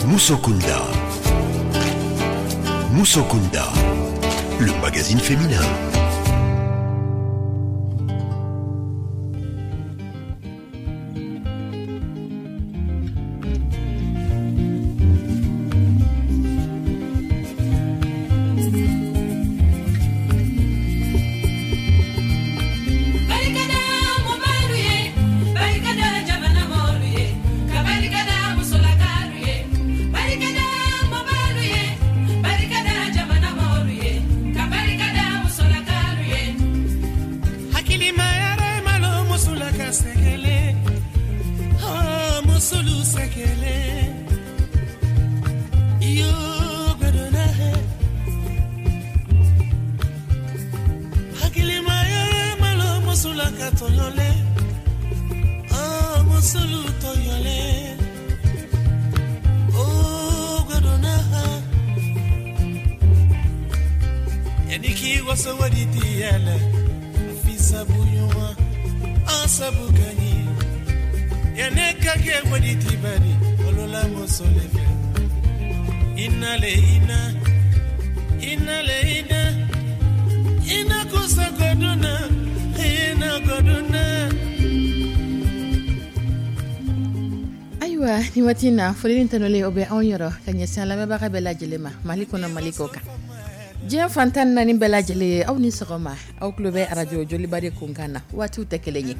Musokunda. Musokunda, le magazine féminin. Ayiwa, ni waati in na, foli ni tanuli o bɛ anw yɔrɔ ka ɲɛsin lamɛnbaga bɛɛ lajɛlen ma, Mali kɔnɔ, Mali kɔ kan, diɲɛ fan 14 bɛɛ lajɛlen ye, aw ni sɔgɔma. Aw tulo bɛ arajo Joliba de kunkan na. Waatiw tɛ kelen ye,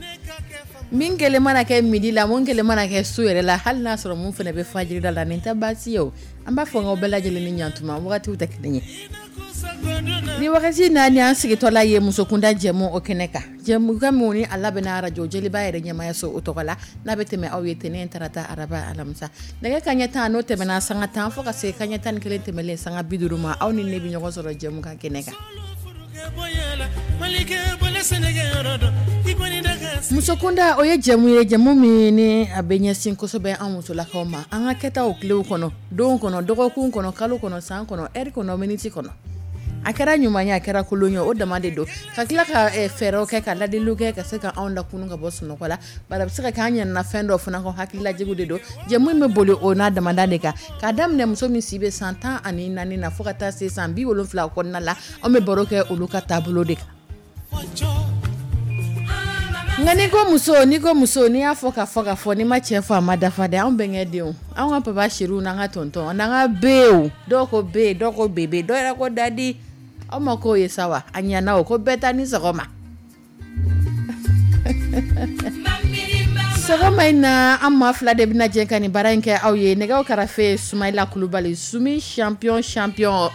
min kelen mana kɛ midi la, mun kelen mana kɛ su yɛrɛ la, hali n'a sɔrɔ mun fana bɛ fajirida la, nin tɛ baasi ye o. An b'a fɔ aw bɛɛ lajɛlen ni ɲantuma, wagatiw tɛ kelen ye. Ni wagati na, ni an sigitɔla ye musokunda jɛmu o kɛnɛ kan, jɛmukan min ni a labɛnna arajo Joliba yɛrɛ ɲɛmayaso o tɔgɔ la, n'a bɛ tɛmɛ aw ye tɛnɛn, tarata, araba, alamisa, nɛgɛ kaɲɛ 10 n'o tɛmɛna sanga 10 fo ka se kaɲɛ 11 tɛmɛlen sanga 50 ma, aw ni ne bɛ ɲɔgɔn sɔrɔ jɛmukan kɛnɛ kan. Musokunda, o ye jɛmu ye, jɛmu min ni a bɛ ɲɛsin kosɛbɛ an musolakaw ma, an ka kɛtaw tilew kɔnɔ, don kɔnɔ, dɔgɔkun kɔnɔ, kalo kɔnɔ, san kɔnɔ, ɛri kɔnɔ, miniti kɔnɔ. A kɛra ɲuman ye, a kɛra kolon ye, o dama de don, ka tila ka fɛɛrɛw kɛ, ka ladiliw kɛ, ka se ka anw lakunu ka bɔ sunɔgɔ la. Bari a bɛ se ka kɛ an ɲinɛna fɛn dɔ fana kɔ, hakililajigiw de don. Jɛmu in bɛ boli o n'a damada de kan, k'a daminɛ muso min si bɛ san 14 na fo ka taa se san 70 kɔnɔna la, anw bɛ baro kɛ olu ka taabolo de kan. Nka n'i ko muso, n'i ko muso, n'i y'a fɔ ka fɔ ka fɔ, n'i ma cɛ fɔ, a ma dafa dɛ. Anw bɛnkɛ denw, anw ka papa chéri n'an ka tonton n'an ka bew, dɔw ko be, dɔw ko bébé, dɔw yɛrɛ ko daddy. Aw ma k'o ye sa wa? A ɲɛna o, ko bɛɛ ta ni sɔgɔma. Sɔgɔma in na, an maa fila de bɛna jɛ ka nin baara in kɛ aw ye. Nɛgɛw karafe, Sumayila Kulubali, Sumi champion champion,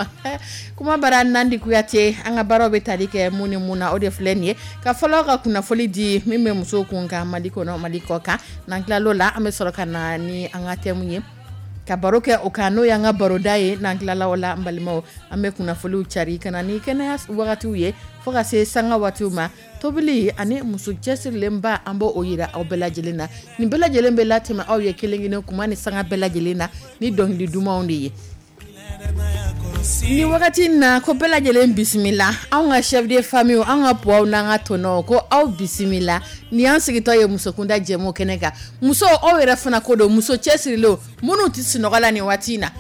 kuma bara Nandi Kuyate. An ka baaraw bɛ tali kɛ mun ni mun na, o de filɛ nin ye. Ka fɔlɔ ka kunnafoli di min bɛ musow kun kan Mali kɔnɔ, Mali kɔ kan. N'an tilal'o la, an bɛ sɔrɔ ka na ni an ka thème ye, ka baro kɛ o kan, n'o y'an ka baroda ye. N'an tilala o la, an balimaw, an bɛ kunnafoliw cari ka na ni kɛnɛya wagatiw ye fo ka se sanga waatiw ma. Tobili ani muso cɛsirilenba, an b'o yira aw bɛɛ lajɛlen na. Nin bɛɛ lajɛlen bɛ latɛmɛ aw ye kelen kelen kuma ni sanga bɛɛ lajɛlen na ni dɔnkili dumanw de ye. Ni wagati in na, ko bɛɛ lajɛlen bisimila. Anw ka chef de famille, an ka puwaw n'an ka tɔnɔw, ko aw bisimila. Ni y'an sigitɔ ye musokunda jɛmu kɛnɛ kan. Muso, aw yɛrɛ fana ko don, muso cɛsirilenw minnu tɛ sunɔgɔ la nin waati in na,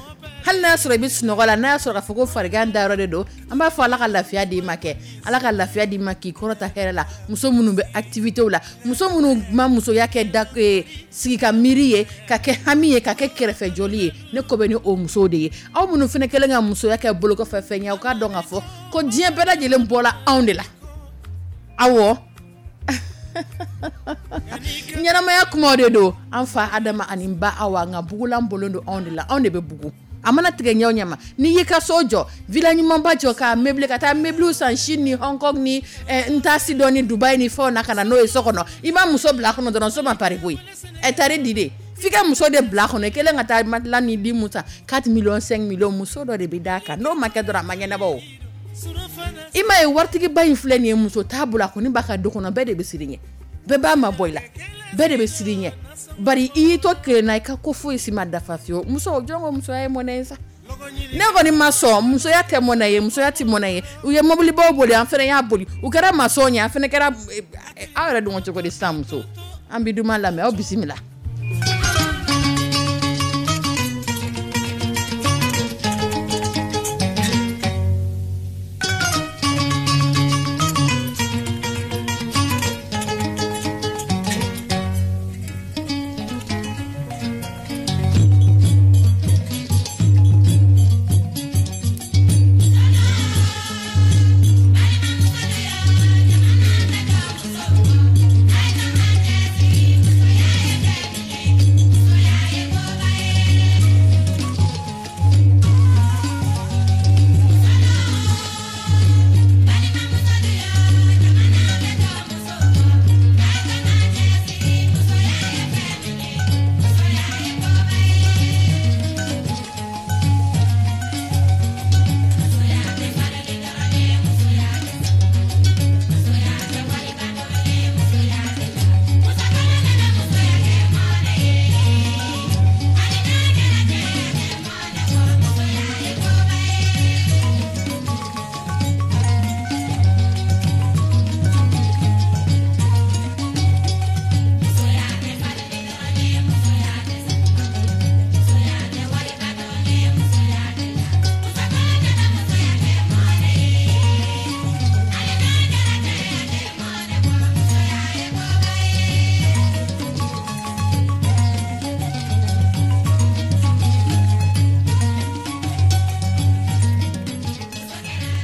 hali n'a sɔrɔ i bɛ sunɔgɔ la, n'a y'a sɔrɔ k'a fɔ ko farigan dayɔrɔ de don, an b'a fɔ Ala ka lafiya d'i ma kɛ, Ala ka lafiya d'i ma k'i kɔrɔta hɛrɛ la. Muso minnu bɛ activité la, muso minnu ma musoya kɛ da sigi ka miiri ye, ka kɛ hami ye, ka kɛ kɛrɛfɛjɔli ye, ne ko bɛ ni o musow de ye. Aw minnu fana kɛlen ka musoya kɛ bolokɔfɛ fɛn ye, aw k'a dɔn k'a fɔ ko diɲɛ bɛɛ lajɛlen bɔla anw de la. Awɔ, ɲɛnamaya kumaw de don. An fa Adama ani ba Awa, nka bugulan bolo don anw de la, anw de bɛ bugu. A mana tigɛ ɲɛ o ɲɛ ma, n'i y'i ka so jɔ, villa ɲumanba jɔ, k'a meublé, ka taa meuble san Chine ni Hong Kong ni n t'a si dɔn ni Dubaï ni fɛnw na, ka na n'o ye so kɔnɔ, i ma muso bila a kɔnɔ dɔrɔn, so ma pari koyi. Ɛ tari di de, f'i ka muso de bila a kɔnɔ. I kɛlen ka taa matelas ni lit mun san 4 millions, 5 millions, muso dɔ de bɛ d'a kan. N'o ma kɛ dɔrɔn, a ma ɲɛnabɔ o. I m'a ye, waritigiba in filɛ nin ye, muso t'a bolo, a kɔni b'a ka du kɔnɔ, bɛɛ de bɛ siran ɲɛ, bɛɛ b'a mabɔ i la, bɛɛ de bɛ siran ɲɛ, bari i y'i to kelen na, i ka ko foyi si ma dafa fiyewu. Muso, jɔn ko musoya ye mɔnɛ ye sa? Ne kɔni ma sɔn, musoya tɛ mɔnɛ ye, musoya tɛ mɔnɛ ye. U ye mobilibaw boli, an fana y'a boli. U kɛra maçon ye, an fana kɛra. Aw yɛrɛ dun cogo di sisan? Muso, an bɛ duman lamɛn, aw bisimila.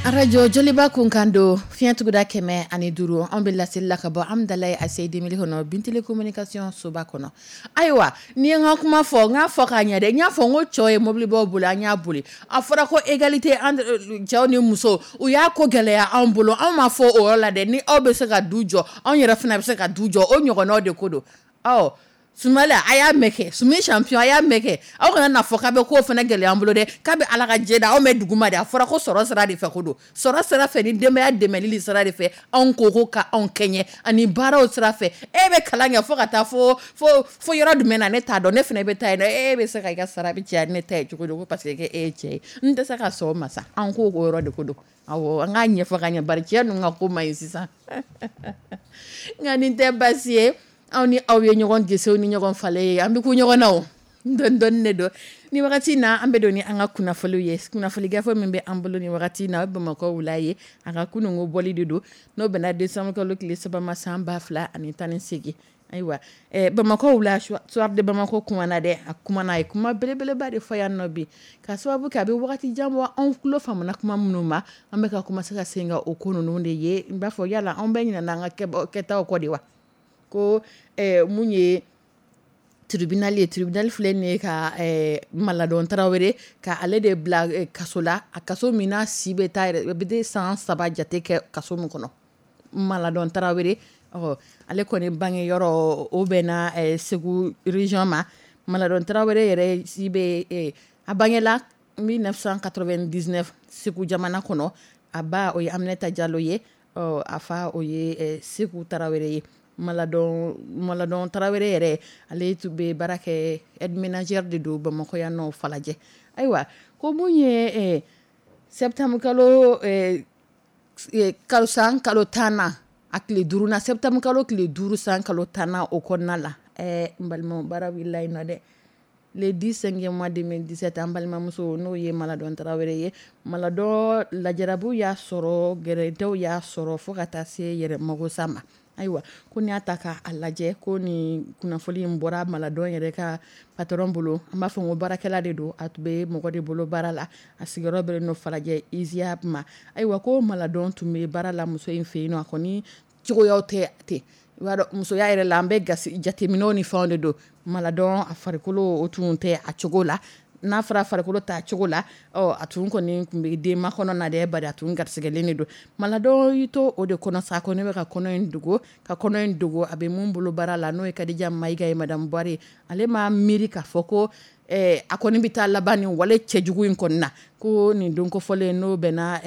Arajo Joliba kunkan don, fiɲɛtuguda 105, an bɛ laseli la ka bɔ Amidalayi ACI 2000 kɔnɔ, Bintili communication soba kɔnɔ. Ayiwa, ni ye n ka kuma fɔ, n k'a fɔ k'a ɲɛ dɛ, n y'a fɔ n ko cɛw ye mobilibaw boli, an y'a boli. A fɔra ko égalité entre cɛw ni musow, u y'a ko gɛlɛya anw bolo. Anw ma fɔ o yɔrɔ la dɛ, ni aw bɛ se ka du jɔ, anw yɛrɛ fana bɛ se ka du jɔ, o ɲɔgɔnnaw de ko don. Ɔ Sumala a y'a mɛn kɛ, Sumi champion a y'a mɛn kɛ, aw kana n'a fɔ k'a bɛ ko fana gɛlɛya an bolo dɛ, k'a bɛ Ala ka diɲɛ da anw bɛ dugu ma dɛ, a fɔra ko sɔrɔ sira de fɛ ko don, sɔrɔ sira fɛ ni denbaya dɛmɛli sira de fɛ, anw ko ka anw kɛɲɛ ani baaraw sira fɛ. E bɛ kalan kɛ fo ka taa fo fo fo yɔrɔ jumɛn na, ne t'a dɔn, ne fana bɛ taa yen nɔ, e bɛ se ka i ka sara bɛ caya ne ta ye cogo di, ko parce que e ye cɛ ye, n tɛ se ka sɔn o ma sa, an ko o yɔrɔ de ko don. Awɔ, an k'a ɲɛfɔ ka ɲɛ, bari cɛ ninnu ka ko man ɲi sisan. Nka nin tɛ baasi ye, anw ni aw ye ɲɔgɔn gesew ni ɲɔgɔn falen ye, an bɛ ku ɲɔgɔn na o, dɔɔni dɔɔni de don. Ni wagati na an bɛ don ni an ka kunnafoniw ye, kunnafoni gafe min bɛ an bolo ni wagati na, o ye Bamakɔ wula ye, a ka kununko bɔli de don, n'o bɛnna décembre kalo tile 3 ma san 2018. Ayiwa, Bamakɔ wula, soir de Bamako kumana dɛ, a kumana, a ye kuma belebeleba de fɔ yan nɔ bi, ka sababu kɛ a bɛ wagati jan bɔ, anw tulo famana kuma minnu ma, an bɛ ka commencer ka sen ka o ko ninnu de ye. N b'a fɔ yala anw bɛ ɲinɛna an ka kɛtaw kɔ de wa? Ko mun ye tribunal ye, tribunal filɛ nin ye ka Maladɔn Tarawele ka ale de bila kaso la, a kaso min n'a si bɛ taa yɛrɛ bɛ san 3 jate kɛ kaso min kɔnɔ. Maladɔn Tarawele, ɔ ale kɔni bange yɔrɔ o bɛnna Segu région ma. Maladɔn Tarawele yɛrɛ si bɛ, a bangela 1999 Segu jamana kɔnɔ. A ba o ye Aminata Jalo ye, ɔ a fa o ye Seku Tarawele ye. Maladɔn Tarawele yɛrɛ, ale tun bɛ baara kɛ aide ménagère de don Bamakɔ yan nɔ Falajɛ. Ayiwa, ko mun ye septembre kalo san kalo 10nan a tile 5 na, septembre kalo tile 5 san kalo 10nan o kɔnɔna la, n balimaw, baara wulila yen nɔ dɛ. Le 10 5e mois 2017, an balimamuso n'o ye Maladɔn Tarawele ye, Maladɔn lajarabiw y'a sɔrɔ, gɛrɛntɛw y'a sɔrɔ fo ka taa se yɛrɛ magosa ma. Ayiwa, ko n'i y'a ta k'a lajɛ, ko nin kunnafoni in bɔra Maladɔn yɛrɛ ka patron bolo, an b'a fɔ ko baarakɛla de don, a tun bɛ mɔgɔ de bolo baara la, a sigiyɔrɔ bɛnnen don Falajɛ ISIA ma. Ayiwa, ko Maladɔn tun bɛ baara la muso in fɛ yen nɔ, a kɔni cogoyaw tɛ ten, i b'a dɔn musoya yɛrɛ la an bɛ gasi jateminɛw ni fɛnw de don. Maladɔn a farikolo o tun tɛ a cogo la, n'a fɔra farikolo t'a cogo la, ɔ a tun kɔni tun bɛ denma kɔnɔ na dɛ, bari a tun garisigɛlen de don. Maladɔn y'i to o de kɔnɔ sa, ko ne bɛ ka kɔnɔ in dogo, ka kɔnɔ in dogo a bɛ mun bolo baara la, n'o ye Kadija Mayiga ye, madame Buware, ale ma miiri k'a fɔ ko a kɔni bɛ taa laban nin wale cɛjugu in kɔni na. Ko nin don kofɔlen n'o bɛnna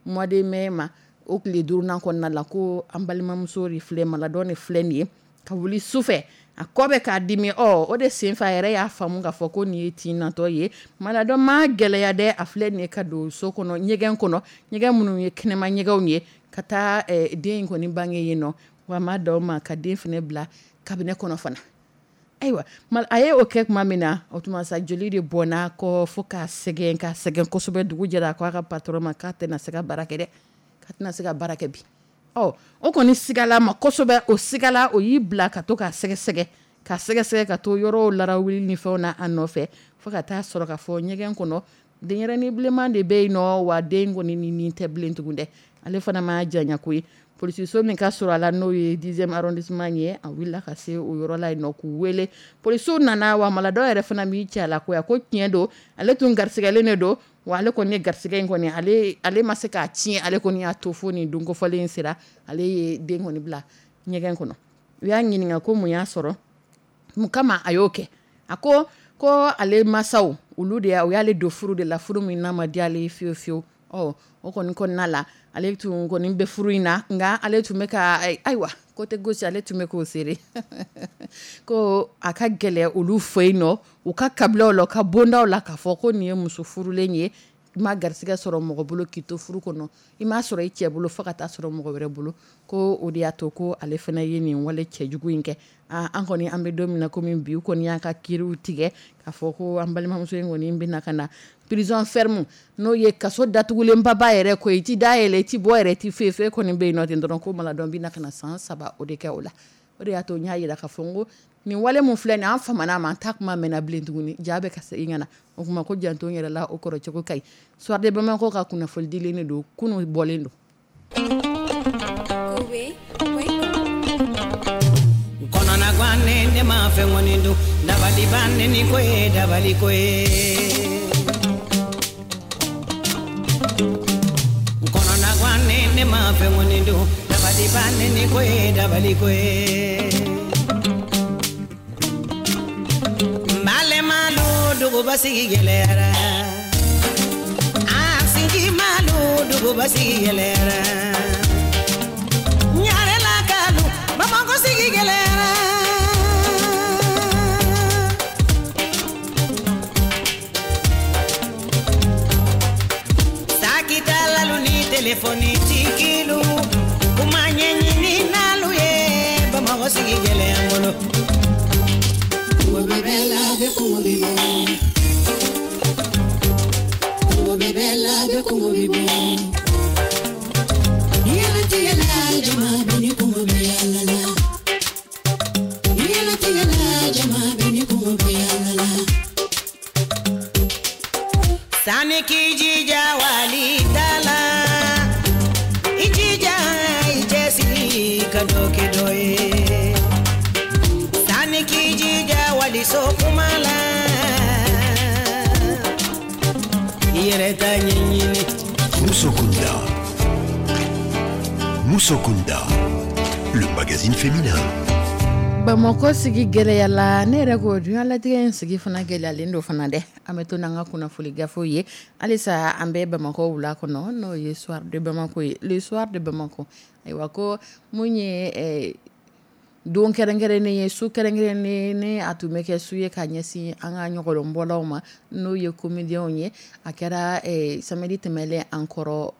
mois de mai ma, o tile 5nan kɔnɔna la, ko an balimamuso de filɛ, Maladɔn de filɛ nin ye ka wuli su fɛ, a kɔ bɛ k'a dimi. Ɔ o de senfɛ a yɛrɛ y'a faamu k'a fɔ ko nin ye tin natɔ ye. Maladɔn ma gɛlɛya dɛ, a filɛ nin ye ka don so kɔnɔ, ɲɛgɛn kɔnɔ, ɲɛgɛn minnu ye kɛnɛma ɲɛgɛnw ye, ka taa den in kɔni bange yen nɔ, wa ma d'aw ma ka den fana bila cabinet kɔnɔ fana. Ayiwa, a ye o kɛ tuma min na, o tuma sa joli de bɔnna kɔ fo k'a sɛgɛn, k'a sɛgɛn kosɛbɛ. Dugu jɛra, a ko a ka patron ma k'a tɛna se ka baara kɛ dɛ, k'a tɛna se ka baara kɛ bi. Ɔ o kɔni sigala ma kosɛbɛ, o sigala, o y'i bila ka to k'a sɛgɛsɛgɛ, ka sɛgɛsɛgɛ ka to yɔrɔw larawuli ni fɛnw na a nɔfɛ, fo ka taa sɔrɔ k'a fɔ ɲɛgɛn kɔnɔ denyɛrɛnin bilenman de bɛ yen nɔ, wa den kɔni ni tɛ bilen tugun dɛ. Ale fana ma janya koyi, polisiso min ka sɔrɔ a la, n'o ye 10e arrondissement ye, a wulila ka se o yɔrɔ la yen nɔ k'u wele. Polisiw nana, wa Maladɔn yɛrɛ fana m'i cɛ a la koyi, a ko tiɲɛ don, ale tun garisigɛlen de don, wa ale kɔni ye garisigɛ in kɔni, ale ma se k'a tiɲɛ, ale kɔni y'a to fo nin don kofɔlen in sera, ale ye den kɔni bila ɲɛgɛn kɔnɔ. U y'a ɲininka ko mun y'a sɔrɔ, mun kama a y'o kɛ. A ko ko ale masaw olu de u y'ale don furu de la, furu min n'a ma diya ale ye fiyewu fiyewu. Ɔ o kɔni kɔnɔna la, ale tun kɔni bɛ furu in na, nka ale tun bɛ ka, ayiwa, côté gauche ale tun bɛ k'o sere, ko a ka gɛlɛn olu fɛ yen nɔ, u ka kabilaw la, u ka bondaw la, k'a fɔ ko nin ye muso furulen ye, i ma garisigɛ sɔrɔ mɔgɔ bolo k'i to furu kɔnɔ, i m'a sɔrɔ i cɛ bolo fo ka taa sɔrɔ mɔgɔ wɛrɛ bolo, ko o de y'a to ko ale fana ye nin wale cɛjugu in kɛ. An kɔni an bɛ don min na komi bi, u kɔni y'a ka kiiriw tigɛ k'a fɔ ko an balimamuso in kɔni bɛna ka na prison ferme, n'o ye kaso datugulenbaba yɛrɛ ko i ti da yɛlɛ, i ti bɔ yɛrɛ, i ti foyi foyi kɔni bɛ yen nɔ ten dɔrɔn, ko Maladɔn bɛna ka na san 3 o de kɛ o la. O de y'a to n y'a jira k'a fɔ n ko nin wale mun filɛ nin an famana ma, an ta kuma mɛnna bilen tuguni, ja bɛ ka segin ka na. O kuma ko janto n yɛrɛ la, o kɔrɔ cogo ka ɲi. Soir de Bamako ka kunnafoni dilen de don, kunun bɔlen don. Kɔnɔna ne ma fɛn kɔni dun, dabali ban ni ko ye dabali ko ye. Kɔnɔna ne ma fɛn kɔni dun, dabali ban ni ko ye dabali ko ye. Malema lo duguba sigi gɛlɛyara, a sigi malo duguba sigi gɛlɛyara. Ɲarela kalu Bamakɔ sigi gɛlɛyara. Sakitalalu ni telefɔni tigilu, kuma ɲɛɲini n'alu ye, Bamakɔ sigi gɛlɛya n bolo. Kungo bɛ la, bɛ kungo bɛ bɔ. Kungo bɛ la, bɛ kungo bɛ bɔ. Yɛlɛtigɛ la, jama bɛ ni kungo bɛ yala la. Yɛlɛtigɛ la, jama bɛ ni kungo bɛ yala la. Sani k'i jija wali ta la, i jija i cɛsiri ka dɔ kɛ dɔ ye. Sani k'i jija wali so kuma la, i yɛrɛ ta ɲɛɲini. Musokunda. Musokunda, le magazine féminin. Bamakɔ sigi gɛlɛyala, ne yɛrɛ ko diɲɛlatigɛ in sigi fana gɛlɛyalen don fana dɛ. An bɛ to n'an ka kunnafoni gafew ye halisa, an bɛ Bamakɔ wula kɔnɔ, n'o ye Soir de Bamako ye, le Soir de Bamako. Ayiwa, ko mun ye don kɛrɛnkɛrɛnnen ye, su kɛrɛnkɛrɛnnen ne a tun bɛ kɛ su ye ka ɲɛsin an ka ɲɔgɔlɔnbɔlaw ma, n'o ye comédiens ye. A kɛra samedi tɛmɛlen an kɔrɔ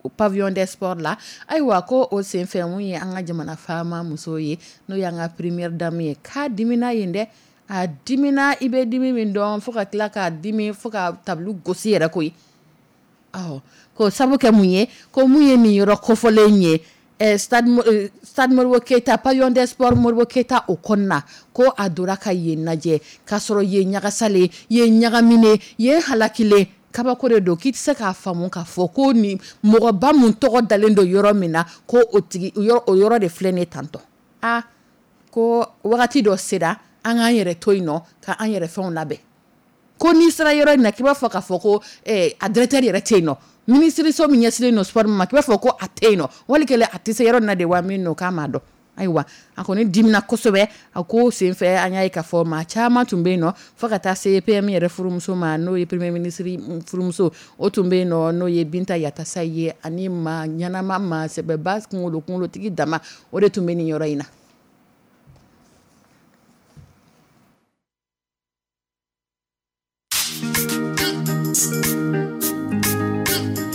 o pavillon des sports la. Ayiwa, ko o senfɛ, mun ye an ka jamana faama muso ye, n'o y'an ka première dame ye, k'a dimina yen dɛ. A dimina, i bɛ dimi min dɔn, fo ka tila k'a dimi fo ka tabulu gosi yɛrɛ koyi. Awɔ, ko sabu kɛ mun ye, ko mun ye nin yɔrɔ kofɔlen ye, stade Modibo Keyita, pavillon des sports Modibo Keyita, o kɔnɔna, ko a donna ka yen lajɛ k'a sɔrɔ yen ɲagasalen, yen ɲagaminen, yen halakilen. Kabako de don k'i tɛ se k'a faamu k'a fɔ ko ni mɔgɔba mun tɔgɔ dalen don yɔrɔ min na, ko o tigi o yɔrɔ de filɛ nin ye tantɔ. Aa, ko wagati dɔ sera, an k'an yɛrɛ to yen nɔ ka an yɛrɛ fɛnw labɛn. Ko n'i sera yɔrɔ in na, k'i b'a fɔ k'a fɔ ko a directeur yɛrɛ tɛ yen nɔ, minisiriso min ɲɛsinnen don sport ma, k'i b'a fɔ ko a tɛ yen nɔ, wali kɛlen a tɛ se yɔrɔ in na de wa min don, k'a m'a dɔn. Ayiwa, a kɔni dimina kosɛbɛ. A ko senfɛ, an y'a ye k'a fɔ maa caman tun bɛ yen nɔ, fo ka taa se PM yɛrɛ furumuso ma, n'o ye premier ministre furumuso, o tun bɛ yen nɔ, n'o ye Binta Yatasa ye, ani maa ɲɛnama, maa sɛbɛba, kunkolo kunkolotigi dama, o de tun bɛ nin yɔrɔ in na.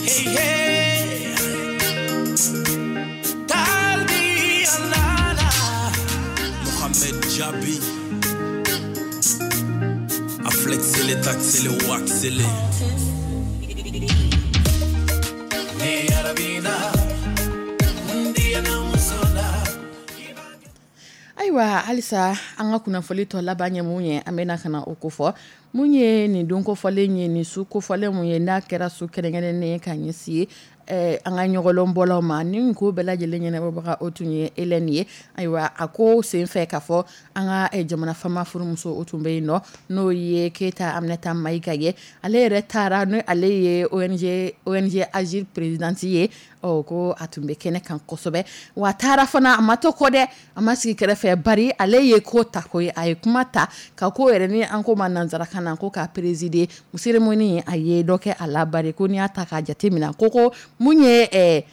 Hey, hey. Talbi Alala. Mohamed Djabi. A flexé les taxés, les waxé les. Ni Arabina, Ndiana Musola. Ayiwa, halisa an ka kunnafoni tɔ laban ye mun ye, an bɛna ka na o kofɔ. Mun ye nin don kofɔlen ye, nin su kofɔlen mun ye, n'a kɛra su kɛrɛnkɛrɛnnen ye ka ɲɛsin an ka ɲɔgɔlɔnbɔlaw ma, ni ko bɛɛ lajɛlen ɲɛnabɔbaga, o tun ye Hélène ye. Ayiwa, a ko senfɛ k'a fɔ an ka jamana faama furumuso, o tun bɛ yen nɔ, n'o ye Keyita Aminata Mayiga ye. Ale yɛrɛ taara ni ale ye ONG Agir présidente ye. Ɔ, ko a tun bɛ kɛnɛ kan kosɛbɛ, wa a taara fana, a ma to kɔ dɛ, a ma sigi kɛrɛfɛ, bari ale ye ko ta ko ye, a ye kuma ta ka ko yɛrɛ ni an ko ma nanzarakan na ko k'a présider cérémonie, a ye dɔ kɛ a la, bari ko n'i y'a ta k'a jate minɛ, ko mun ye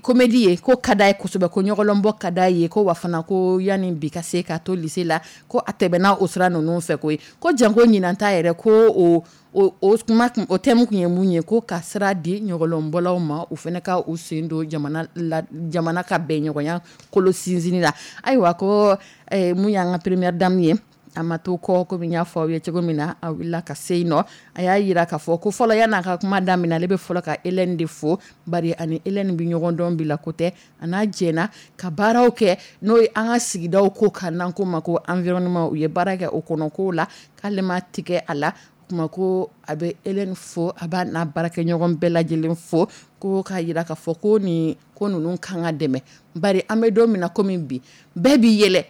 comédie ye, ko ka d'a ye kosɛbɛ, ko ɲɔgɔlɔnbɔ ka d'a ye, ko wa fana ko yanni bi ka se ka to lycée la, ko a tɛmɛna o sira ninnu fɛ koyi. Ko janko ɲinan ta yɛrɛ, ko o kuma o thème kun ye mun ye, ko ka sira di ɲɔgɔlɔnbɔlaw ma, u fana ka u sen don jamana la, jamana ka bɛnɲɔgɔnya kolo sinsinni la. Ayiwa, ko mun y'an ka première dame ye, A ma to kɔ, komi n y'a fɔ aw ye cogo min na, a wulila ka se yen nɔ. A y'a jira k'a fɔ ko fɔlɔ, yan'a ka kuma daminɛ, ale bɛ fɔlɔ ka Hélène de fo, bari ani Hélène bɛ ɲɔgɔn dɔn bi la ko tɛ, a n'a jɛna ka baaraw kɛ, n'o ye an ka sigidaw ko kan, n'an ko ma ko environnement. U ye baara kɛ o kɔnɔ kow la, k'ale ma tigɛ a la. Kuma ko a bɛ Hélène fo, a b'a n'a baarakɛɲɔgɔn bɛɛ lajɛlen fo, ko k'a jira k'a fɔ ko nin ko ninnu kan ka dɛmɛ, bari an bɛ don min na komi bi, bɛɛ b'i yɛlɛ,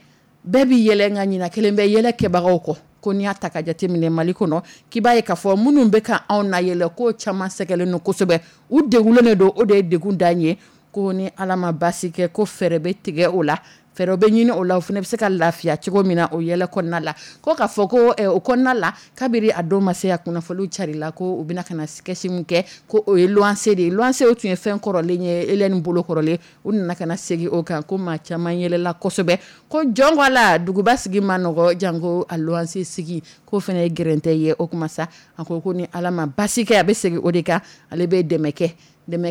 bɛɛ b'i yɛlɛ, nka ɲina kelen bɛ yɛlɛ kɛbagaw kɔ. Ko n'i y'a ta ka jateminɛ Mali kɔnɔ, k'i b'a ye k'a fɔ minnu bɛ ka anw na yɛlɛ, k'o caman sɛgɛlen don kosɛbɛ, u degunnen de don, o de ye degun dan ye. Ko ni Ala ma baasi kɛ, ko fɛɛrɛ bɛ tigɛ o la, fɛɛrɛ bɛ ɲini o la, o fana bɛ se ka lafiya cogo min na o yɛlɛ kɔnɔna la. Ko k'a fɔ ko o kɔnɔna la, kabiri a don ma se, a kunnafoniw carila ko u bɛna ka na sketch min kɛ, ko o ye luwanse de ye. Luwanse o tun ye fɛn kɔrɔlen ye, Hélène bolo kɔrɔlen, u nana ka na segin o kan, ko maa caman yɛlɛla kosɛbɛ. Ko jɔn ko a la, duguba sigi ma nɔgɔ, janko a luwanse sigi, k'o fana ye gɛrɛntɛ ye. O kuma sa, a ko ko ni Ala ma baasi kɛ, a bɛ segin o de kan, ale bɛ dɛmɛ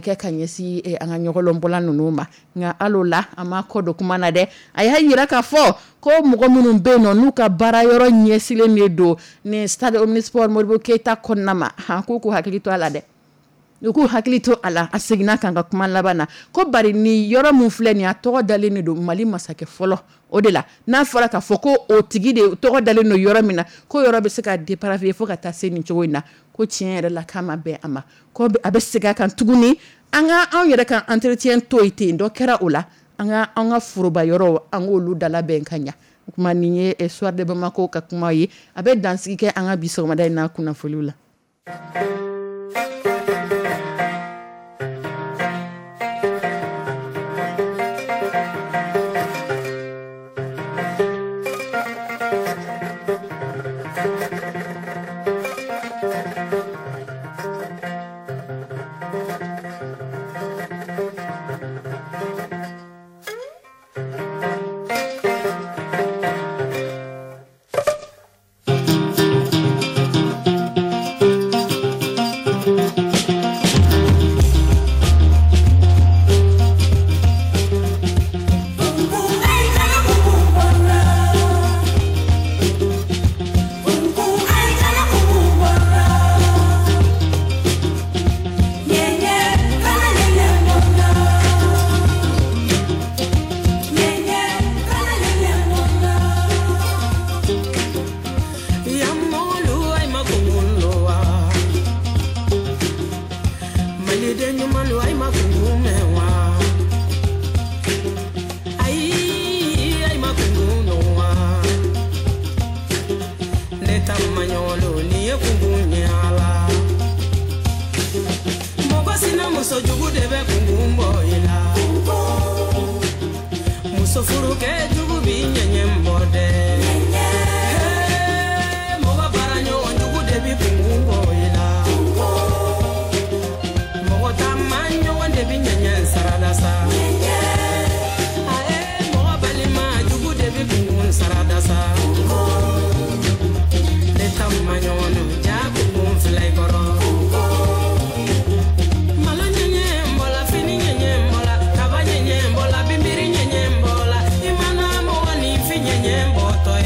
kɛ ka ɲɛsin an ka ɲɔgɔlɔnbɔla ninnu ma. Nka hali la, a ma kɔ don kuma na dɛ. A y'a jira k'a fɔ ko mɔgɔ minnu bɛ yen nɔ, n'u ka baara yɔrɔ ɲɛsilen de don ni stade omnisport Modibo Keyita kɔnɔna ma, han, k'u k'u hakili to a la dɛ, u k'u hakili to a la. A seginna kan ka kuma laban na ko bari ni yɔrɔ min filɛ nin, a tɔgɔ dalen de don Mali masakɛ fɔlɔ o de la. N'a fɔra k'a fɔ ko o tigi de tɔgɔ dalen don yɔrɔ min na, ko yɔrɔ bɛ se ka dépraver fo ka taa se nin cogo in na, ko tiɲɛ yɛrɛ la, k'a ma bɛn a ma. Ko a bɛ segin a kan tuguni, an ka anw yɛrɛ ka entretien to yen ten, dɔ kɛra o la, an ka an ka foroba yɔrɔw, an k'olu dalabɛn ka ɲa. O kuma nin ye Soir de Bamako ka kuma ye, a bɛ dansigi kɛ an ka bi sɔgɔmada in na kunnafoniw la. Kaba ɲɛɲɛ bɔla, binbiri ɲɛɲɛ bɔla, i mana mɔgɔ ni fi ɲɛɲɛ bɔtɔ.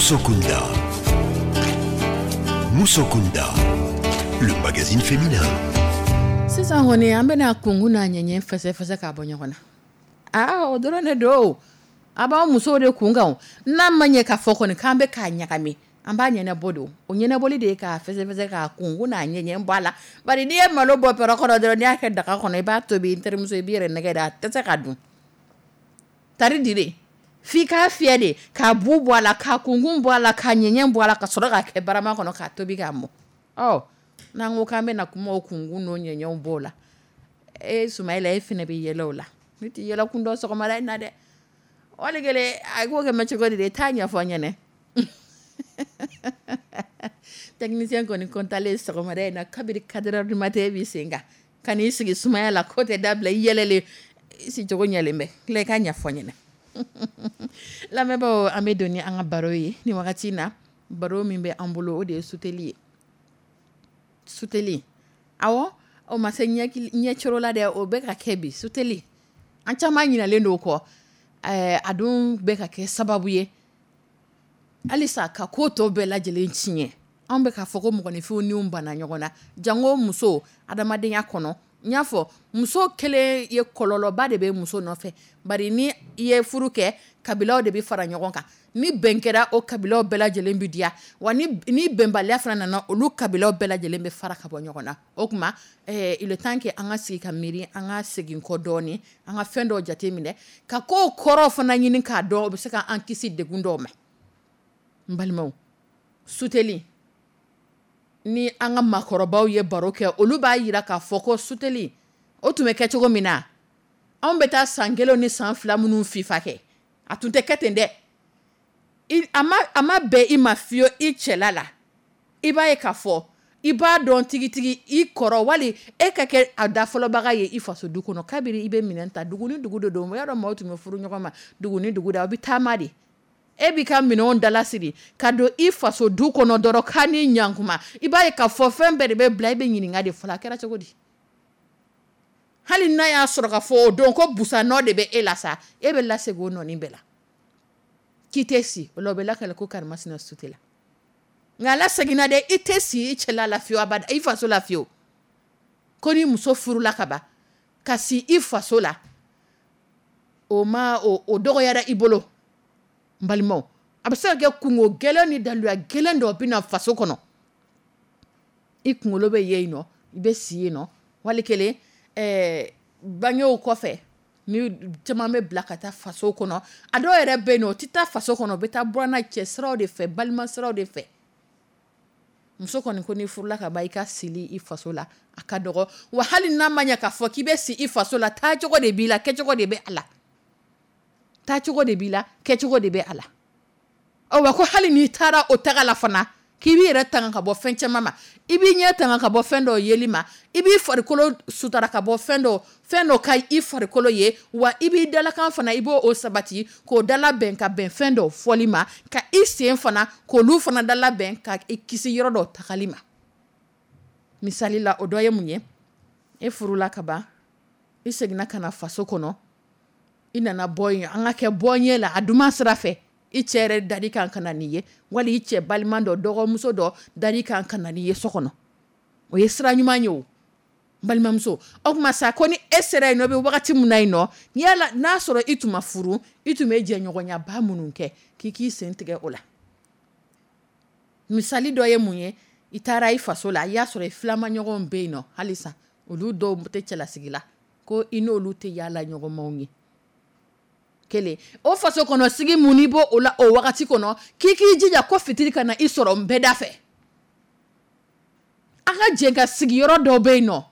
Musokunda. Musokunda, le magazine féminin. Sisan kɔni, an bɛna kunkun n'a ɲɛɲɛ fɛsɛfɛsɛ k'a bɔ ɲɔgɔn na. Aa, o dɔrɔn de don. A b'an musow de kun kan. N'an ma ɲɛ k'a fɔ kɔni k'an bɛ k'a ɲagami, an b'a ɲɛnabɔ don. O ɲɛnabɔli de ye k'a fɛsɛfɛsɛ, k'a kunkun n'a ɲɛɲɛ bɔ a la. Bari n'i ye malo bɔ pɛrɛ kɔnɔ dɔrɔn, n'i y'a kɛ daga kɔnɔ, i b'a tobi, n terimuso, i b'i yɛrɛ nɛgɛ de, a tɛ se ka dun tari dire. F'i k'a fiyɛ de, k'a bu bɔ a la, k'a kunkun bɔ a la, k'a ɲɛɲɛ bɔ a la, ka sɔrɔ k'a kɛ barama kɔnɔ k'a tobi k'a mɔ. Ɔ, n'an ko k'an bɛna kuma o kunkun n'o ɲɛɲɛw bɔ o la, e Sumayila, e fɛnɛ bɛ yɛlɛ o la. Ne tɛ yɛlɛ kun dɔn sɔgɔmada in na dɛ. Wali kelen a k'o kɛ mɛ cogo di de, taa ɲɛfɔ n ɲɛnɛ. Technicien kɔni kɔntalen sɔgɔmada in na, kabiri 4 heures du matin b'i sen kan ka n'i sigi sumaya la, ko tɛ dabila. I yɛlɛlen, i sicogo ɲɛlen bɛ tila, i ka ɲɛfɔ n ɲɛnɛ. Lamɛnbaaw, an bɛ don ni an ka baro ye ni wagati in na. Baro min bɛ an bolo, o de ye suteli ye. Suteli, awɔ, o ma se ɲɛcoro la dɛ, o bɛ ka kɛ bi. Suteli, an caman ɲinalen don o kɔ. A dun bɛ ka kɛ sababu ye halisa ka ko tɔ bɛɛ lajɛlen tiɲɛ. Anw bɛ k'a fɔ ko mɔgɔninfinw ni banna ɲɔgɔn na, janko muso adamadenya kɔnɔ. N y'a fɔ, muso kelen ye, kɔlɔlɔba de bɛ muso nɔfɛ. Bari ni i ye furu kɛ, kabilaw de bɛ fara ɲɔgɔn kan. Ni bɛn kɛra, o kabilaw bɛɛ lajɛlen bɛ diya wa. Ni bɛnbaliya fana nana, olu kabilaw bɛɛ lajɛlen bɛ fara ka bɔ ɲɔgɔn na. O tuma, il est temps que an ka sigi ka miiri, an ka segin kɔ dɔɔni, an ka fɛn dɔw jate minɛ, ka kow kɔrɔ fana ɲini k'a dɔn. O bɛ se ka an kisi degun dɔw ma. N balimaw, suteli ni an ka maakɔrɔbaw ye baro kɛ, olu b'a jira k'a fɔ ko suteli o tun bɛ kɛ cogo min na, anw bɛ taa san 1 ni san 2 minnu fifa kɛ, a tun tɛ kɛ ten dɛ. A ma bɛn i ma fiyewu i cɛla la. I b'a ye k'a fɔ i b'a dɔn tigitigi i kɔrɔ wali e ka kɛ a da fɔlɔbaga ye i faso du kɔnɔ. Kabini i bɛ minɛn ta, dugu ni dugu de don. O y'a dɔn, maaw tun bɛ furu ɲɔgɔn ma dugu ni dugu da, aw bɛ taama de. E b'i ka minɛnw dalasiri ka don i faso du kɔnɔ dɔrɔn, k'a ni ɲankuma, i b'a ye k'a fɔ fɛn bɛɛ de bɛ bila. I bɛ ɲininka de fɔlɔ, a kɛra cogo di? Hali n'a y'a sɔrɔ k'a fɔ o don ko busan nɔ de bɛ e la sa, e bɛ lasegin o nɔnin bɛɛ la k'i tɛ si o la. O bɛ lakale ko karimasina sute la. Nka la seginna dɛ, i tɛ si i cɛla la fiyewu, abada, i faso la fiyewu. Ko ni muso furula ka ban ka si i faso la, o ma o dɔgɔyara i bolo. N balimaw, a bɛ se ka kɛ kungo gɛlɛn ni daluya gɛlɛn dɔ bɛ na faso kɔnɔ, i kunkolo bɛ yen nɔ, i bɛ si yen nɔ. Wali kelen, bangew kɔfɛ, ni caman bɛ bila ka taa faso kɔnɔ. A dɔw yɛrɛ bɛ yen nɔ, o tɛ taa faso kɔnɔ, u bɛ taa buranna cɛ siraw de fɛ, balima siraw de fɛ. Muso kɔni ko n'i furula ka ban, i ka sili i faso la, a ka dɔgɔ wa. Hali n'a ma ɲɛ k'a fɔ k'i bɛ si i faso la, taacogo de b'i la, kɛcogo de bɛ a la. Taacogo de b'i la, kɛcogo de bɛ a la. Ɔ wa, ko hali n'i taara o taga la fana, k'i b'i yɛrɛ tanga ka bɔ fɛn caman ma. I b'i ɲɛ tanga ka bɔ fɛn dɔw yeli ma, i b'i farikolo sutara ka bɔ fɛn dɔ ka i farikolo ye wa. I b'i dalakan fana, i b'o o sabati k'o dala bɛn ka bɛn fɛn dɔw fɔli ma, ka i sen fana k'olu fana dala bɛn ka i kisi yɔrɔ dɔw tagali ma. Misali la, o dɔ ye mun ye? E furula ka ban, i seginna ka na faso kɔnɔ, i nana bɔ yen, an ka kɛ bɔ ɲɛ la a duman sira fɛ. I cɛ yɛrɛ dari kan ka na n'i ye, wali i cɛ balima dɔ, dɔgɔmuso dɔ dari kan ka na n'i ye so kɔnɔ. O ye sira ɲuman ye. O balimamuso, o tuma sa, ko ni e sera yen nɔ, i bɛ wagati min na yen nɔ, yala n'a sɔrɔ i tun ma furu, i tun bɛ jɛɲɔgɔnyaba minnu kɛ, k'i k'i sen tigɛ o la. Misali dɔ ye mun ye? I taara i faso la, i y'a sɔrɔ i filamaɲɔgɔnw bɛ yen nɔ halisa, olu dɔw tɛ cɛlasigi la, ko i n'olu tɛ yaala ɲɔgɔnmaw ye. Kelen o faso kɔnɔ sigi mun n'i b'o o la o wagati kɔnɔ, k'i k'i jija ko fitiri ka na i sɔrɔ n bɛɛ da fɛ. An ka jɛ ka sigiyɔrɔ dɔw bɛ yen nɔ,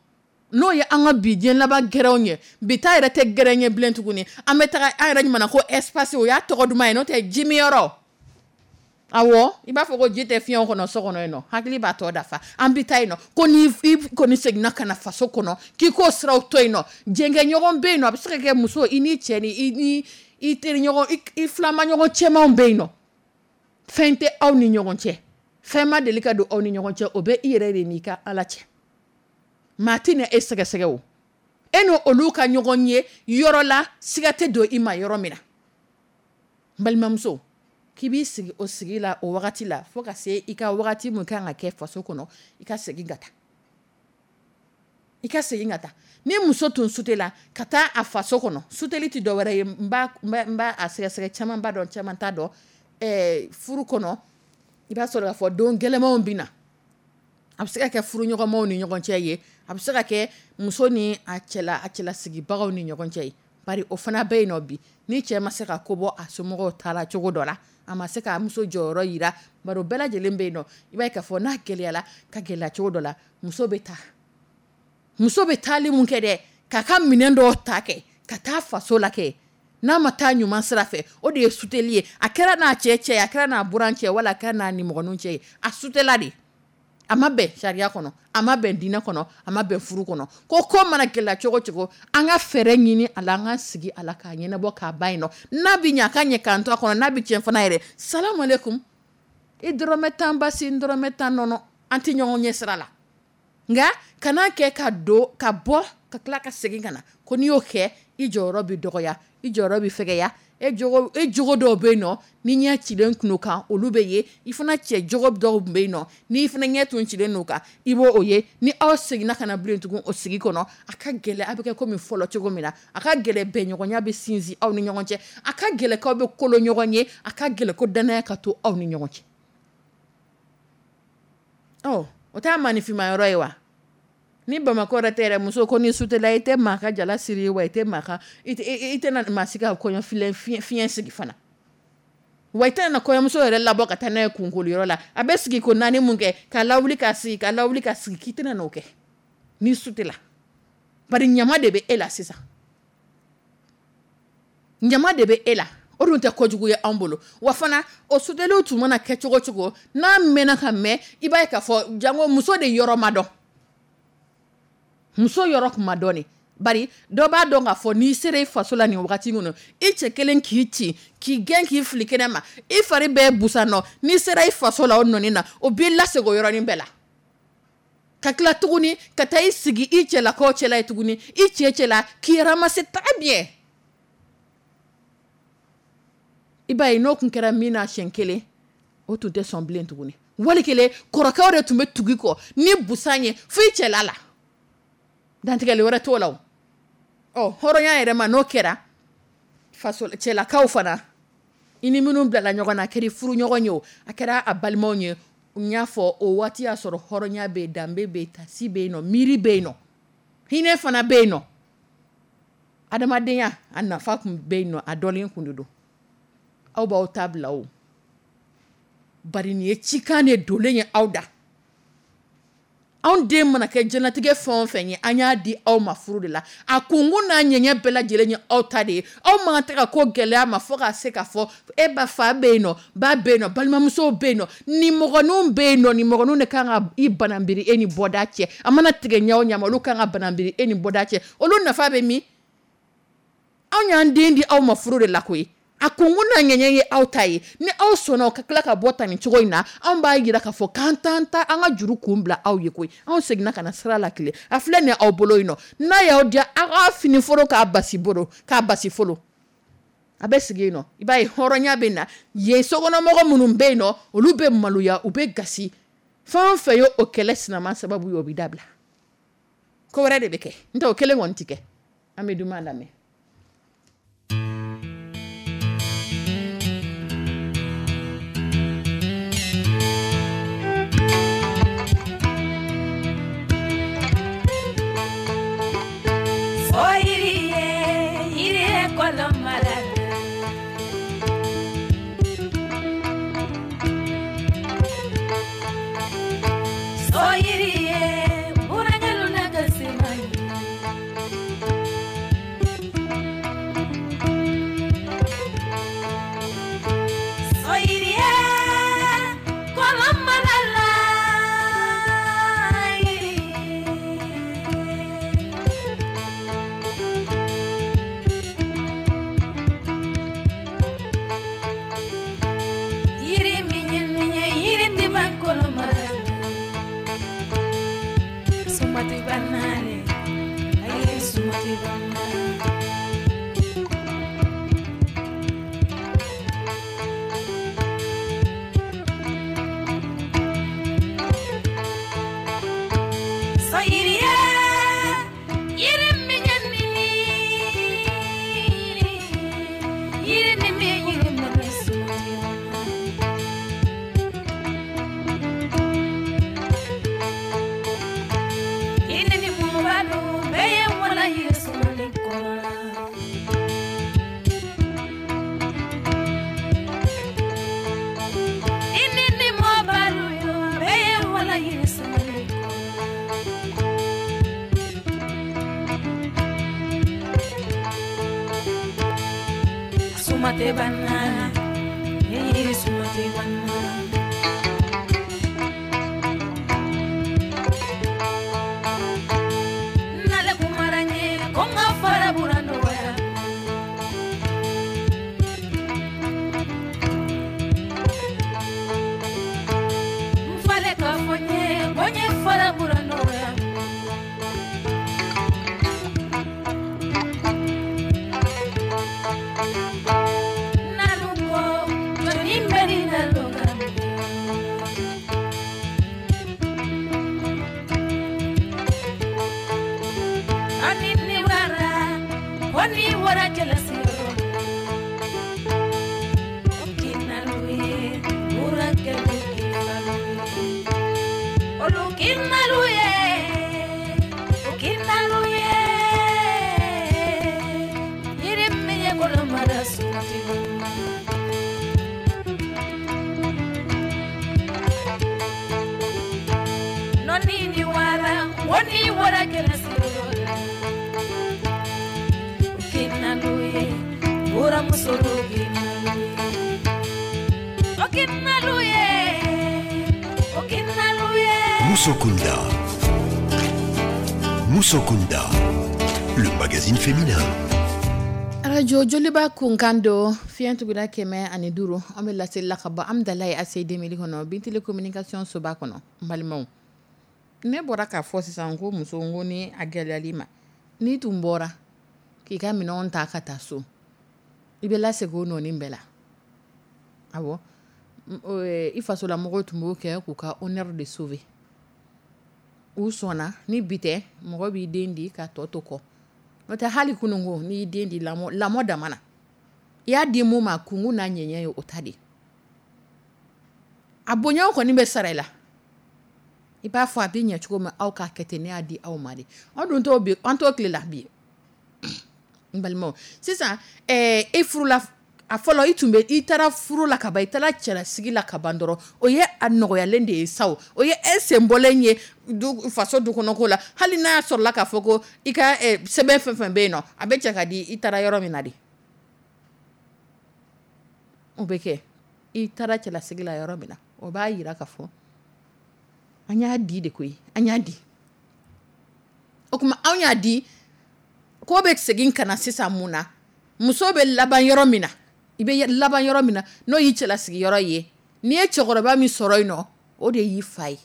n'o ye an ka bi diɲɛ laban gɛrɛnw ye. Bi ta yɛrɛ tɛ gɛrɛn ye bilen tuguni. An bɛ taga an yɛrɛ ɲuman ko espace, o y'a tɔgɔ duman ye, n'o tɛ jimiyɔrɔ. Awɔ, i b'a fɔ ko ji tɛ fiɲɛ kɔnɔ so kɔnɔ yen nɔ, hakili b'a tɔ dafa. An bɛ taa yen nɔ, ko ni i kɔni seginna ka na faso kɔnɔ, k'i k'o siraw to yen nɔ. Jɛnkɛɲɔgɔn bɛ yen nɔ, a bɛ se ka kɛ muso, i ni cɛ ni i ni i teriɲɔgɔn, i filamaɲɔgɔn cɛmanw bɛ yen nɔ. Fɛn tɛ aw ni ɲɔgɔn cɛ, fɛn ma deli ka don aw ni ɲɔgɔn cɛ. O bɛ i yɛrɛ de n'i ka Ala cɛ. Maa tɛ na e sɛgɛsɛgɛ. O e n'o olu ka ɲɔgɔn ye yɔrɔ la, siga tɛ don i ma yɔrɔ min na. N balimamuso. K'i b'i sigi o sigi la o wagati la fo ka se i ka wagati min kan ka kɛ faso kɔnɔ, i ka segin ka taa. I ka segin ka taa. Ni muso tun sutela ka taa a faso kɔnɔ, suteli tɛ dɔwɛrɛ ye, n b'a a sɛgɛsɛgɛ, caman b'a dɔn, caman t'a dɔn. Furu kɔnɔ, i b'a sɔrɔ k'a fɔ don gɛlɛnmanw bɛ na. A bɛ se ka kɛ furuɲɔgɔnmaw ni ɲɔgɔn cɛ ye, a bɛ se ka kɛ muso ni a cɛlasigibagaw ni ɲɔgɔn cɛ ye. Bari o fana bɛ yen nɔ bi, ni cɛ ma se ka ko bɔ a somɔgɔw ta la cogo dɔ la, a ma se k'a muso jɔyɔrɔ jira, bari o bɛɛ lajɛlen bɛ yen nɔ. I b'a ye k'a fɔ n'a gɛlɛyala ka gɛlɛya cogo dɔ la, muso bɛ taa. Muso bɛ taali mun kɛ dɛ, k'a ka minɛn dɔw ta kɛ, ka taa faso la kɛ, n'a ma taa ɲuman sira fɛ, o de ye suteli ye. A kɛra n'a cɛ cɛ ye, a kɛra n'a buran cɛ, wala a kɛra n'a nimɔgɔninw cɛ ye, a sutela de. A ma bɛn sariya kɔnɔ, a ma bɛn diinɛ kɔnɔ, a ma bɛn furu kɔnɔ. Ko mana gɛlɛya cogo cogo, an ka fɛɛrɛ ɲini a la, an ka sigi a la k'a ɲɛnabɔ k'a ban yen nɔ. N'a bɛ ɲɛ, a ka ɲɛ k'an to a kɔnɔ, n'a bɛ tiɲɛ fana yɛrɛ, salamu aleykum, i dɔrɔmɛ 10 basi, n dɔrɔmɛ 10 nɔnɔ, an tɛ ɲɔgɔn ɲɛ sira la. Nka kana kɛ ka don, ka bɔ, ka tila ka segin ka na. Ko n'i y'o kɛ, i jɔyɔrɔ bɛ dɔgɔya, i jɔyɔrɔ bɛ fɛgɛya, e jogo dɔw bɛ yen nɔ, ni ɲɛ cilen tun kan, olu bɛ ye. I fana cɛ jogo dɔw bɛ yen nɔ, n'i fana ɲɛ tun cilen don kan, i b'o ye. Ni aw seginna ka na bilen tugun o sigi kɔnɔ, a ka gɛlɛn, a bɛ kɛ komi fɔlɔ cogo min na. A ka gɛlɛn bɛnɲɔgɔnya bɛ sinsin aw ni ɲɔgɔn cɛ, a ka gɛlɛn k'aw bɛ kolo ɲɔgɔn ye, a ka gɛlɛn ko danaya ka to aw ni ɲɔgɔn cɛ. Ɔ, o t'a maninfinma yɔrɔ ye wa? Ni Bamakɔ yɛrɛ tɛ yɛrɛ, muso ko ni sutela, i tɛ maa ka jala siri, wa i tɛ maa ka, i tɛna maa si ka kɔɲɔfilen fiɲɛ sigi fana. Wa i tɛna na kɔɲɔmuso yɛrɛ labɔ ka taa n'a ye kunkoliyɔrɔ la. A bɛ sigi ko naani mun kɛ, ka lawuli ka sigi, ka lawuli ka sigi, k'i tɛna n'o kɛ ni sutela. Bari ɲama de bɛ e la sisan. Ɲama de bɛ e la. O dun tɛ kojugu ye anw bolo. Wa fana, o suteliw tun mana kɛ cogo cogo, n'a mɛnna ka mɛn, i b'a ye k'a fɔ jango muso de yɔrɔ ma dɔn. Muso yɔrɔ tun ma dɔn de. Bari dɔ b'a dɔn k'a fɔ n'i sera i faso la nin wagati kɔnɔ, i cɛ kelen k'i ci, k'i gɛn k'i fili kɛnɛ ma, i fari bɛɛ busan nɔ, n'i sera i faso la o nɔni na, o b'i lasegin o yɔrɔnin bɛɛ la. Ka tila tuguni ka taa i sigi i cɛlakaw cɛla ye tuguni, i cɛ cɛla k'i ramasser très bien. I b'a ye n'o tun kɛra min na siɲɛ kelen, o tun tɛ sɔn bilen tuguni. Wali kelen kɔrɔkɛw de tun bɛ tugu i kɔ ni busan ye fo i cɛla la. Dantigɛli wɛrɛ t'o la o. Ɔ, hɔrɔnya yɛrɛ ma n'o kɛra, faso cɛlakaw fana, i ni minnu bilala ɲɔgɔn na, a kɛra furuɲɔgɔn ye o, a kɛra a balimaw ye, n y'a fɔ o waati y'a sɔrɔ hɔrɔnya bɛ yen, danbe bɛ yen, tasi bɛ yen nɔ, miiri bɛ yen nɔ, hinɛ fana bɛ yen nɔ. Adamadenya a nafa tun bɛ yen nɔ, a dɔnnen tun de don. Aw b'aw ta bila o. Bari nin ye cikan de donnen ye aw da. Anw den mana kɛ diɲɛlatigɛ fɛn o fɛn ye, an y'a di aw ma furu de la. A kunkun n'a ɲɛɲɛ bɛɛ lajɛlen ye aw ta de ye. Aw man kan tɛ ka ko gɛlɛya ma fo ka se k'a fɔ e ba fa bɛ yen nɔ, ba bɛ yen nɔ, balimamusow bɛ yen nɔ, nimɔgɔninw bɛ yen nɔ, nimɔgɔninw de kan ka i bananbiri e ni bɔda cɛ. A mana tigɛ ɲɛ o ɲɛ ma, olu kan ka bananbiri e ni bɔda cɛ. Olu nafa bɛ min? Anw y'an den di aw ma furu de la koyi. A kunkun n'a ɲɛɲɛ ye aw ta ye. Ni aw sɔnna ka tila ka bɔ tan nin cogo in na, anw b'a jira k'a fɔ k'an t'an ta an ka juru kun bila aw ye koyi. Anw seginna ka na sira la tile. A filɛ nin ye aw bolo yen nɔ. N'a y'aw diya, aw k'a fini foro k'a basi bolo, k'a basi folo. A bɛ sigi yen nɔ. I b'a ye hɔrɔnya bɛ na. Yen sokɔnɔmɔgɔ minnu bɛ yen nɔ, olu bɛ maloya, u bɛ gasi. Fɛn o fɛn ye o kɛlɛ sinama sababu ye, o bɛ dabila. Ko wɛrɛ de bɛ kɛ. N'o tɛ o kelen kɔni tɛ kɛ. An bɛ duman lamɛn. na yiri samale Sumate banana, yiri sumate banana. Nale kumaranye konga fara burando waya. Mfale kafonye konye fara burando waya. Naluko joni mberi naloka. Ani ni wara, wani wara jelasiro. Okinaluye, urakelu kifaluye. Olukinaluye, okinaluye. Irimiye kolomara sumati bama. Noni ni wara, wani wara jelasiro. Okinaluye, uramusoro kinaluye. Okinaluye, okinaluye. Musokunda. Musokunda, le magazine féminin. Radio Joliba kunkan don fiɲɛ tuguda 105, an bɛ laseli la ka bɔ Amidalayi ACI 2000 kɔnɔ, Bintili communication soba kɔnɔ. N balimaw, ne bɔra k'a fɔ sisan ko muso, n ko ni a gɛlɛyali ma, n'i tun bɔra k'i ka minɛnw ta ka taa so, i bɛ lasegin o nɔɔni bɛɛ la. Awɔ, i fasolamɔgɔw tun b'o kɛ k'u ka honneur de sauver. U sɔnna ni bi tɛ, mɔgɔ b'i den di ka tɔ to kɔ. N'o tɛ hali kununko n'i y'i den di lamɔ dama na, i y'a di mun ma kunkun n'a ɲɛɲɛ ye o ta de. A bonyaw kɔni bɛ sara i la. I b'a fɔ a bɛ ɲɛ cogo min aw k'a kɛ ten, ne y'a di aw ma de. Anw dun t'o bi, an t'o tile la bi. N balimaw, sisan e furula, a fɔlɔ i tun bɛ, i taara furu la ka ban, i taara cɛlasigi la ka ban dɔrɔn, o ye a nɔgɔyalen de ye sa o. O ye e sen bɔlen ye du, faso du kɔnɔ ko la. Hali n'a sɔrɔla k'a fɔ ko i ka sɛbɛn fɛn fɛn bɛ yen nɔ, a bɛ cɛ ka di i taara yɔrɔ min na de. O bɛ kɛ i taara cɛlasigi la yɔrɔ min na, o b'a yira k'a fɔ an y'a di de koyi, an y'a di. O tuma anw y'a di, ko bɛ segin ka na sisan mun na? Muso bɛ laban yɔrɔ min na, i bɛ laban yɔrɔ min na, n'o y'i cɛlasigi yɔrɔ ye, n'i ye cɛkɔrɔba min sɔrɔ yen nɔ, o de y'i fa ye.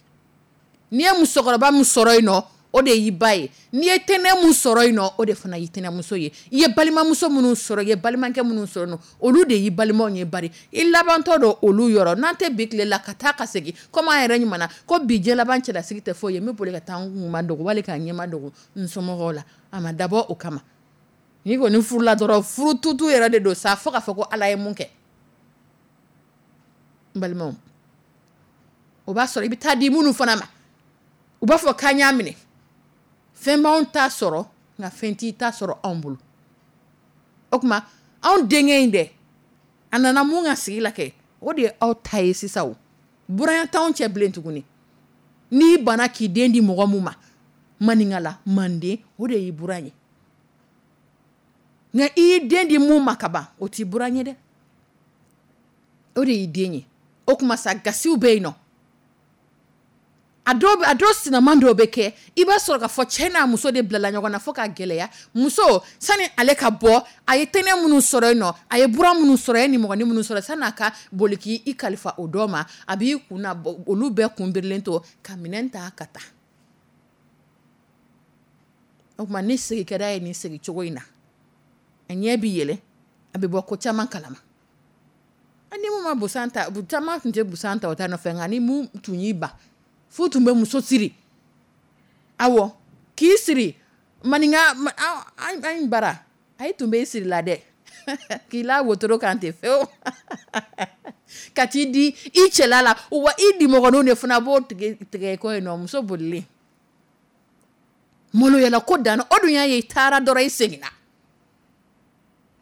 N'i ye musokɔrɔba min sɔrɔ yen nɔ, o de y'i ba ye. N'i ye tɛnɛ min sɔrɔ yen nɔ, o de fana y'i tɛnɛmuso ye. I ye balimamuso minnu sɔrɔ, i ye balimakɛ minnu sɔrɔ yen nɔ, olu de y'i balimaw ye. Bari i labantɔ don olu yɔrɔ. N'an tɛ bi tile la ka taa ka segin, komi an yɛrɛ ɲuman ko bi diɲɛ laban cɛlasigi tɛ foyi ye, n bɛ boli ka taa n kun ma dogo wali ka n ɲɛma dogo n somɔgɔw la. A ma dabɔ o kama. N'i kɔni furula dɔrɔn, furu tutu yɛrɛ de don sa, fo k'a fɔ ko Ala ye mun kɛ. N balimaw, o b'a sɔrɔ i bɛ taa di minnu fana ma, u b'a fɔ k'an y'a minɛ. Fɛn b'anw ta sɔrɔ, nka fɛn t'i ta sɔrɔ anw bolo. O tuma anw denkɛ in dɛ, a nana mun ka sigi la kɛ, o de ye aw ta ye sisan o. Buranya t'anw cɛ bilen tuguni. N'i banna k'i den di mɔgɔ mun ma, maninka la, manden, o de y'i buran ye. Nka i y'i den di mun ma ka ban, o t'i buran ye dɛ. O de y'i den ye. O tuma sa gasiw bɛ yen nɔ. A dɔw sinaman dɔw bɛ kɛ, i b'a sɔrɔ k'a fɔ cɛ n'a muso de bilala ɲɔgɔn na fo k'a gɛlɛya. Muso, sani ale ka bɔ, a ye tɛnɛ minnu sɔrɔ yen nɔ, a ye buran minnu sɔrɔ, a ye nimɔgɔnin minnu sɔrɔ, sani a ka boli k'i kalifa o dɔ ma, a b'i kun na bɔ, olu bɛɛ kun birilen to ka minɛn ta ka taa. O tuma ni sigi kɛra ye nin sigi cogo in na, a ɲɛ bɛ yɛlɛ, a bɛ bɔ ko caman kalama. Ni mun ma busan ta, caman tun tɛ busan ta o ta nɔfɛ, nka ni mun tun y'i ban, f'u tun bɛ muso siri. Awɔ, k'i siri maninka, an bara, a ye tun bɛ siri la dɛ. K'i la wotoro kan ten fewu. Ka t'i di i cɛla la, wa i dimɔgɔninw de fana b'o tigɛ kɔ yen nɔ, muso bolilen. Maloyala ko dan, o dun y'a ye i taara dɔrɔn i seginna.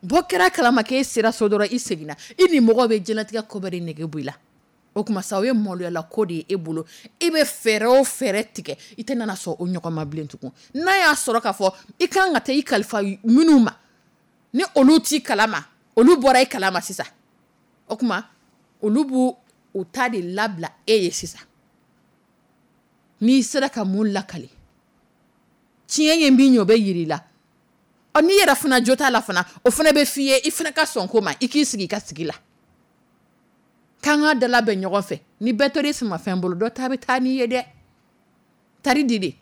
Bɔ kɛra kalama k'e sera so dɔrɔn i seginna. I ni mɔgɔ bɛ diɲɛlatigɛ ko bɛɛ de nege bɔ i la. O tuma sa, o ye maloyala ko de ye e bolo. I bɛ fɛɛrɛ o fɛɛrɛ tigɛ, i tɛ nana sɔn o ɲɔgɔn ma bilen tugun. N'a y'a sɔrɔ k'a fɔ i kan ka taa i kalifa minnu ma, ni olu t'i kalama, olu bɔra i kalama sisan, o tuma olu b'u u ta de labila e ye sisan. N'i sera ka mun lakali, tiɲɛ ye min ye, o bɛ yira i la. Ɔ, n'i yɛrɛ fana jo t'a la fana, o fana bɛ f'i ye, i fana ka sɔn ko ma, i k'i sigi i ka sigi la. K'an ka dala bɛn ɲɔgɔn fɛ. Ni bɛɛ tora i samafɛn bolo, dɔ ta bɛ taa n'i ye dɛ. Tari di de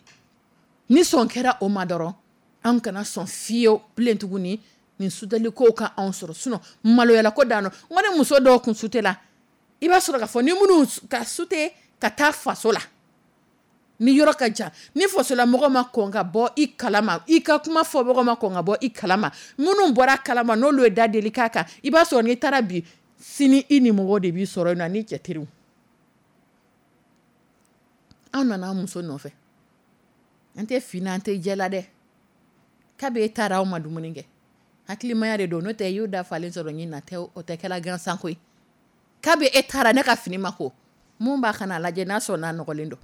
ni sɔn kɛra o ma dɔrɔn, an kana sɔn fiyewu bilen tuguni nin suteliko ka anw sɔrɔ. Sinon maloyala ko dan don. N ko ni muso dɔw kun sutela, i b'a sɔrɔ k'a fɔ ni minnu ka sute ka taa faso la, ni yɔrɔ ka jan, ni fasolamɔgɔ ma kɔn ka bɔ i kalama, i ka kuma fɔbagaw ma kɔn ka bɔ i kalama, minnu bɔra kalama n'olu ye da deli k'a kan, i b'a sɔrɔ n'i taara bi, sini i ni mɔgɔw de b'i sɔrɔ yen nɔ ani cɛ teriw. Anw nana an muso nɔfɛ, an tɛ fin na, an tɛ jɛ la dɛ. Kabi e taara, aw ma dumuni kɛ, hakilimaya de don, n'o tɛ i y'o da falen sɔrɔ ɲin na tɛ, o tɛ kɛla gansan koyi. Kabi e taara, ne ka fini ma ko, mun b'a ka n'a lajɛ n'a sɔrɔ n'a nɔgɔlen don.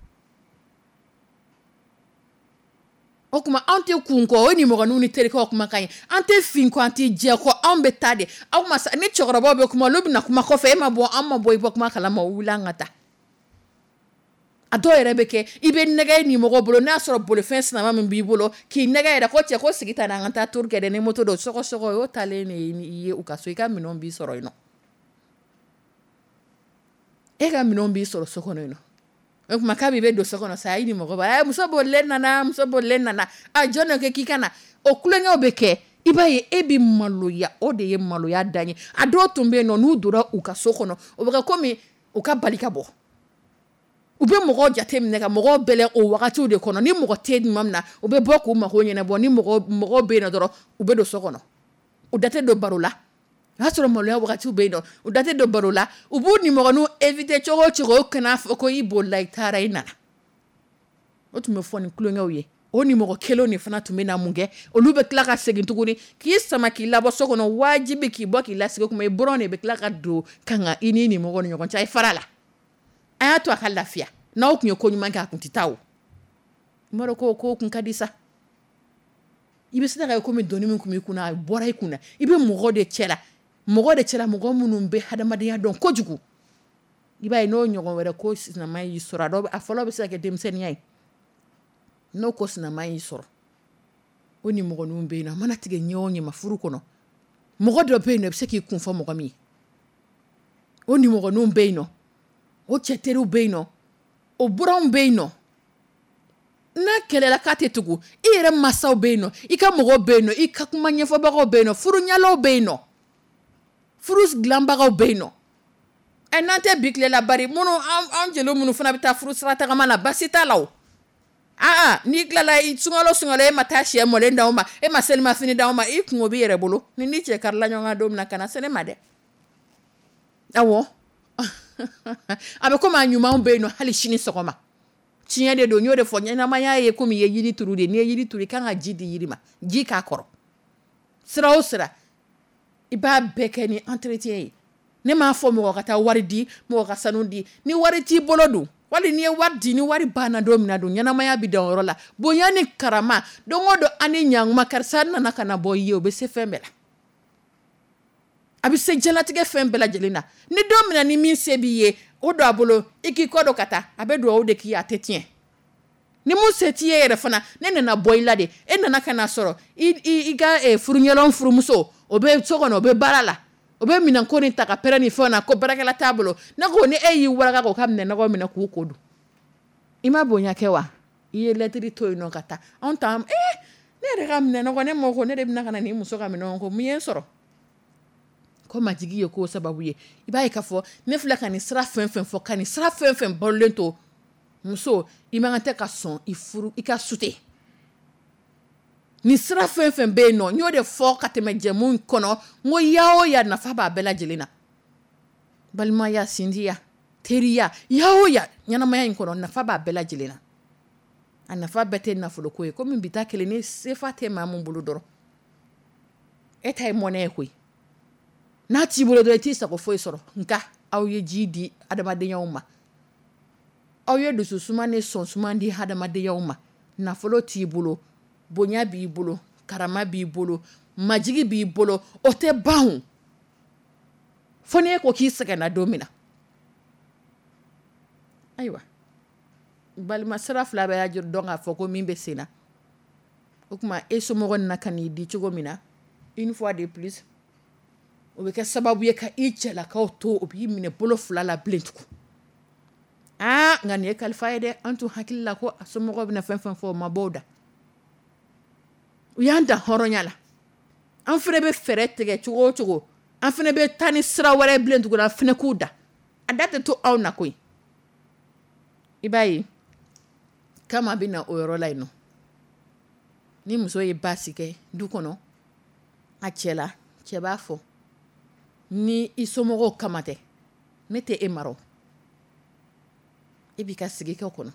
O tuma anw tɛ kun kɔ, o nimɔgɔninw ni terikɛw kumakan ye, an tɛ fin kɔ, an tɛ jɛ kɔ, anw bɛ taa de. Aw ma ni cɛkɔrɔbaw bɛ kuma, olu bɛna kuma kɔfɛ, e ma bɔ, an ma bɔ i bɔ kuma kalama, o wuli an ka taa. A dɔw yɛrɛ bɛ kɛ, i bɛ nɛgɛ ni mɔgɔ bolo, n'a sɔrɔ bolifɛn sinama min b'i bolo k'i nɛgɛ yɛrɛ ko cɛ ko sigi ta an ka taa tour kɛ dɛ, ni moto don sɔgɔsɔgɔ y'o taalen de ye u ka so, i ka minɛnw b'i sɔrɔ yen nɔ, e ka minɛnw b'i sɔrɔ so kɔnɔ yen nɔ. O tuma k'a bɛ don so kɔnɔ sa, i ni mɔgɔ b'a muso bolilen nana, muso bolilen nana, a jɔn de ko k'i ka na? O tulonkɛw bɛ kɛ, i b'a ye e bɛ maloya, o de ye maloya dan ye. A dɔw tun bɛ yen nɔ, n'u donna u ka so kɔnɔ, o bɛ kɛ komi u ka bali ka bɔ. U bɛ mɔgɔw jate minɛ ka mɔgɔw bɛlɛn o wagatiw de kɔnɔ. Ni mɔgɔ tɛ tuma min na, u bɛ bɔ k'u mako ɲɛnabɔ. Ni mɔgɔ bɛ yen nɔ dɔrɔn, u bɛ don so kɔnɔ, u da tɛ don baro la. O y'a sɔrɔ maloya wagatiw bɛ yen nɔ, u da tɛ don baro la. U b'u nimɔgɔninw éviter cogo o cogo, o kana fɔ ko i bolila, i taara, i nana. O tun bɛ fɔ ni tulonkɛw ye. O nimɔgɔ kelenw de fana tun bɛ na mun kɛ? Olu bɛ tila ka segin tuguni k'i sama k'i labɔ so kɔnɔ, wajibi k'i bɔ k'i lasigi. O tuma i buranw de bɛ tila ka don ka na i ni nimɔgɔw ni ɲɔgɔn cɛ. A ye fara a la, a y'a to a ka lafiya. N'aw tun ye ko ɲuman kɛ, a tun tɛ taa o. N b'a dɔn ko ko kun ka di sa. I bɛ se ka kɛ komi doni min tun b'i kunna, a bɔra i kunna. I bɛ mɔgɔ de cɛ la, mɔgɔ de cɛla, mɔgɔ minnu bɛ hadamadenya dɔn kojugu. I b'a ye n'o ɲɔgɔn wɛrɛ ko sinama y'i sɔrɔ, a dɔw a fɔlɔ bɛ se ka kɛ denmisɛnninya ye. N'o ko sinama y'i sɔrɔ, o ni mɔgɔninw bɛ yen nɔ, a mana tigɛ ɲɛ o ɲɛ ma furu kɔnɔ, mɔgɔ dɔ bɛ yen nɔ, i bɛ se k'i kun fɔ mɔgɔ min ye. O nimɔgɔninw bɛ yen nɔ, o cɛ teriw bɛ yen nɔ, o buranw bɛ yen nɔ. N'a kɛlɛla k'a tɛ tugu, i yɛrɛ masaw bɛ yen nɔ, i ka mɔgɔw bɛ yen nɔ, i ka kuma ɲɛfɔbagaw bɛ yen nɔ, furuɲɛlaw bɛ yen nɔ, furu dilanbagaw bɛ yen nɔ. Ɛ, n'an tɛ bi tile la, bari minnu an jeliw minnu fana bɛ taa furu sira tagama la, basi t'a la o. Aa, n'i tilala sunkalo sunkalo, e ma taa sɛ mɔlen d'aw ma, e ma selimafini d'aw ma, i kungo b'i yɛrɛ bolo. Ni ni cɛ karila ɲɔgɔn kan don min na, kana se ne ma dɛ. Awɔ, a bɛ komi a ɲumanw bɛ yen nɔ hali sini sɔgɔma. Tiɲɛ de don, n y'o de fɔ, ɲɛnamaya ye komi i ye yiri turu de. N'i ye yiri turu, i kan ka ji di yiri ma, ji k'a kɔrɔ. Sira o sira, i b'a bɛɛ kɛ ni entretien ye. Ne m'a fɔ mɔgɔ ka taa wari di, mɔgɔ ka sanu di. Ni wari t'i bolo dun, wali n'i ye wari di, ni wari banna don min na dun, ɲɛnamaya bɛ dan o yɔrɔ la. Bonya ni karama, don o don an ni ɲankuma, karisa nana ka na bɔ i ye, o bɛ se fɛn bɛɛ la. A bɛ se diɲɛlatigɛ fɛn bɛɛ lajɛlen na. Ni don min na ni min se b'i ye, o don a bolo, i k'i kɔ don ka taa, a bɛ dugawu de k'i ye, a tɛ tiɲɛ. Ni mun se t'i ye yɛrɛ fana, ne nana bɔ i la de, e nana ka na sɔrɔ i ka furuɲɛlaw furumuso, o bɛ so kɔnɔ, o bɛ baara la, o bɛ minɛnko ni ta ka pɛrɛn ni fɛnw na, ko baarakɛla t'a bolo. Ne ko ni e y'i walaka k'o ka minɛnɔgɔ minɛ k'u ko don, i ma bonya kɛ wa? I ye lɛtiri to yen nɔ ka taa. Anw ta, ne yɛrɛ ka minɛnɔgɔ, ne mako ko ne de bɛna ka na nin muso ka minɛnw ko, mun ye n sɔrɔ? Ko majigi ye k'o sababu ye. I b'a ye k'a fɔ ne filɛ ka nin sira fɛn fɛn fɔ, ka nin sira fɛn fɛn balolen to, muso, i man kan tɛ ka sɔn i furu i ka sute. Nin sira fɛn fɛn bɛ yen nɔ, n y'o de fɔ ka tɛmɛ jɛmu kɔnɔ, n ko ya o ya nafa b'a bɛɛ lajɛlen na. Balimaya, sinjiya, teriya, ya o ya ɲɛnamaya in kɔnɔ, nafa b'a bɛɛ lajɛlen na. A nafa bɛɛ tɛ nafoloko ye, komi bi ta kelen ni sefa tɛ maa min bolo dɔrɔn, e ta ye mɔnɛ ye koyi. N'a t'i bolo dɔrɔn, i t'i sago foyi sɔrɔ. Nka Aw ye ji di adamadenyaw ma, aw ye dususuma ni sɔnsuma di adamadenya ma. Nafolo t'i bolo, bonya b'i bolo, karama b'i bolo, majigi b'i bolo, o tɛ ban fo n' e ko k'i sɛgɛnna don min na. Ayiwa, balima sira fila bɛ y'a dɔn k'a fɔ ko min bɛ sen na. O tuma e somɔgɔ na ka n'i di cogo min na, une fois de plus, o bɛ kɛ sababu ye ka i cɛlakaw to, o b'i minɛ bolo fila la bilen tugun. Aa, nka nin ye kalifa ye dɛ. An tun hakili la ko a somɔgɔw bɛna fɛn fɛn fɔ, o ma bɔ o da. U y'an dan hɔrɔnya la. An fana bɛ fɛɛrɛ tigɛ cogo o cogo, an fana bɛ taa ni sira wɛrɛ bilen tugun, an fana k'u da. A da tɛ to anw na koyi. I b'a ye kama bɛ na o yɔrɔ la yen nɔ. Ni muso ye baasi kɛ du kɔnɔ a cɛ la, cɛ b'a fɔ ni i somɔgɔw kama tɛ, ne tɛ e mara, e b'i ka sigi kɛ kɔnɔ.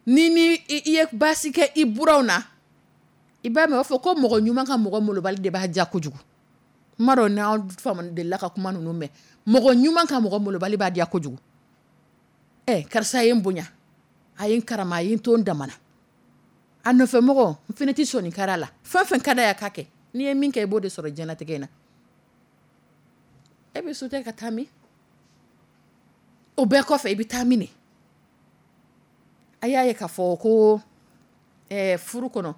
Ni i ye baasi kɛ i buranw na, i b'a mɛn o fɔ ko mɔgɔ ɲuman ka mɔgɔ malobali de b'a diya kojugu. N m'a dɔn n'aw delila ka kuma ninnu mɛn. Mɔgɔ ɲuman ka mɔgɔ malobali b'a diya kojugu. Ɛ, karisa ye n bonya, a ye n karama, a ye n to n damana. A nɔfɛ mɔgɔ, n fana tɛ sɔnni kari a la. Fɛn fɛn ka d'a ye a k'a kɛ. N'i ye min kɛ, i b'o de sɔrɔ diɲɛlatigɛ in na. E bɛ sauter ka taa min? O bɛɛ kɔfɛ, i bɛ taa min? A y'a ye k'a fɔ ko furu kɔnɔ,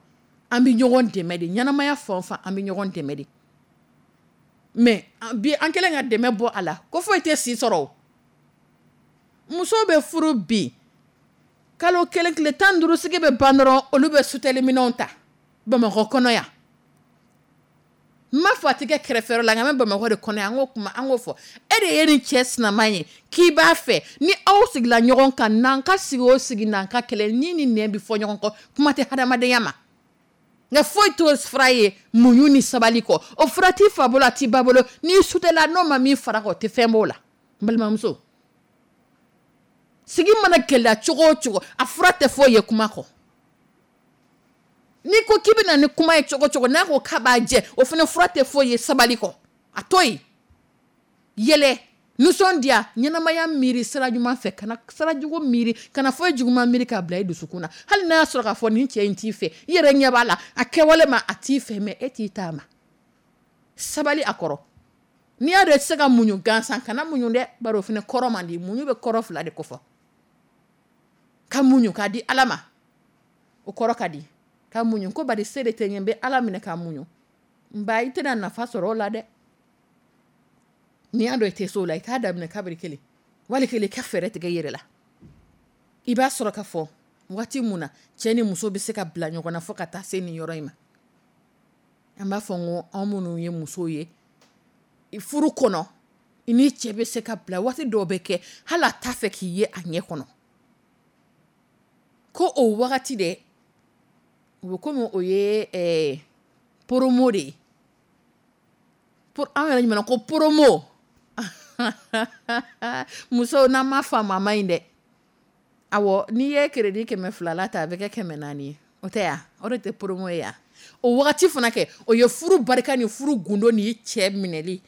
an bɛ ɲɔgɔn dɛmɛ de. Ɲɛnamaya fan o fan, an bɛ ɲɔgɔn dɛmɛ de. Mais bi, an kɛlen ka dɛmɛ bɔ a la, ko foyi tɛ si sɔrɔ. Muso bɛ furu bi, kalo 1, tile 15 sigi bɛ ban dɔrɔn, olu bɛ suteliminɛnw ta Bamakɔ kɔnɔ yan. N m'a fɔ a tɛ kɛ kɛrɛfɛ la, nka an bɛ Bamakɔ de kɔnɔ yan, an k'o kuma, an k'o fɔ. E de ye nin cɛ sinama ye k'i b'a fɛ, ni aw sigila ɲɔgɔn kan, n'an ka sigi o sigi, n'an ka kɛlɛ, ni ni nɛn bɛ fɔ ɲɔgɔn kɔ, kuma tɛ hadamadenya ma. Nka foyi t'o fura ye muɲu ni sabali kɔ. O fura t'i fa bolo, a t'i ba bolo. N'i sutela, n'o ma min fara kan, o tɛ fɛn b'o la. N balimamuso, sigi mana gɛlɛya cogo o cogo, a fura tɛ foyi ye kuma kɔ. N'i ko k'i bɛ na ni kuma ye cogo cogo, n'a ko k'a b'a jɛ, o fana fura tɛ foyi ye sabali kɔ. A to yen, yɛlɛ, nisɔndiya, ɲɛnamaya miiri sira ɲuman fɛ, kana sira jugu miiri, kana foyi juguman miiri k'a bila i dusukun na. Hali n'a y'a sɔrɔ k'a fɔ nin cɛ in t'i fɛ, i yɛrɛ ɲɛ b'a la, a kɛwale ma, a t'i fɛ, mais e t'i ta ma. Sabali a kɔrɔ. N'i y'a dɔn i tɛ se ka muɲu gansan, kana muɲu dɛ, bari o fana kɔrɔ man di. Muɲu bɛ kɔrɔ fila de kofɔ. Ka muɲu k'a di Ala ma, o kɔrɔ ka di. Ka muɲu ko bari se de tɛ n ye, n bɛ Ala minɛ ka muɲu. N ba, i tɛna nafa sɔrɔ o la dɛ. N'i y'a dɔn i tɛ se o la, i k'a daminɛ kabiri kelen. Wali kelen i ka fɛɛrɛ tigɛ i yɛrɛ la. I b'a sɔrɔ ka fɔ waati mun na cɛ ni muso bɛ se ka bila ɲɔgɔn na fo ka taa se nin yɔrɔ in ma. An b'a fɔ n ko anw minnu ye musow ye furu kɔnɔ, i ni cɛ bɛ se ka bila waati dɔw bɛ kɛ, hali a t'a fɛ k'i ye a ɲɛ kɔnɔ. Ko o wagati dɛ, o bɛ komi o ye promo de ye. An yɛrɛ ɲuman ko promo. Musow, n'an m'a faamu a ma ɲi dɛ. Awɔ, n'i ye crédit 200 la ta, a bɛ kɛ 400 ye. O tɛ ya? O de tɛ promo ye ya? O wagati fana kɛ, o ye furu barika ni furu gundo ni cɛ minɛli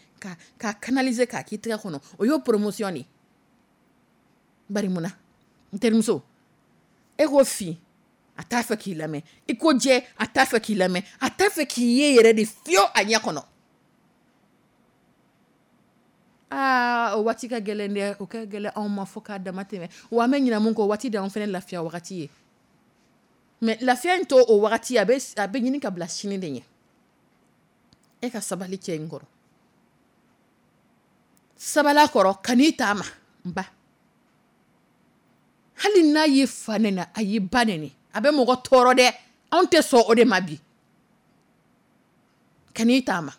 ka canaliser k'a k'i tɛgɛ kɔnɔ, o y'o promotion de ye. Bari mun na? N terimuso, e ko fin, a t'a fɛ k'i lamɛn. I ko jɛ, a t'a fɛ k'i lamɛn. A t'a fɛ k'i ye yɛrɛ de fiyewu a ɲɛ kɔnɔ. Aa, o waati ka gɛlɛn dɛ. O ka gɛlɛn anw ma fo k'a dama tɛmɛ. Wa an bɛ ɲinɛ mun kɔ, o waati de y'anw fana lafiya wagati ye. Mais lafiya in to o wagati, a bɛ ɲini ka bila sini de ɲɛ. E ka sabali cɛ in kɔrɔ. Sabali a kɔrɔ, kan'i t'a ma, n ba. Hali n'a y'i fa nɛni, a y'i ba nɛni, a bɛ mɔgɔ tɔɔrɔ dɛ. Anw tɛ sɔn o de ma bi. Kan'i t'a ma,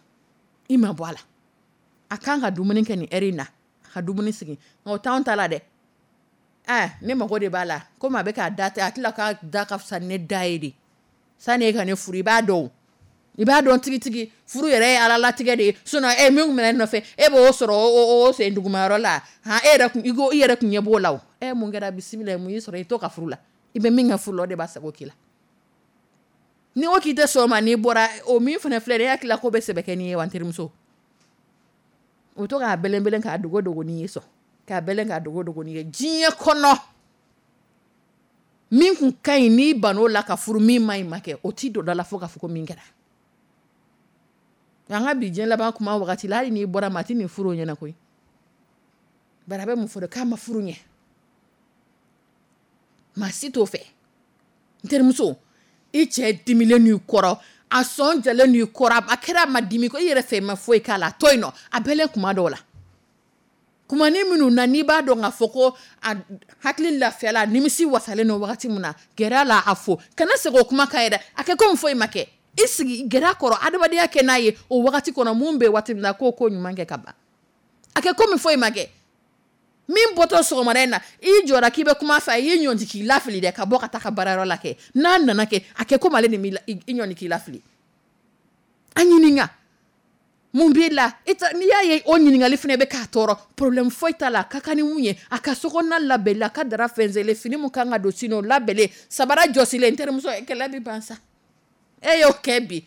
i ma bɔ a la. A kan ka dumuni kɛ nin heure in na, a ka dumuni sigi. Nka o t'anw ta la dɛ. Ne mago de b'a la. Komi a bɛ k'a da tɛ, a tila k'a da ka fisa ne da ye de. Sani e ka ne furu, i b'a dɔn. I b'a dɔn tigitigi, furu yɛrɛ ye Ala latigɛ de ye. Sinon min tun bɛ ne nɔfɛ, e b'o sɔrɔ o sen dugumayɔrɔ la. Han, e yɛrɛ kun, i ko i yɛrɛ kun ɲɛ b'o la o. Mun kɛra bisimila, mun y'i sɔrɔ i to ka furu la. I bɛ min kɛ furu la, o de b'a sago k'i la. Ni ko k'i tɛ sɔn o ma, n'i bɔra, o min fana filɛ nin ye, e hakili la k'o bɛ sɛbɛ kɛ n'i ye wa, n terimuso? U to k'a bɛlɛnbɛlɛn k'a dogo dogo n'i ye sɔn k'a bɛlɛn k'a dogo dogo n'i ye diɲɛ kɔnɔ. Min kun ka ɲi, n'i ban'o la ka furu min ma ɲi ma kɛ, o t'i don da la fo k'a fɔ ko min kɛra. Nka an ka bi diɲɛ laban kuma wagati la, hali n'i bɔra ma, a tɛ nin furu o ɲɛna koyi. Bari a bɛ mun fɔ de? K'a ma furu ɲɛ. Maa si t'o fɛ. N terimuso, i cɛ dimilen n'i kɔrɔ, a sɔn jalen n'i kɔrɔ, a kɛra a ma dimi ko i yɛrɛ fɛ i ma foyi k'a la, a to yen nɔ, a bɛlɛn kuma dɔw la. Kumanin minnu na n'i b'a dɔn k'a fɔ ko a hakili lafiyala, a nimisi wasalen don wagati min na, gɛrɛ a la a fo. Kana segin o kuma kan yɛrɛ, a kɛ komi foyi ma kɛ. I sigi gɛrɛ a kɔrɔ, adamadenya kɛ n'a ye o wagati kɔnɔ. Mun bɛ waati min na, k'o ko ɲuman kɛ ka ban. A kɛ komi foyi ma kɛ. Min bɔtɔ sɔgɔmada in na, i jɔra k'i bɛ kuma fɛ, a y'i ɲɔnti k'i lafili dɛ, ka bɔ ka taa ka baarayɔrɔ la kɛ. N'a nana kɛ, a kɛ komi ale de m'i i ɲɔnti k'i lafili. A ɲininka mun b'i la. N'i y'a ye o ɲininkali fana bɛ k'a tɔɔrɔ, problème foyi t'a la. A ka kan ni mun ye, a ka sokɔnɔna labɛnlen, a ka dara fɛnsɛnlen, fini mun kan ka don sini o labɛnlen, sabara jɔsilen, n terimuso, kɛlɛ bɛ ban sa. E y'o kɛ bi,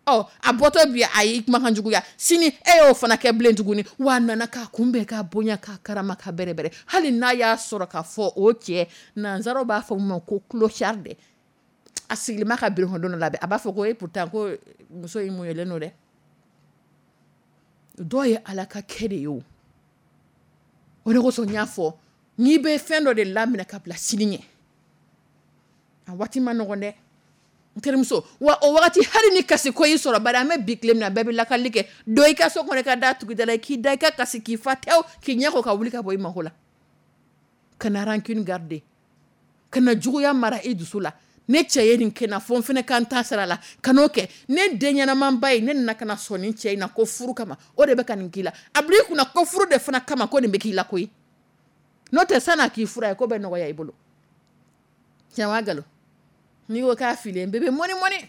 ɔ a bɔtɔ bi a y'i kumakan juguya, sini e y'o fana kɛ bilen tuguni. Wa a nana k'a kunbɛn, k'a bonya, k'a karama, k'a bɛrɛbɛrɛ. Hali n'a y'a sɔrɔ k'a fɔ o cɛ, nanzaraw b'a fɔ min ma ko clochard dɛ, a sigilen b'a ka bureau kɔnɔ don dɔ la, a b'a fɔ ko e pourtant ko muso in muɲunen don dɛ. Dɔw ye Ala ka kɛ de ye o. O de kosɔn n y'a fɔ, n'i bɛ fɛn dɔ de laminɛ ka bila sini ɲɛ, a waati ma nɔgɔn dɛ, n terimuso. Wa o wagati hali ni kasi ko y'i sɔrɔ, bari an bɛ bi tile min na, bɛɛ bɛ lakali kɛ. Don i ka so kɔnɔ, i ka da tugu da la, k'i da i ka kasi, k'i fa tewu, k'i ɲɛ ko ka wuli ka bɔ i mako la. Kana rancune garder, kana juguya mara i dusu la. Ne cɛ ye nin kɛ n na, fo n fana ka n ta sara la, kan'o kɛ. Ne den ɲɛnamanba ye, ne nana ka na sɔn nin cɛ in na ko furu kama, o de bɛ ka nin k'i la. A bila i kunna ko furu de fana kama ko nin bɛ k'i la koyi. N'o tɛ san'a k'i fura ye, ko bɛ nɔgɔya i bolo. Tiɲɛ wa nkalon? N'i ko k'a filen, bébé mɔni mɔni.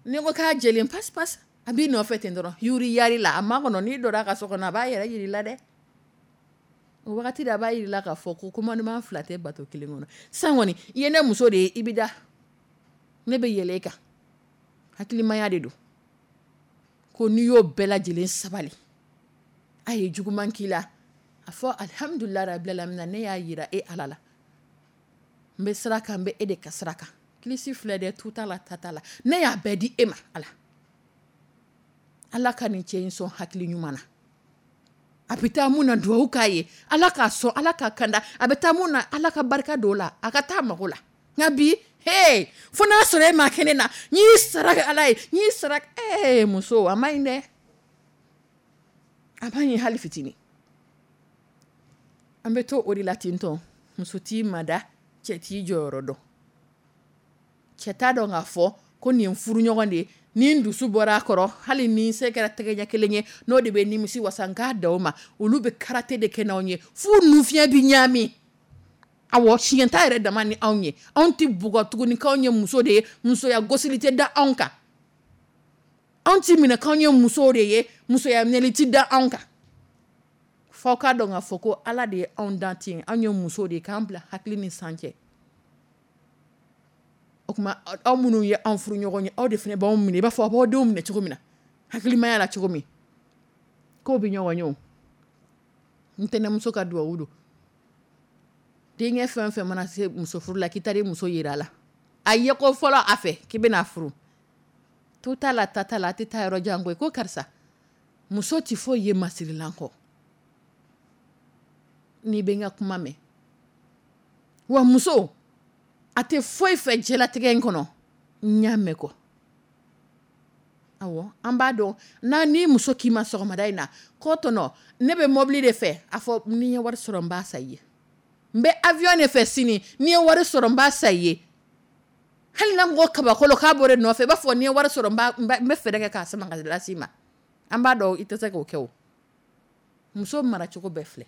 N'i ko k'a jɛlen, passe passe. A b'i nɔfɛ ten dɔrɔn, yuri yari la, a ma kɔnɔ. N'i donna a ka so kɔnɔ, a b'a yɛrɛ yir'i la dɛ. O wagati de a b'a yir'i la k'a fɔ ko commandement fila tɛ bato kelen kɔnɔ. Sisan kɔni, i ye ne muso de ye, i bɛ da. Ne bɛ yɛlɛ e kan. Hakilimaya de don. Ko n'i y'o bɛɛ lajɛlen sabali, a ye juguman k'i la, a fɔ alhamdulilahi rabil alamina, ne y'a yira e Ala la. N bɛ sira kan, n bɛ e de ka sira kan. Kilisi filɛ dɛ, tu t'a la, ta t'a la. Ne y'a bɛɛ di e ma, Ala. Ala ka nin cɛ in sɔn hakili ɲuman na. A bɛ taa mun na, duwawu k'a ye. Ala k'a sɔn, Ala k'a kanda. A bɛ taa mun na, Ala ka barika don o la. A ka taa mago la. Nka bi, he, fo n'a sɔrɔ e ma kɛ ne na, n y'i sara kɛ Ala ye, n y'i sara, ee muso, a ma ɲi dɛ. A ma ɲi hali fitinin. An bɛ to o de la ten tɔ. Muso t'i mada, cɛ t'i jɔyɔrɔ dɔn. Cɛ t'a dɔn k'a fɔ ko nin ye furuɲɔgɔn de ye, ni n dusu bɔra a kɔrɔ, hali ni se kɛra tɛgɛ ɲɛ kelen ye, n'o de bɛ nimisi wasa, n k'a da o ma. Olu bɛ karate de kɛ n'anw ye f'u nufiɲɛ bɛ ɲaami. Awɔ, siɲɛ t'a yɛrɛ dama ni anw ye. Anw tɛ bugɔ tuguni k'anw ye muso de ye, musoya gosili tɛ da anw kan. Anw tɛ minɛ k'anw ye musow de ye, musoya minɛli tɛ da anw kan. F'aw k'a dɔn k'a fɔ ko Ala de ye anw dan ten, anw ye musow de ye, k'an bila hakili ni san cɛ. O tuma aw minnu ye anw furu ɲɔgɔn ye, aw de fana b'anw minɛ i b'a fɔ aw b'aw denw minɛ cogo min na, hakilimaya la cogo min. K'o bɛ ɲɔgɔn ye o. N tɛnɛmuso ka duwawu don. Denkɛ fɛn fɛn mana se muso furu la, k'i taara i muso yira a la. A ye ko fɔlɔ a fɛ k'i bɛna furu. Tu t'a la, ta t'a la, a tɛ taa yɔrɔ jan koyi. Ko karisa, muso tɛ foyi ye masirilan kɔ. N'i bɛ n ka kuma mɛn. Wa muso, a tɛ foyi fɛ diɲɛlatigɛ in kɔnɔ, n y'a mɛn kɔ. Awɔ, an b'a dɔn n'a ni muso k'i ma sɔgɔmada in na, ko tɔnɔ, ne bɛ mobili de fɛ, a fɔ ni n ye wari sɔrɔ n b'a san i ye. N bɛ avion de fɛ sini, ni n ye wari sɔrɔ n b'a san i ye. Hali n'a ko kabakolo k'a bɔra nɔfɛ, i b'a fɔ ni n ye wari sɔrɔ n bɛ fɛɛrɛ kɛ k'a sama ka lase i ma. An b'a dɔn i tɛ se k'o kɛ o. Muso maracogo bɛɛ filɛ.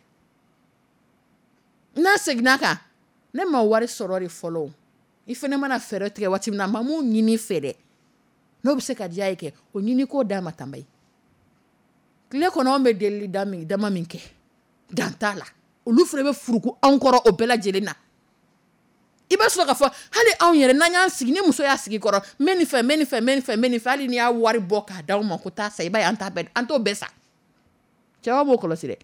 N'a seginna kan, ne ma wari sɔrɔ de fɔlɔ. I fana mana fɛɛrɛ tigɛ waati min na, a ma mun ɲini fɛ dɛ. N'o bɛ se ka diya ye kɛ, o ɲini k'o d'a ma tanba ye. Tile kɔnɔ anw bɛ delili dama min kɛ, dan t'a la. Olu fana bɛ furuku anw kɔrɔ o bɛɛ lajɛlen na. I b'a sɔrɔ k'a fɔ hali anw yɛrɛ n'an y'an sigi, ni muso y'a sigi kɔrɔ, n bɛ nin fɛ, n bɛ nin fɛ, n bɛ nin fɛ, n bɛ nin fɛ, hali n'i y'a wari bɔ k'a d'anw ma ko taa san, i b'a ye an t'a bɛɛ, an t'o bɛɛ san. Cɛw b'o kɔlɔsi dɛ.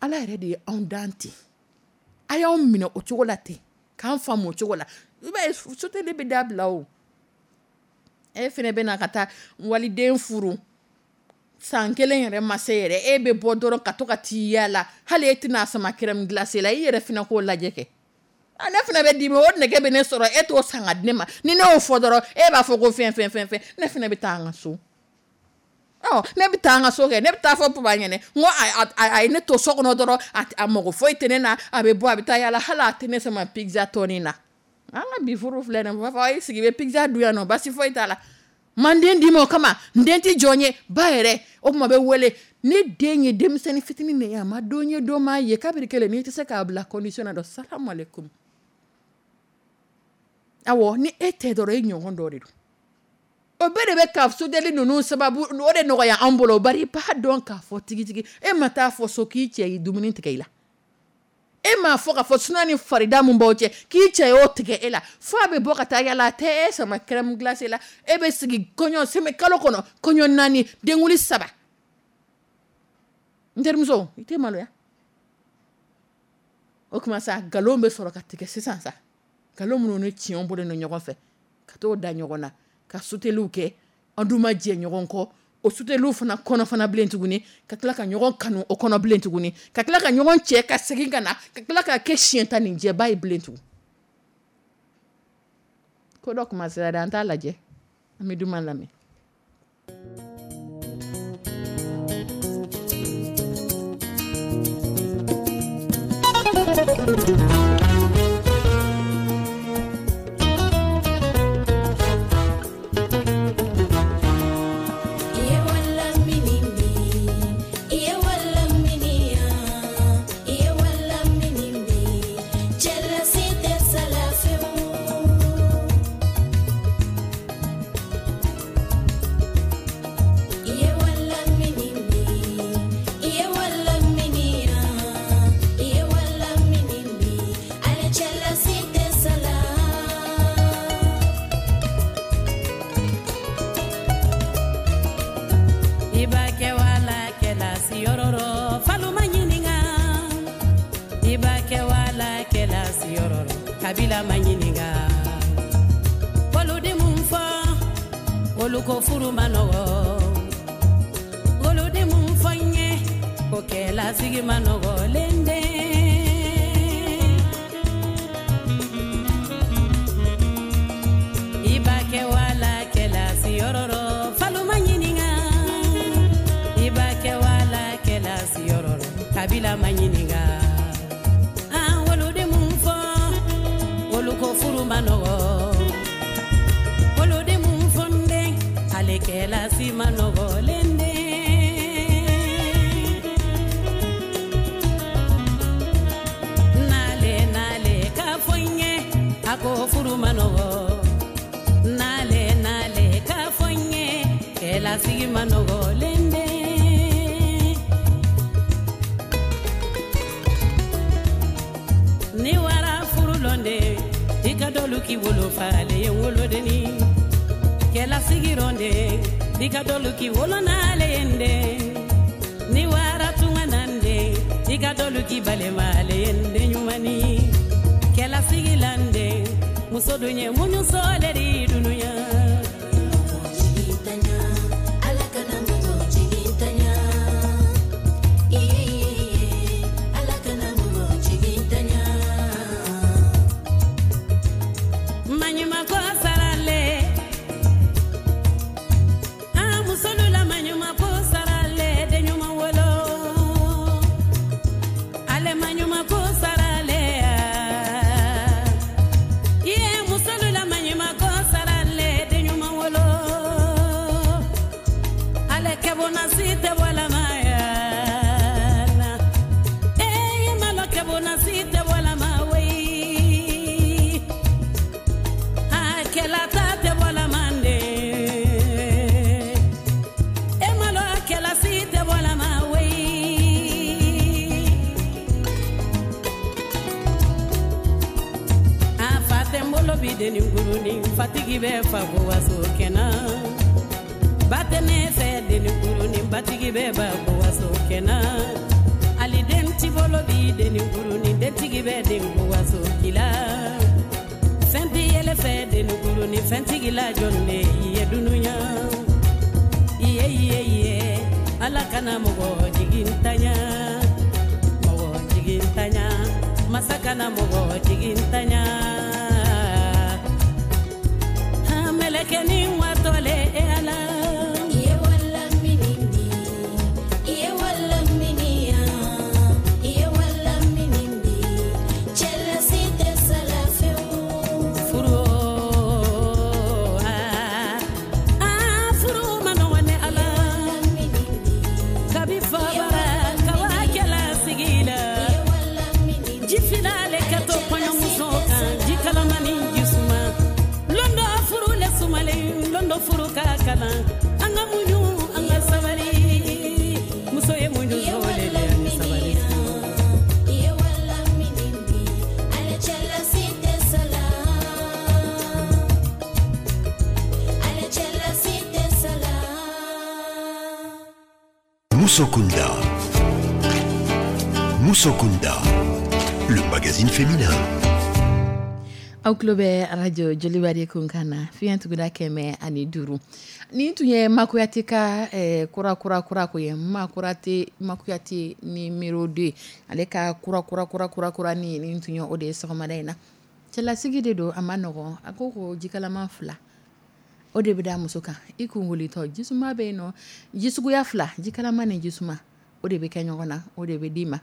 Ala yɛrɛ de ye anw dan ten, a y'anw minɛ o cogo la ten, k'an faamu o cogo la. I b'a ye soteli bɛ dabila o. E fana bɛ na ka taa waliden furu, san kelen yɛrɛ ma se yɛrɛ, e bɛ bɔ dɔrɔn ka to ka t'i yaala, hali e tɛna sama crème glacée la, i yɛrɛ fana k'o lajɛ kɛ. Ne fana bɛ dimi, o nege bɛ ne sɔrɔ, e t'o san ka di ne ma. Ni ne y'o fɔ dɔrɔn, e b'a fɔ ko fɛn fɛn fɛn fɛn, ne fana bɛ taa an ka so. Ne bɛ taa an ka so kɛ, ne bɛ taa fɔ papa ɲɛnɛ, n ko a ye ne to so kɔnɔ dɔrɔn, a mago foyi tɛ ne na, a bɛ bɔ a bɛ taa yaala, hali a tɛ ne sama pizza tɔnin na. An ka bi furu filɛ nin ye, b'a fɔ i sigi i bɛ pizza dun yan nɔ, basi foyi t'a la. Man den d'i ma o kama, n den tɛ jɔn ye, ba yɛrɛ o tuma bɛ wele. Ne den ye denmisɛnnin fitinin de ye, a ma don ye don m'a ye, kabiri kelen n'i tɛ se k'a bila condition na dɔn, salamu aleykum. Awɔ, ni e tɛ dɔrɔn e ɲɔgɔn dɔ de don. O bɛɛ de bɛ ka sodeli ninnu sababu o de nɔgɔya an bolo, bari i b'a dɔn k'a fɔ tigitigi e ma taa fɔ so k'i cɛ ye dumuni tigɛ i la. E m'a fɔ k'a fɔ suna ni farida mun b'aw cɛ k'i cɛ y'o tigɛ e la, fo a bɛ bɔ ka taa yala, a tɛ e sama crème glacée la, e bɛ sigi kɔɲɔ sɛmɛ kalo kɔnɔ, kɔɲɔ 4, denkuli 3. N terimuso, i tɛ maloya? O tuma sa nkalon bɛ sɔrɔ ka tigɛ sisan sa, nkalon minnu ni tiɲɛw bɔlen don ɲɔgɔn fɛ, ka t'o da ɲɔgɔn na, ka suteliw kɛ, an dun ma jɛ ɲɔgɔn kɔ, o suteliw fana kɔnɔ fana bilen tuguni, ka tila ka ɲɔgɔn kanu o kɔnɔ bilen tuguni, ka tila ka ɲɔgɔn cɛ ka segin ka na, ka tila ka kɛ siɲɛ tan nin jɛba ye bilen tugun. Ko dɔ kuma sera dɛ, an t'a lajɛ, an bɛ duman lamɛn. Kabila ma ɲininka olu di mun fɔ olu ko furu ma nɔgɔ olu di mun fɔ n ye ko kɛlasigi ma nɔgɔ lende i b'a kɛ wala kɛlasi yɔrɔ rɔ falu ma ɲininka i b'a kɛ wala kɛlasi yɔrɔ rɔ kabila ma ɲininka ko furu ma nɔgɔ olu de mun fɔ n den ale kɛlasi ma nɔgɔ lende nale nale k'a fɔ n ye a ko furu ma nɔgɔ nale nale k'a fɔ n ye kɛlasigi ma nɔgɔ lende ni wara furu lɔnde i ka dɔlu k'i wolo fale ye wolodenni kɛlasigi rɔnde i ka dɔlu k'i wolo n'ale ye nde ni wara tunga nande i ka dɔlu k'i balema ale ye nde ɲumani kɛlasigi lande muso dun ye muɲu sɔɔle di dunuya. Fatigi bɛ fa ko waso kɛnɛ Ba tɛ ne fɛ denikurunin, batigi bɛ ba ko waso kɛnɛ. Ali den ti bolo bi denikurunin, dentigi bɛ den ko waso kila. Fɛn ti yɛlɛ fɛ denikurunin, fɛntigi la jɔn de ye dunuya. Iye iye iye, Ala kana mɔgɔ jigintanya, mɔgɔ jigintanya, masa kana mɔgɔ jigintanya. Mɛlɛkɛnin watɔlen e Ala. Iye wala minindi, iye wala miniya, iye wala minindi, cɛlasi tɛ sala fewu. Furu, ah, ah, furu ma nɔgɔn ne Ala. Kabi fabara kawa kɛla sigi la. Iye wala minindi, Ji filale ka to kɔɲɔmuso kan, ji kalamani ji suma. Londo furu le sumalen, londo furu ka kalan. An ka muɲu, an ka sabali. Muso ye muɲu sɔrɔ le ani sabali. Iye wala minindi, ale cɛlasi tɛ sala. Ale cɛlasi tɛ sala. Moussokunda. Moussokunda, le magazine féminin. Aw tulo bɛ arajo Joliba de kunkan na, fiɲɛ tuguda 105. Nin tun ye Makuyate ka kura kura kura ko ye. Makurate, Makuyate numéro 2, ale ka kura kura kura kura kura ni nin tun ye o de ye sɔgɔmada in na. Cɛlasigi de don, a ma nɔgɔn. A ko ko jikalama fila o de bɛ da muso kan i kunkolitɔ. Jisuma bɛ yen nɔ, jisuguya fila, jikalama ni jisuma, o de bɛ kɛ ɲɔgɔn na, o de bɛ d'i ma.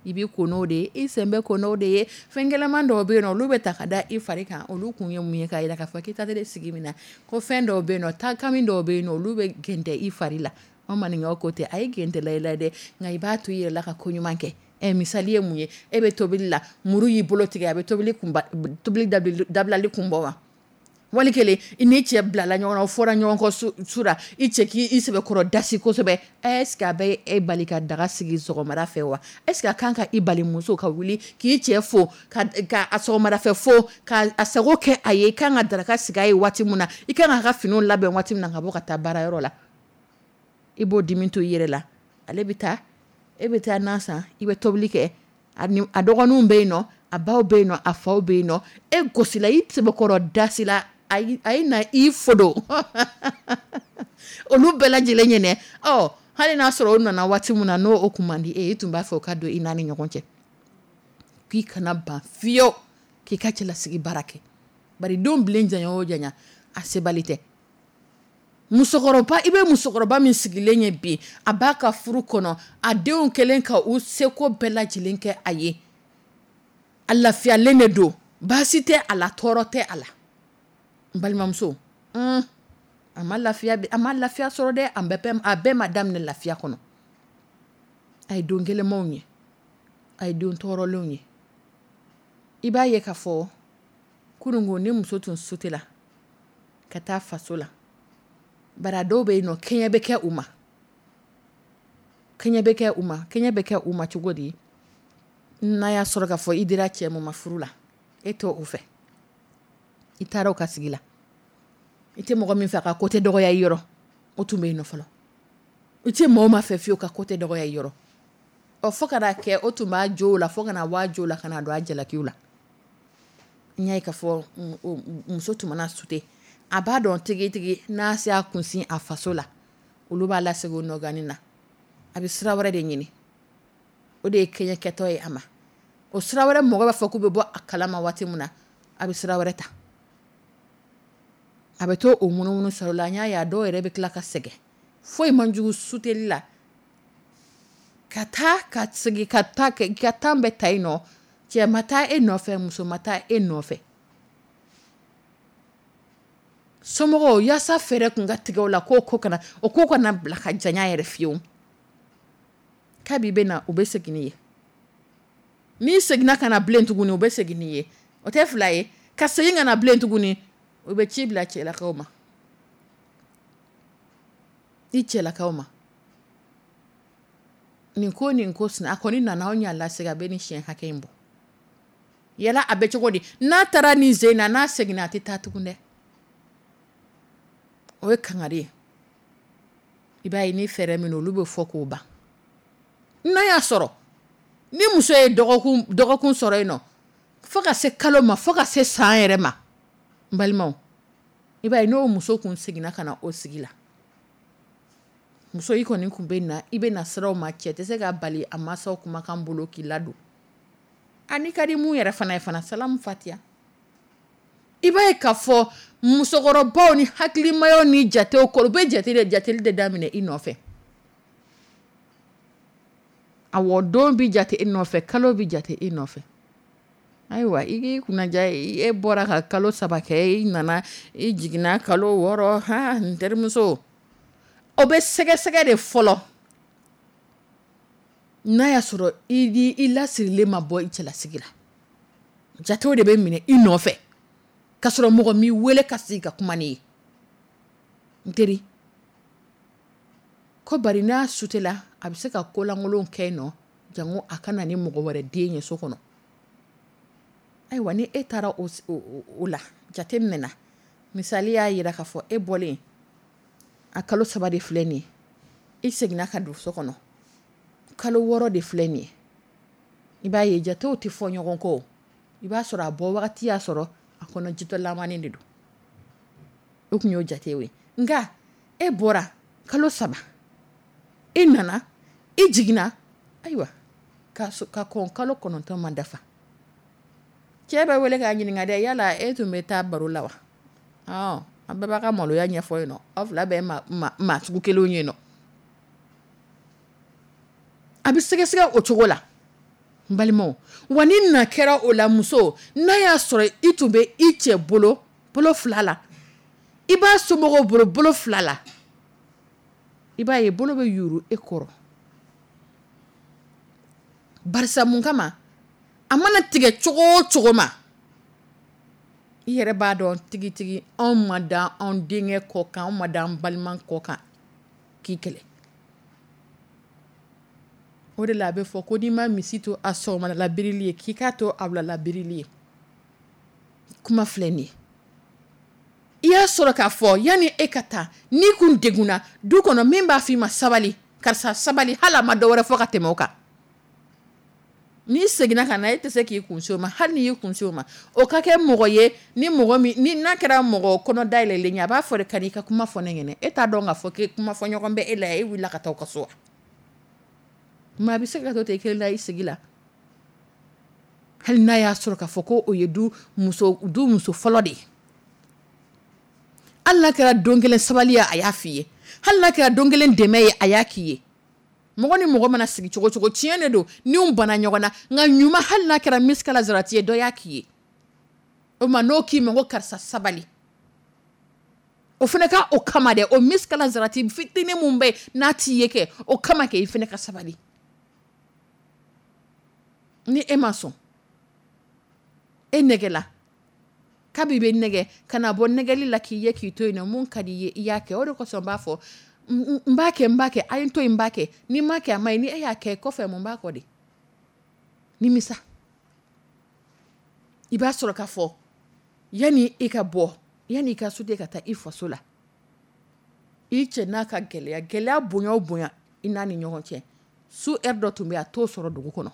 I b'i ko n'o de ye, i sen bɛ ko n'o de ye. Fɛn gɛlɛman dɔw bɛ yen nɔ, olu bɛ ta ka da i fari kan. Olu kun ye mun ye? K'a jira k'a fɔ k'i ta sigi min na, ko fɛn dɔw bɛ yen nɔ, taakami dɔw bɛ yen nɔ, olu bɛ gɛntɛ i fari la. An maninkaw ko tɛ, a ye gɛntɛla i la dɛ, nka i b'a to i yɛrɛ la ka ko ɲuman kɛ. Misali ye mun ye? E bɛ tobili la, muru y'i bolo tigɛ, a bɛ tobili kunba, tobili dabilali kun bɔ wa? Wali kelen i n'i cɛ bilala ɲɔgɔn na, o fɔra ɲɔgɔn kɔ su la, i cɛ k'i sɛbɛkɔrɔ dasi kosɛbɛ. Est ce que a bɛ e bali ka daga sigi sɔgɔmada fɛ wa? Est ce que a kan ka i bali muso ka wuli k'i cɛ fo, ka a sɔgɔmada fɛ fo, ka a sago kɛ a ye? I kan ka daraka sigi a ye waati min na, i kan k'a ka finiw labɛn waati min na ka bɔ ka taa baarayɔrɔ la, i b'o dimi to i yɛrɛ la. Ale bɛ taa, e bɛ taa nan san, i bɛ tobili kɛ. A dɔgɔninw bɛ yen nɔ, a baw bɛ yen nɔ, a faw bɛ yen nɔ. E gosila, i sɛbɛkɔrɔ dasila, a ye na i fodo olu bɛɛ lajɛlen ɲɛnɛ. Ɔ hali n'a sɔrɔ o nana waati min na, n'o o kun man di e ye, i tun b'a fɛ o ka don i n'a ni ɲɔgɔn cɛ, k'i kana ban fiyewu k'i ka cɛlasigi baara kɛ. Bari don bilen janya o janya, a sebali tɛ. Musokɔrɔba, i bɛ musokɔrɔba min sigilen ye bi, a b'a ka furu kɔnɔ, a denw kɛlen ka u seko bɛɛ lajɛlen kɛ a ye, a lafiyalen de don, baasi tɛ a la, tɔɔrɔ tɛ a la. N balimamuso, a ma lafiya, a ma lafiya sɔrɔ dɛ. A bɛɛ ma daminɛ lafiya kɔnɔ. A ye don gɛlɛnmanw ye, a ye don tɔɔrɔlenw ye. I b'a ye k'a fɔ kununko ni muso tun sutela ka taa faso la, bari a dɔw bɛ yen nɔ, kɛɲɛ bɛ kɛ u ma, kɛɲɛ bɛ kɛ u ma. Kɛɲɛ bɛ kɛ u ma cogo di? N'a y'a sɔrɔ k'a fɔ i dira cɛ mun ma furu la, e t'o o fɛ, i taara o ka sigi la, i tɛ mɔgɔ min fɛ a ka ko tɛ dɔgɔya i yɔrɔ, o tun bɛ yen nɔ fɔlɔ. I tɛ mɔgɔ ma fɛ fiyewu ka ko tɛ dɔgɔya i yɔrɔ. Ɔ fo ka n'a kɛ o tun b'a jo la, fo ka na bɔ a jo la, ka na don a jalakiw la. N y'a ye k'a fɔ muso tun mana sute, a b'a dɔn tigitigi n'a se a kunsin a faso la, olu b'a lasegin o nɔgani na. A bɛ sira wɛrɛ de ɲini, o de ye kɛɲɛkɛtɔ ye a ma. O sira wɛrɛ, mɔgɔ b'a fɔ k'u bɛ bɔ a kalama waati min na, a bɛ sira wɛrɛ ta, a bɛ to o munumunu sɔrɔ la. N y'a ye a dɔw yɛrɛ bɛ tila ka sɛgɛn. Foyi man jugu suteli la ka taa ka segin ka taa ka tan bɛ ta yen nɔ. Cɛ ma taa e nɔfɛ, muso ma taa e nɔfɛ. Somɔgɔw yaasa fɛɛrɛ kun ka tigɛ o la, k'o ko kana, o ko kana bila ka janya yɛrɛ fiyewu. Kabi bɛ na, u bɛ segin n'i ye. N'i seginna ka na bilen tuguni, u bɛ segin n'i ye. O tɛ fila ye, ka segin ka na bilen tuguni, u bɛ ci bila cɛlakaw ma, i cɛlakaw ma. Nin ko nin ko sina a kɔni nana, anw y'a lasegin, a bɛ nin siɲɛ hakɛ in bɔ. Yala a bɛ cogo di? N'a taara nin sen na, n'a seginna, a tɛ taa tugun dɛ. O ye kangari ye. I b'a ye, ni fɛɛrɛ min, olu bɛ fɔ k'o ban. N'a y'a sɔrɔ ni muso ye dɔgɔkun sɔrɔ yen nɔ, fo ka se kalo ma, fo ka se san yɛrɛ ma, n balimaw, i b'a ye, n'o muso kun seginna ka na o sigi la, muso i kɔni tun bɛ na, i bɛ na sira ma, cɛ tɛ se ka bali a mansaw kumakan bolo k'i ladon. Ani ka di mun yɛrɛ fana ye fana, salamu fatiya. I b'a ye k'a fɔ musokɔrɔbaw ni hakilimayaw ni jatew kɔrɔ, u bɛ jate de, jateli de daminɛ i nɔfɛ. Awɔ, don bɛ jate i nɔfɛ, kalo bɛ jate i nɔfɛ. Ayiwa, i k'i kunnaja, e bɔra ka kalo 3 kɛ, i nana, i jiginna kalo 6. Ha, n terimuso, o bɛ sɛgɛsɛgɛ de fɔlɔ. N'a y'a sɔrɔ i i lasirilen ma bɔ i cɛlasigi la, jatew de bɛ minɛ i nɔfɛ, k'a sɔrɔ mɔgɔ m'i wele ka sigi ka kuma n'i ye. N teri ko, bari n'a sutela, a bɛ se ka kolankolon kɛ yen nɔ, jango a ka na ni mɔgɔ wɛrɛ den ye so kɔnɔ. Ayiwa, ni e taara o la jate minɛ, misali y'a jira k'a fɔ e bɔlen a kalo 3 de filɛ nin ye, i seginna ka don so kɔnɔ, kalo 6 de filɛ nin ye. I b'a ye, jatew tɛ fɔ ɲɔgɔn kɔ. I b'a sɔrɔ a bɔ wagati y'a sɔrɔ a kɔnɔ jitɔlamani de don, o tun y'o jate ye. Nka e bɔra kalo 3, e nana, i jiginna, ayiwa, ka kɔn kalo 9 ma dafa, cɛ bɛ wele k'a ɲininka dɛ: yala e tun bɛ taa baro la wa? An bɛɛ b'a ka maloya ɲɛfɔ yen nɔ, aw fila bɛɛ maa sugu kelenw ye nɔ. A bɛ sɛgɛsɛgɛ o cogo la, n balimaw. Wa ni na kɛra o la, muso, n'a y'a sɔrɔ i tun bɛ i cɛ bolo bolo fila la, i b'a somɔgɔw bolo bolo fila la, i b'a ye, bolo bɛ yuru e kɔrɔ. Barisa mun kama? A mana tigɛ cogo o cogo ma, i yɛrɛ b'a dɔn tigitigi, anw ma da anw denkɛ kɔ kan, anw ma da an balima kɔ kan k'i kɛlɛ. O de la, a bɛ fɔ ko n'i ma misi to a sɔgɔma labirili ye, k'i k'a to a wula labirili ye. Kuma filɛ nin ye, i y'a sɔrɔ k'a fɔ yanni e ka taa, n'i kun degunna du kɔnɔ, min b'a fɔ i ma: sabali karisa, sabali, hali a ma dɔ wɛrɛ fɔ ka tɛmɛ o kan, n'i seginna ka na, e tɛ se k'i kun o ma. Hali n'i y'i kun o ma, o ka kɛ mɔgɔ ye, ni mɔgɔ min ni n'a kɛra mɔgɔ kɔnɔ dayɛlɛlen ye, a b'a fɔ de: ka i ka kuma fɔ ne ɲɛna. E t'a dɔn k'a fɔ k'e kuma fɔ ɲɔgɔn bɛ e la, e wulila ka taa aw ka so wa? Maa bɛ se ka to ten i kelen la i sigi la, hali n'a y'a sɔrɔ k'a fɔ ko o ye du muso fɔlɔ de ye. Hali n'a kɛra don kelen sabali ye, a y'a f'i ye, hali n'a kɛra don kelen dɛmɛ ye, a y'a k'i ye. Mɔgɔ ni mɔgɔ mana sigi cogo cogo, tiɲɛ de don, ni banna ɲɔgɔn na, nka ɲuman, hali n'a kɛra misikala zarati ye, dɔ y'a k'i ye. O ma, n'o k'i ma ko karisa sabali, o fana ka o kama dɛ, o misikala zarati fitinin mun bɛ n'a t'i ye kɛ, o kama kɛ, i fana ka sabali. Ni e ma sɔn, e nɛgɛla kabi bɛ nɛgɛ ka na bɔ nɛgɛli la k'i ye k'i to yen nɔ, mun ka di i ye, i y'a kɛ. O de kosɔn n b'a fɔ: n b'a kɛ, n b'a kɛ, a ye n to yen, n b'a kɛ. Ni n m'a kɛ, a ma ɲi. Ni e y'a kɛ kɔfɛ, mun b'a kɔ de? Nimisa. I b'a sɔrɔ k'a fɔ yanni i ka bɔ, yanni i ka soden ka taa i faso la, i cɛ n'a ka gɛlɛya, gɛlɛya bonya o bonya i n'a ni ɲɔgɔn cɛ, su heure dɔ tun bɛ yen, a t'o sɔrɔ dugu kɔnɔ.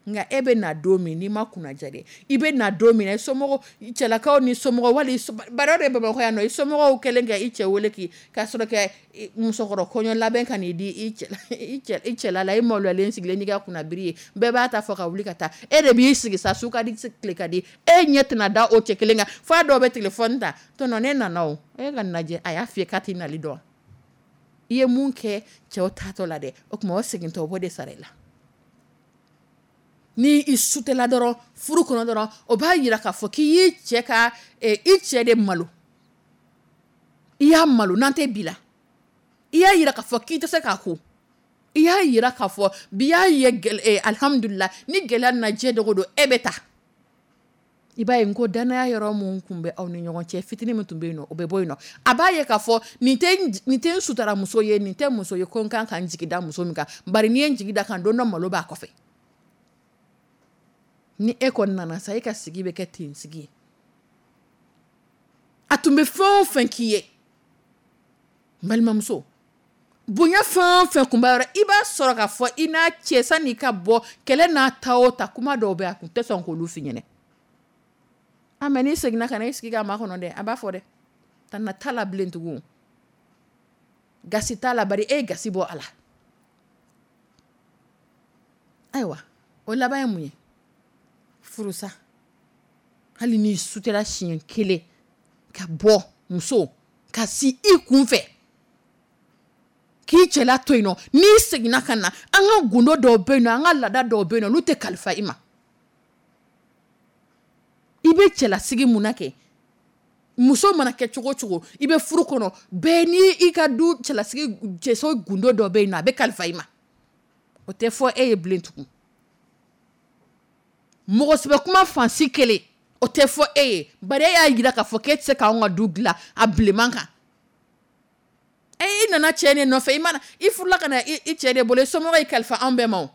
Nka e bɛ na don min, n'i ma kunnaja dɛ, i bɛ na don min na, i somɔgɔw, cɛlakaw ni somɔgɔw, wali bari o de ye Bamakɔ yan nɔ, i somɔgɔw kɛlen ka i cɛ wele k'i k'a sɔrɔ kɛ musokɔrɔ kɔɲɔ labɛn ka n'i di i cɛla la, i maloyalen sigilen n'i ka kunnabiri ye, bɛɛ b'a ta fɔ ka wuli ka taa, e de b'i sigi sa, su ka di tile ka di, e ɲɛ tɛna da o cɛ kelen kan f'a dɔw bɛ téléphone ta: tɔnɔ, ne nana o, e ka nin lajɛ, a y'a f'i ye k'a t'i nali dɔn. I ye mun kɛ cɛw taatɔ la dɛ, o tuma o segintɔ, o b'o de sara i la. Ni i sutela dɔrɔn furu kɔnɔ dɔrɔn, o b'a jira k'a fɔ k'i y'i cɛ ka i cɛ de malo, i y'a malo n'an tɛ bi la. I y'a jira k'a fɔ k'i tɛ se k'a ko, i y'a jira k'a fɔ bi y'a ye, alihamudulila, ni gɛlɛya nana diɲɛ dogo don, e bɛ taa. I b'a ye, n ko danaya yɔrɔ mun tun bɛ aw ni ɲɔgɔn cɛ, fitinin min tun bɛ yen nɔ, o bɛ bɔ yen nɔ. A b'a ye k'a fɔ nin tɛ n sutara muso ye, nin tɛ muso ye ko n kan ka n jigi da muso min kan. Bari n'i ye n jigi da kan, don dɔ malo b'a kɔfɛ. Ni e kɔni nana sa, e ka sigi bɛ kɛ ten sigi ye. A tun bɛ fɛn o fɛn k'i ye, n balimamuso. Bonya fɛn o fɛn kun b'a yɔrɔ, i b'a sɔrɔ k'a fɔ i n'a cɛ sanni ka bɔ kɛlɛ n'a ta o ta, kuma dɔw bɛ a kun tɛ sɔn k'olu f'i ɲɛna. A mɛ n'i seginna ka na i sigi k'a makɔnɔ dɛ, a b'a fɔ dɛ, tana t'a la bilen tugun, gasi t'a la, bari e ye gasi bɔ a la. Ayiwa, o laban ye mun ye? Furusa. Hali n'i sutera siɲɛ kelen ka bɔ, muso ka si i kun fɛ k'i cɛla to yen nɔ, n'i seginna ka na, an ka gundo dɔw bɛ yen nɔ, an ka laada dɔw bɛ yen nɔ, olu tɛ kalifa i ma. I bɛ cɛlasigi mun na kɛ, muso mana kɛ cogo o cogo, i bɛ furu kɔnɔ, bɛɛ ni i ka du cɛlasigi cɛso gundo dɔ bɛ yen nɔ, a bɛ kalifa i ma. O tɛ fɔ e ye bilen tugun. Mɔgɔ sɛbɛ kuma fansi kelen, o tɛ fɔ e ye, bari e y'a jira k'a fɔ k'e tɛ se k'anw ka du dilan a bilenman kan. E i nana cɛ de nɔfɛ, i mana i furula ka na i cɛ de bolo, i somɔgɔw y'i kalifa anw bɛɛ ma o.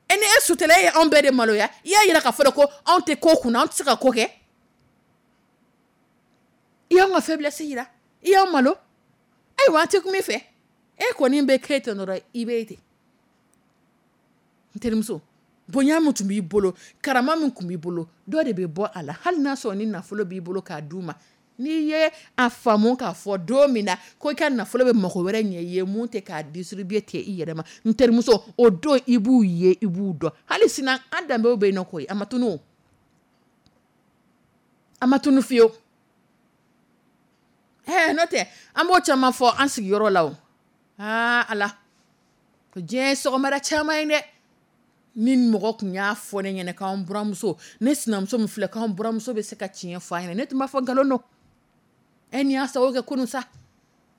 E ni e sutela, e ye anw bɛɛ de maloya, i y'a jira k'a fɔ ko anw tɛ ko kunna, anw tɛ se ka ko kɛ. I y'anw ka faiblesse jira, i y'anw malo. Ayiwa, an tɛ kuma i fɛ. E kɔni bɛ kɛ ten dɔrɔn, i bɛ ten. N terimuso, bonya min tun b'i bolo, karama min tun b'i bolo, dɔ de bɛ bɔ a la, hali n'a sɔrɔ ni nafolo b'i bolo k'a d'u ma. N'i ye a faamu k'a fɔ don min na ko i ka nafolo bɛ mɔgɔ wɛrɛ ɲɛ i ye, mun tɛ k'a distribuer ten i yɛrɛ ma, n terimuso, o don i b'u ye, i b'u dɔn. Hali sini an danbew bɛ yen nɔ koyi, a ma tunun o. A ma tunun fiyewu. N'o tɛ an b'o caman fɔ an sigiyɔrɔ la o. Aa Ala, ko diɲɛ ye sɔgɔmada caman ye dɛ. Ni mɔgɔ tun y'a fɔ ne ɲɛna k'an buramuso, ne sinamuso min filɛ, k'an buramuso bɛ se ka tiɲɛ fɔ a ɲɛna, ne tun b'a fɔ nkalon don. E nin y'a sababu kɛ kunun sa.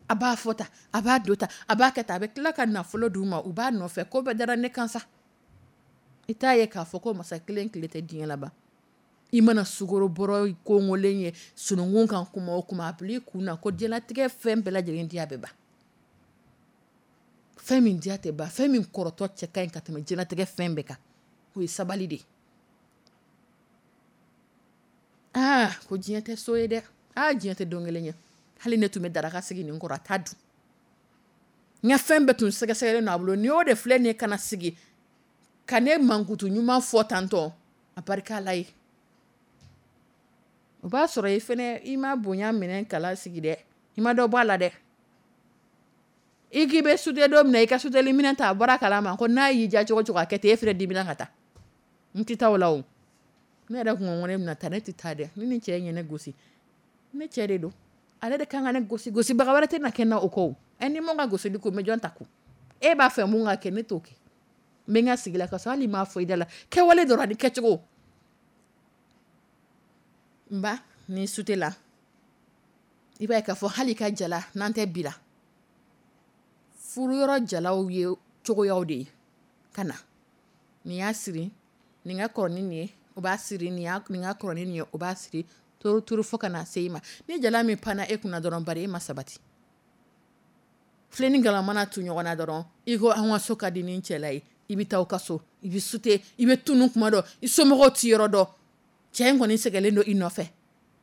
A b'a fɔ tan, a b'a don tan, a b'a kɛ tan, a bɛ tila ka nafolo d'u ma, u b'a nɔfɛ, ko bɛɛ dara ne kan sa. I t'a ye k'a fɔ ko masa kelen tile tɛ diɲɛ laban. I mana sukaro bɔrɔ kongolen ye sununkun kan kuma o kuma, a bila i kun na ko diɲɛlatigɛ fɛn bɛɛ lajɛlen diya bɛ ban. Fɛn min diya tɛ ban, fɛn min kɔrɔtɔ cɛ ka ɲi ka tɛmɛ diɲɛlatigɛ fɛn bɛɛ kan, o ye sabali de ye. Aa, ko diɲɛ tɛ so ye dɛ. Aa, diɲɛ tɛ don kelen ye. Hali ne tun bɛ daraka sigi nin kɔrɔ, a t'a dun. N ka fɛn bɛɛ tun sɛgɛsɛgɛlen don a bolo. Nin y'o de filɛ nin ye ka na sigi ka ne mankutu ɲuman fɔ tantɔ, a barika Ala ye. O b'a sɔrɔ i fɛnɛ, i ma bonya minɛ kala sigi dɛ, i ma dɔ bɔ a la dɛ. I k'i bɛ sute don min na, i ka suteli minɛ ta, a bɔra kalama ko n'a y'i diya cogo cogo a kɛ ten, e fɛnɛ dimina ka taa. N tɛ taa o la o. Ne yɛrɛ kun ko ne bɛna taa, ne tɛ taa dɛ. Ni nin cɛ in ye ne gosi, ne cɛ de don. Ale de kan ka ne gosi, gosibaga wɛrɛ tɛ na kɛ n na o kɔ. Ɛ ni mun ka gosili ko n bɛ jɔn ta kun? E b'a fɛ mun ka kɛ, ne t'o kɛ. N bɛ n ka sigi la ka sɔrɔ hali m'a fɔ i da la. Kɛwale dɔrɔn ani kɛcogo. N ba, ni sute la, i b'a ye k'a fɔ hali ka jala n'an tɛ bi la. Furuyɔrɔ jalaw ye cogoyaw de ye ka na. Nin y'a siri, nin ka kɔrɔ ni nin ye, o b'a siri, nin ka kɔrɔ ni nin ye, o b'a siri, turu turu fo ka na se i ma. Ni jala min panna e kunna dɔrɔn, bari e ma sabati. Filen ni galama mana tu ɲɔgɔn na dɔrɔn, i ko an ka so ka di ni cɛla ye, i bɛ taa aw ka so, i bɛ sute, i bɛ tunu kuma dɔ, i somɔgɔw t'i yɔrɔ dɔn. Cɛ in kɔni sɛgɛnlen don i nɔfɛ.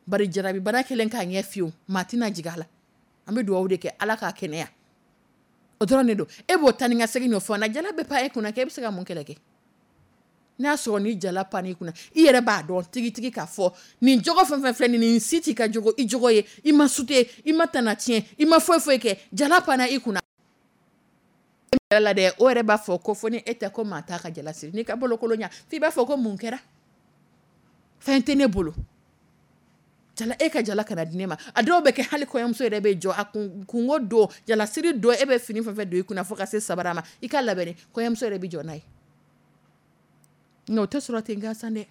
Bari jarabi bara kelen k'a ɲɛ fiyewu, maa tɛna jigin a la. An bɛ dugawu de kɛ Ala k'a kɛnɛya. O dɔrɔn de don. E b'o ta ni ka segin nɔ fɔ na, jala bɛ pan e kunna k'e bɛ se ka mun kɛlɛ kɛ? N'a sɔrɔ ni jala pan i kunna, i yɛrɛ b'a dɔn tigitigi k'a fɔ nin jogo fɛn fɛn filɛ nin, nin si t'i ka jogo, i jogo ye, i ma sute, i ma tana tiɲɛ, i ma foyi foyi kɛ, jala panna i kunna. La dɛ, o yɛrɛ b'a fɔ ko fo ni e tɛ ko maa t'a ka jala siri. N'i ka bolokolo ɲa, f'i b'a fɔ ko mun kɛra? Fɛn tɛ ne bolo. Jala, e ka jala kana di ne ma. A dɔw bɛ kɛ hali kɔɲɔmuso yɛrɛ bɛ jɔ a kunko don, jalasiri don, e bɛ fini fɛn fɛn don i kunna fo ka se sabara ma, i ka labɛnni, kɔɲɔmuso yɛrɛ bɛ jɔ n'a ye. Nka o tɛ sɔrɔ ten gansan dɛ.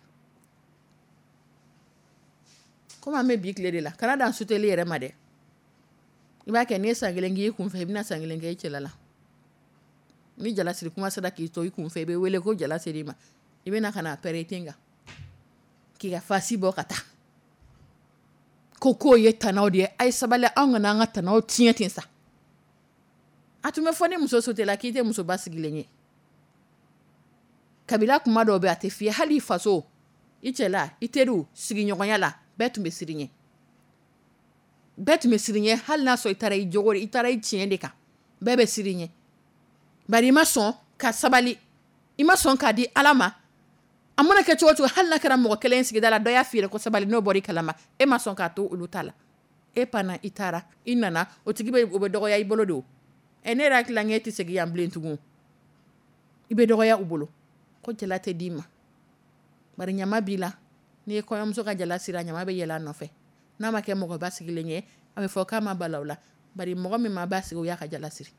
Komi an bɛ bi tile de la, kana dan suteli yɛrɛ ma dɛ. I b'a kɛ n'i ye san kelen k'i kun fɛ, i bɛna san kelen kɛ i cɛla la. Ni jalasiri kuma sera k'i to i kun fɛ, i bɛ wele ko jala ser'i ma. I bɛna ka na pɛrɛn i ten kan. K'i ka fasi bɔ ka taa. Ko k'o ye tanaw de ye, a ye sabali anw kana an ka tanaw tiɲɛ ten sa. A tun bɛ fɔ ni muso sotela k'i tɛ musoba sigilen ye. Kabila kuma dɔw bɛ a tɛ f'i ye, hali i faso, i cɛla, i teriw, sigiɲɔgɔnya la, bɛɛ tun bɛ siran i ɲɛ. Bɛɛ tun bɛ siran i ɲɛ hali n'a sɔrɔ i taara i jogo, i taara i tiɲɛ de kan. Bɛɛ bɛ siran i ɲɛ, bari i ma sɔn ka sabali, i ma sɔn k'a di Ala ma. A mana kɛ cogo cogo, hali n'a kɛra mɔgɔ kelen sigida la, dɔ y'a f'i ye ko sabali, n'o bɔra i kalama, e ma sɔn k'a to olu ta la, e panna, i taara, i nana, o tigi bɛ, o bɛ dɔgɔya i bolo don. Ɛ, ne yɛrɛ hakili la e tɛ segin yan bilen tugun. I bɛ dɔgɔya u bolo ko jala tɛ d'i ma, bari ɲama b'i la. N'i ye kɔɲɔmuso ka jala siri, a ɲama bɛ yɛlɛ a nɔfɛ. N'a ma kɛ mɔgɔ basigilen ye, a bɛ fɔ k'a ma bala la, bari mɔgɔ min ma basigi, o y'a ka jala siri.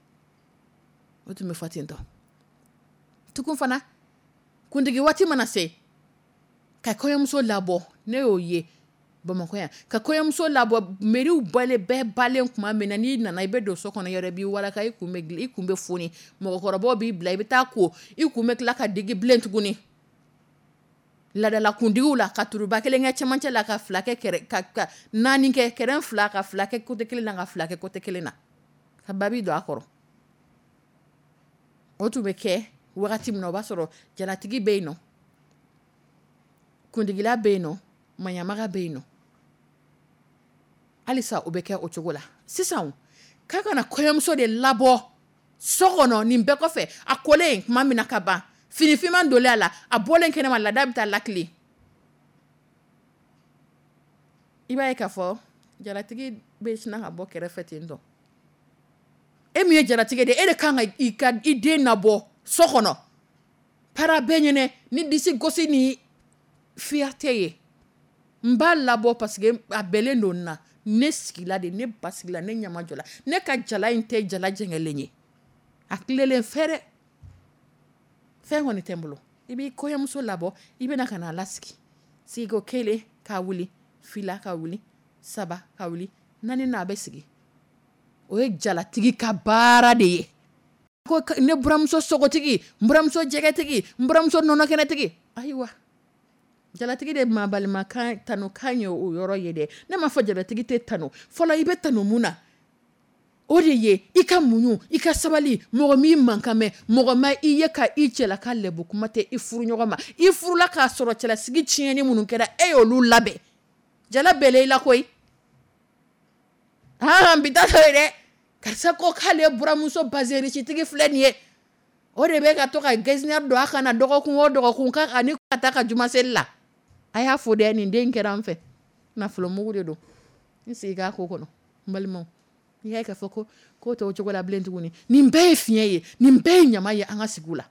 O tun bɛ fɔ ten tɔ tugun fana. Kuntigi waati mana se ka kɔɲɔmuso labɔ, ne y'o ye Bamakɔ yan, ka kɔɲɔmuso labɔ, mɛriw bɔlen bɛɛ balen tuma min na, n'i nana i bɛ don so kɔnɔ yɔrɔ, i b'i walaka, i kun bɛ i kun bɛ foni, mɔgɔkɔrɔbaw b'i bila, i bɛ taa ko, i kun bɛ tila ka digi bilen tuguni. Ladala kundigiw la, ka turuba kelen kɛ cɛmancɛ la, ka fila kɛ kɛrɛ, ka naani kɛ kɛrɛn fila, ka fila kɛ côté kelen na, ka fila kɛ côté kelen na, ka babi don a kɔrɔ. O tun bɛ kɛ wagati min na, o b'a sɔrɔ jalatigi bɛ yen nɔ, kundigila bɛ yen nɔ, maɲamaga bɛ yen nɔ. Halisa o bɛ kɛ o cogo la. Sisan k'a kana kɔɲɔmuso de labɔ so kɔnɔ, nin bɛɛ kɔfɛ, a kolen tuma min na ka ban, finifinman donlen a la, a bɔlen kɛnɛma, laada bɛ taa lakile. I b'a ye k'a fɔ jalatigi bɛ sina ka bɔ kɛrɛfɛ ten tɔ. E min ye jalatigi de, e de kan ka i ka i den nabɔ so kɔnɔ para bɛɛ ɲɛnɛ ni disi gosi ni fierté ye. N b'a labɔ parce que a bɛlen don n na, ne sigila de, ne basigila, ne ɲɛmajɔla, ne ka jala in tɛ jala jɛngɛlen ye, a tilelen fɛrɛ fɛn kɔni tɛ n bolo. I b'i kɔɲɔmuso labɔ, i bɛna ka n'a lasigi, sigiko kelen k'a wuli, fila ka wuli, saba ka wuli, naani na a bɛ sigi. O ye jalatigi ka baara de ye. Ko ne buramuso sogotigi, n buramuso jɛgɛtigi, n buramuso nɔnɔkɛnɛtigi. Ayiwa, jalatigi de ma balima kan tanu kan ye o yɔrɔ ye dɛ. Ne m'a fɔ jalatigi tɛ tanu. Fɔlɔ, i bɛ tanu mun na? O de ye i ka muɲu, i ka sabali. Mɔgɔ m'i mankan mɛn, mɔgɔ ma i ye ka i cɛla ka lɛbu kuma tɛ i furu ɲɔgɔn ma. I furula k'a sɔrɔ cɛlasigi tiɲɛni minnu kɛra, e y'olu labɛn. Jala bɛlɛ i la koyi. Han, bi ta to ye dɛ. Karisa ko k'ale buramuso bazɛnrisitigi filɛ nin ye, o de bɛ ka to ka getzner don a kan na dɔgɔkun o dɔgɔkun, k'a ani ka taa ka jumaseli la. A y'a fo dɛ, nin den kɛra an fɛ, nafolomugu de don. N sigi k'a ko kɔnɔ, n balimaw. N'i y'a ye k'a fɔ ko ko tɛ o cogo la bilen tuguni, nin bɛɛ ye fiɲɛ ye, nin bɛɛ ye ɲama ye an ka sigiw la.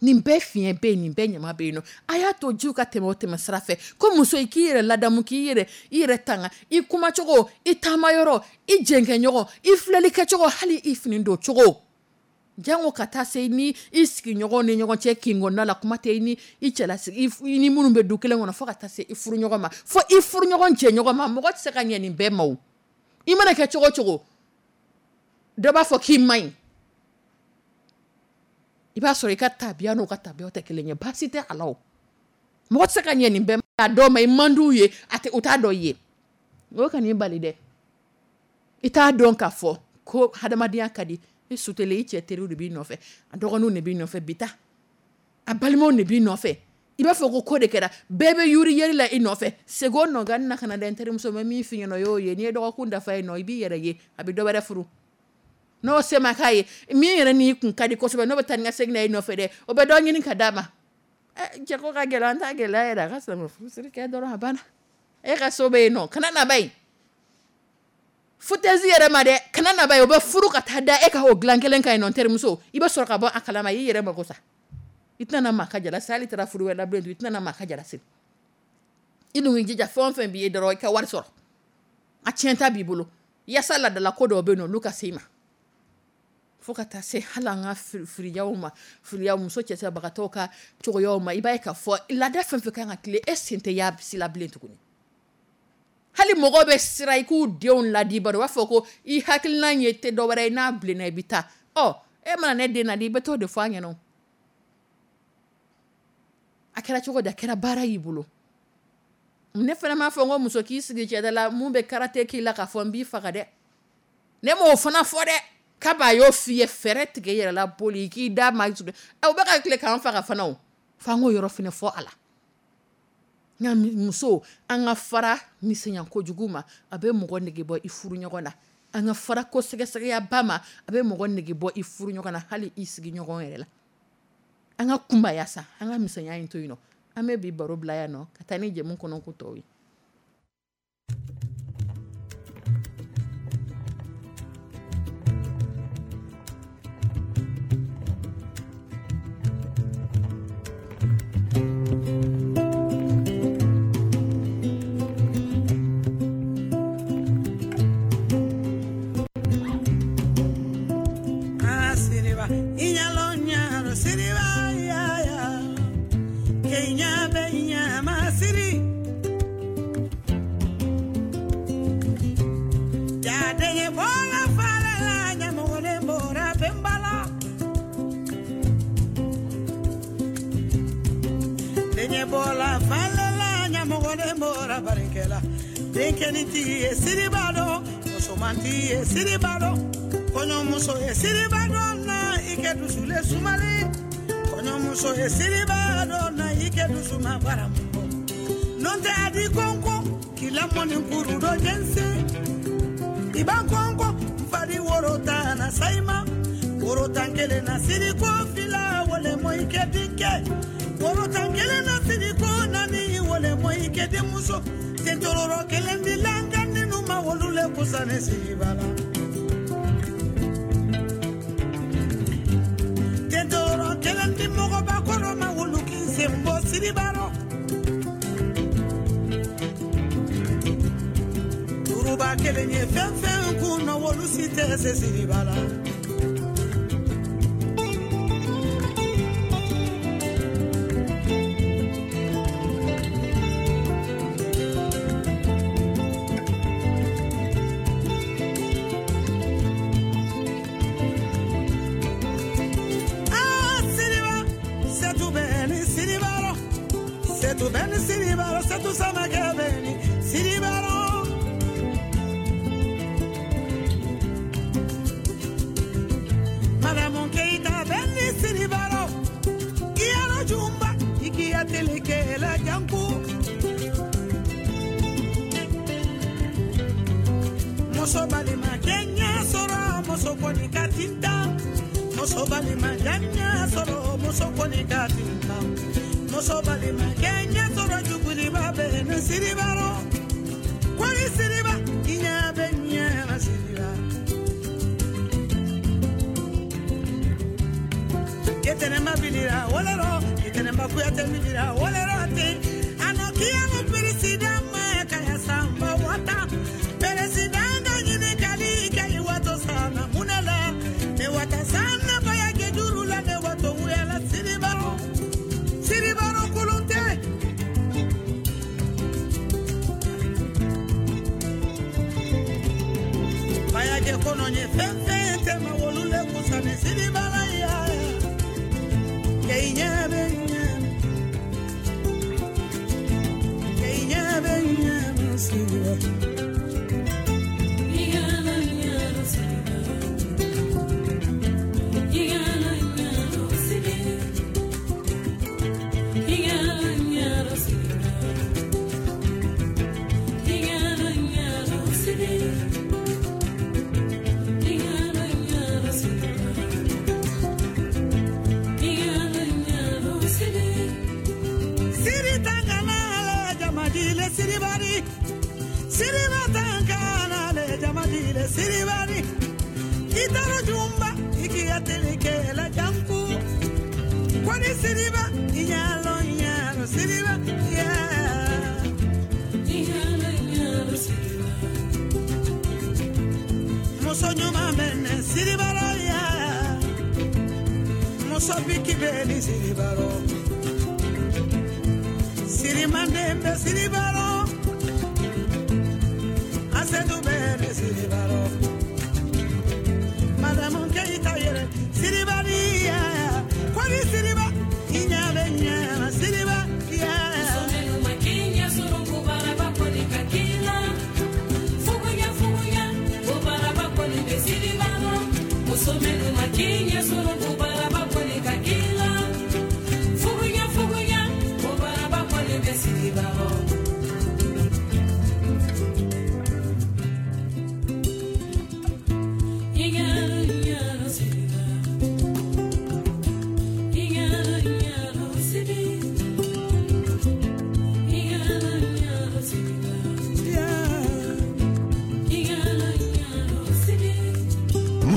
Nin bɛɛ fiɲɛ bɛ yen, nin bɛɛ ɲama bɛ yen nɔ. A y'a to jiw ka tɛmɛ o tɛmɛ sira fɛ. Ko muso, i k'i yɛrɛ ladamu, k'i yɛrɛ i yɛrɛ tanga, i kumacogo, i taamayɔrɔ, i jɛnkɛɲɔgɔn, i filɛlikɛcogo, hali i fini don cogo. Jango ka taa se ni i sigiɲɔgɔn ni ɲɔgɔn cɛ kinkɔnda la, kuma tɛ i ni i cɛlasigi, i ni minnu bɛ du kelen kɔnɔ, fo ka taa se i furu ɲɔgɔn ma, fo i furu ɲɔgɔn jɛɲɔgɔn ma. Mɔgɔ tɛ se ka ɲɛ nin bɛɛ ma o. I mana kɛ cogo o cogo, dɔ b'a fɔ k'i man ɲi. I b'a sɔrɔ i ka tabiya n'o ka tabiya tɛ kelen ye, baasi tɛ a la o. Mɔgɔ tɛ se ka ɲɛ nin bɛɛ ma. A dɔw ma, i man d'u ye, a tɛ, u t'a dɔn i ye. O kan'i bali dɛ. I t'a dɔn k'a fɔ ko hadamadenya ka di. I sutelen, i cɛ teriw de b'i nɔfɛ, a dɔgɔninw de b'i nɔfɛ, bi ta a balimaw de b'i nɔfɛ. I b'a fɔ ko ko de kɛra, bɛɛ bɛ yuri yeri la i nɔfɛ. Segin o nɔgɔni na ka na dɛ, n terimuso, n bɛ min f'i ɲɛna, o y'o ye. N'i ye dɔgɔkun dafa yen nɔ, i b'i yɛrɛ ye, a bɛ dɔ wɛrɛ furu. N'o se ma k'a ye, min yɛrɛ n'i kun ka di kosɛbɛ, n'o bɛ taa ni ka segin na i nɔfɛ dɛ, o bɛ dɔ ɲini ka d'a ma. Cɛ ko ka gɛlɛn, an t'a gɛlɛya yɛrɛ, a ka silamɛ furusiri kɛ dɔrɔn, a banna. E ka so bɛ yen nɔ, kana na ba yen. Foutaise yɛrɛ ma dɛ, kana na ba yen, o bɛ furu ka taa da e ka o dilan kelen kan yen nɔ, n terimuso. I bɛ sɔrɔ ka bɔ a kalama, i yɛrɛ mako sa. I tɛna maa ka jala siri, hali taara furu wɛrɛ la bilen, i tɛna maa ka jala siri. I dun k'i jija, fɛn o fɛn b'i ye dɔrɔn, i ka wari sɔrɔ. A tiɲɛ ta b'i bolo. Yaasa ladala ko dɔw bɛ yen nɔ, olu ka se i ma. Fo ka taa se hali an ka firiyaw ma, firiya muso cɛsɛbagatɔw ka cogoyaw ma, i b'a ye k'a fɔ laada fɛn fɛn kan ka tile, e sen tɛ y'a si la bilen tuguni. Hali mɔgɔw bɛ siran i k'u denw ladi, bari u b'a fɔ ko i hakilina ye tɛ dɔ wɛrɛ ye, n'a bilenna i bɛ taa. Ɔ, e mana ne den ladi, i bɛ t'o de fɔ a ɲɛna. A kɛra cogo di, a kɛra baara y'i bolo. Ne fana m'a fɔ n ko muso k'i sigi cɛda la, mun bɛ karate k'i la k'a fɔ n b'i faga dɛ. Ne m'o fana fɔ dɛ. Kaba y'o f'i ye, fɛɛrɛ tigɛ i yɛrɛ la, boli k'i da ma. O bɛ ka tile k'an faga fana o. F'an k'o yɔrɔ fana fɔ a la. Nka muso, an ka fara misɛnya kojugu ma, a bɛ mɔgɔ nege bɔ i furu ɲɔgɔn na. An ka fara ko sɛgɛsɛgɛyaba ma, a bɛ mɔgɔ nege bɔ i furu ɲɔgɔn na, hali i sigi ɲɔgɔn yɛrɛ la. An ka kunbaya sa, an ka misɛnya in to yen nɔ. An bɛ bi baro bila yan nɔ ka taa ni jɛmu kɔnɔ ko tɔw ye.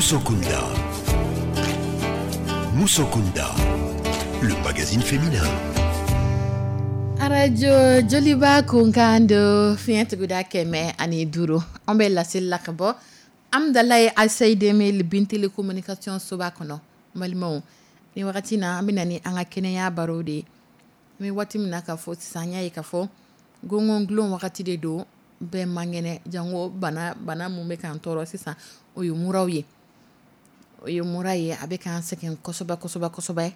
Musokunda. Musokunda, le magazine féminin. Arajo Joliba kunkan do, fiɲɛ tuguda 105. An bɛ laseli la ka bɔ Amdalaye ACI 2000 Bintili communication soba kɔnɔ. Balimaw, ni wagati na, an bɛ na ni an ka kɛnɛya baro de ye. An bɛ waati min na ka fɔ sisan, an y'a ye ka fɔ gɔngɔn wagati de don, bɛɛ man kɛnɛ, jango bana bana mun bɛ k'an tɔɔrɔ sisan, o ye muraw ye. O ye mura ye, a bɛ k'an sɛgɛn kosɛbɛ kosɛbɛ kosɛbɛ.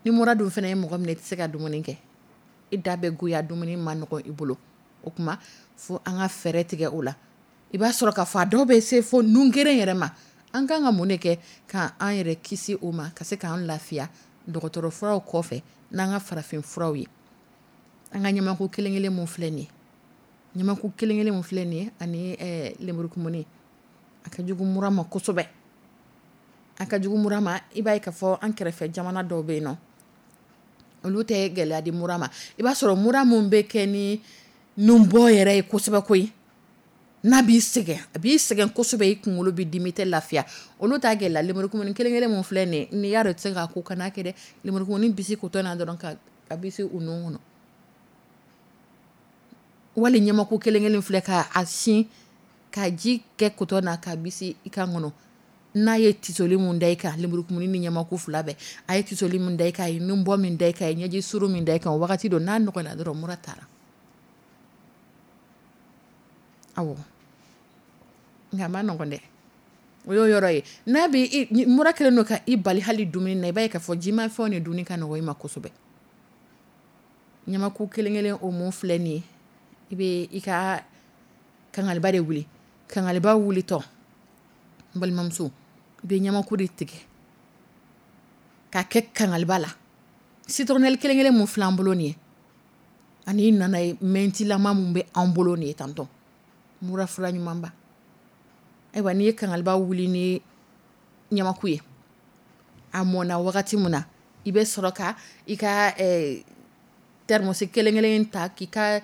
Ni mura dun fana ye mɔgɔ minɛ, i tɛ se ka dumuni kɛ, i da bɛ goya, dumuni ma nɔgɔ i bolo. O tuma fo an ka fɛɛrɛ tigɛ o la. I b'a sɔrɔ k'a fɔ a dɔw bɛ se fo nun keren yɛrɛ ma. An kan ka mun de kɛ ka an yɛrɛ kisi o ma, ka se k'an lafiya dɔgɔtɔrɔ furaw kɔfɛ n'an ka farafin furaw ye? An ka ɲamaku kelen kelen mun filɛ nin ye, ɲamaku kelen kelen mun filɛ nin ye, ani lemurukumuni, a ka jugu mura ma kosɛbɛ, a ka jugu mura ma. I b'a ye k'a fɔ an kɛrɛfɛ jamana dɔw bɛ yen nɔ, olu tɛ gɛlɛya di mura ma. I b'a sɔrɔ mura mun bɛ kɛ ni nunbɔ yɛrɛ ye kosɛbɛ koyi, n'a b'i sɛgɛn, a b'i sɛgɛn kosɛbɛ, i kunkolo bɛ dimi, tɛ lafiya, olu t'a gɛlɛya. Lemurukumuni kelen kelen mun filɛ nin ye, n'i y'a dɔn i tɛ se k'a ko, kana kɛ dɛ. Lemurukumuni bisi kotɔ na dɔrɔn ka a bisi u nun kɔnɔ, wali ɲamaku kelen kelen filɛ, ka a sin ka ji kɛ kotɔ na ka bisi i kan kɔnɔ. N'a ye tisoli mun da i kan, lemurukumuni ni ɲamaku fila bɛɛ, a ye tisoli mun da i kan, a ye nunbɔ min da i kan, a ye ɲɛji suru min da i kan, o wagati don n'a nɔgɔyara dɔrɔn, mura taara. Awɔ, nka a ma nɔgɔn dɛ. O y'o yɔrɔ ye. N'a bɛ mura kɛlen don ka i bali hali dumuni na, i b'a ye k'a fɔ jimafɛnw de dunni ka nɔgɔ i ma kosɛbɛ. Ɲamaku kelen kelen o mun filɛ nin ye, i bɛ i ka kangaliba de wuli. Kangaliba wulitɔ, n balimamuso, i bɛ ɲamaku de tigɛ k'a kɛ kangaliba la. Citronnelle kelen kelen mun filɛ an bolo nin ye, ani nana ye mɛntilama mun bɛ an bolo nin ye tantɔ, mura fura ɲumanba. Ayiwa, n'i ye kangaliba wuli ni ɲamaku ye, a mɔnna wagati min na, i bɛ sɔrɔ ka i ka thermos kelen kelen ta k'i ka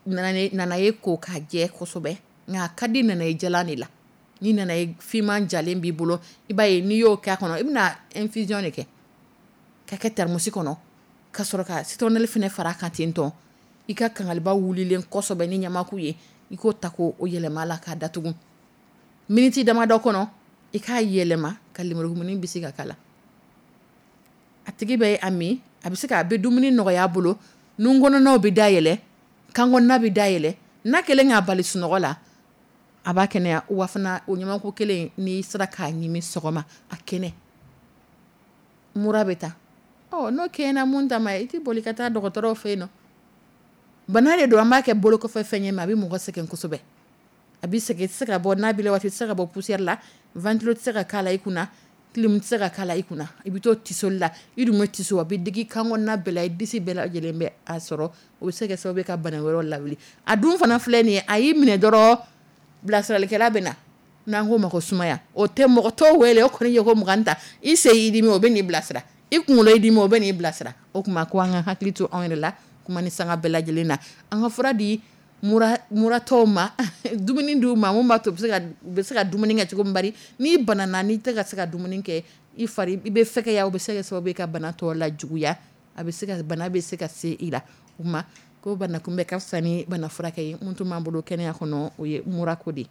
nanaye ko k'a jɛ kosɛbɛ. Nka a ka di nanaye jalan de la. Ni nanaye finman jalen b'i bolo, i b'a ye n'i y'o k'a kɔnɔ, i bɛna infusion de kɛ ka kɛ thermos kɔnɔ, ka sɔrɔ ka citronnelle fana fara kan ten tɔ. I ka kangaliba wulilen kosɛbɛ ni ɲamaku ye, i k'o ta k'o yɛlɛma la k'a datugu. Miniti damadɔ kɔnɔ, i k'a yɛlɛma ka lemurukumuni bisi ka k'a la. A tigi bɛ a min, a bɛ se ka a bɛ dumuni nɔgɔya a bolo, nun kɔnɔnaw bɛ dayɛlɛ, kan kɔnɔna bɛ dayɛlɛ. N'a kɛlen k'a bali sunɔgɔ la, a b'a kɛnɛya. Wa fana, o ɲamaku kelen, n'i sera k'a ɲimi sɔgɔma a kɛnɛ, mura bɛ taa. Ɔ n'o kɛɲɛna mun ta ma, i tɛ boli ka taa dɔgɔtɔrɔw fɛ yen nɔ. Bana de don, an b'a kɛ bolo kɔfɛ fɛn ye, mais a bɛ mɔgɔ sɛgɛn kosɛbɛ, a bɛ sɛgɛn. I tɛ se ka bɔ n'a b'i la waati, i tɛ se ka bɔ poussière la, ventilo tɛ se ka k'a la i kunna, clim tɛ se ka k'a la i kunna. I bɛ to tisoli la, i dun bɛ tiso, a bɛ digi kan kɔnɔna bɛɛ la, i disi bɛɛ lajɛlen bɛ a sɔrɔ. O bɛ se ka kɛ sababu ye ka bana wɛrɛw lawuli. A dun fana filɛ nin ye, a y'i minɛ dɔrɔn, bilasiralikɛla bɛ na, n'an k'o ma ko sumaya, o tɛ mɔgɔ t'o wele. O kɔni ye ko 20 ta, i sen y'i dimi, o bɛ n'i bilasira, i kunkolo y'i dimi, o bɛ n'i bilasira. O tuma ko an ka hakili to anw yɛrɛ la kuma ni sanga bɛɛ lajɛlen na. An ka fura di muratɔw ma, dumuni d'u ma mun b'a to u bɛ se ka dumuni kɛ cogo min. Bari n'i banana, n'i tɛ ka se ka dumuni kɛ, i fari i bɛ fɛgɛya, o bɛ se ka kɛ sababu ye ka bana tɔ la juguya, a bɛ se ka bana bɛ se ka se i la. O tuma ko bana kunbɛ ka fisa ni bana furakɛ ye. Mun tun b'an bolo kɛnɛya kɔnɔ, o ye murako de ye.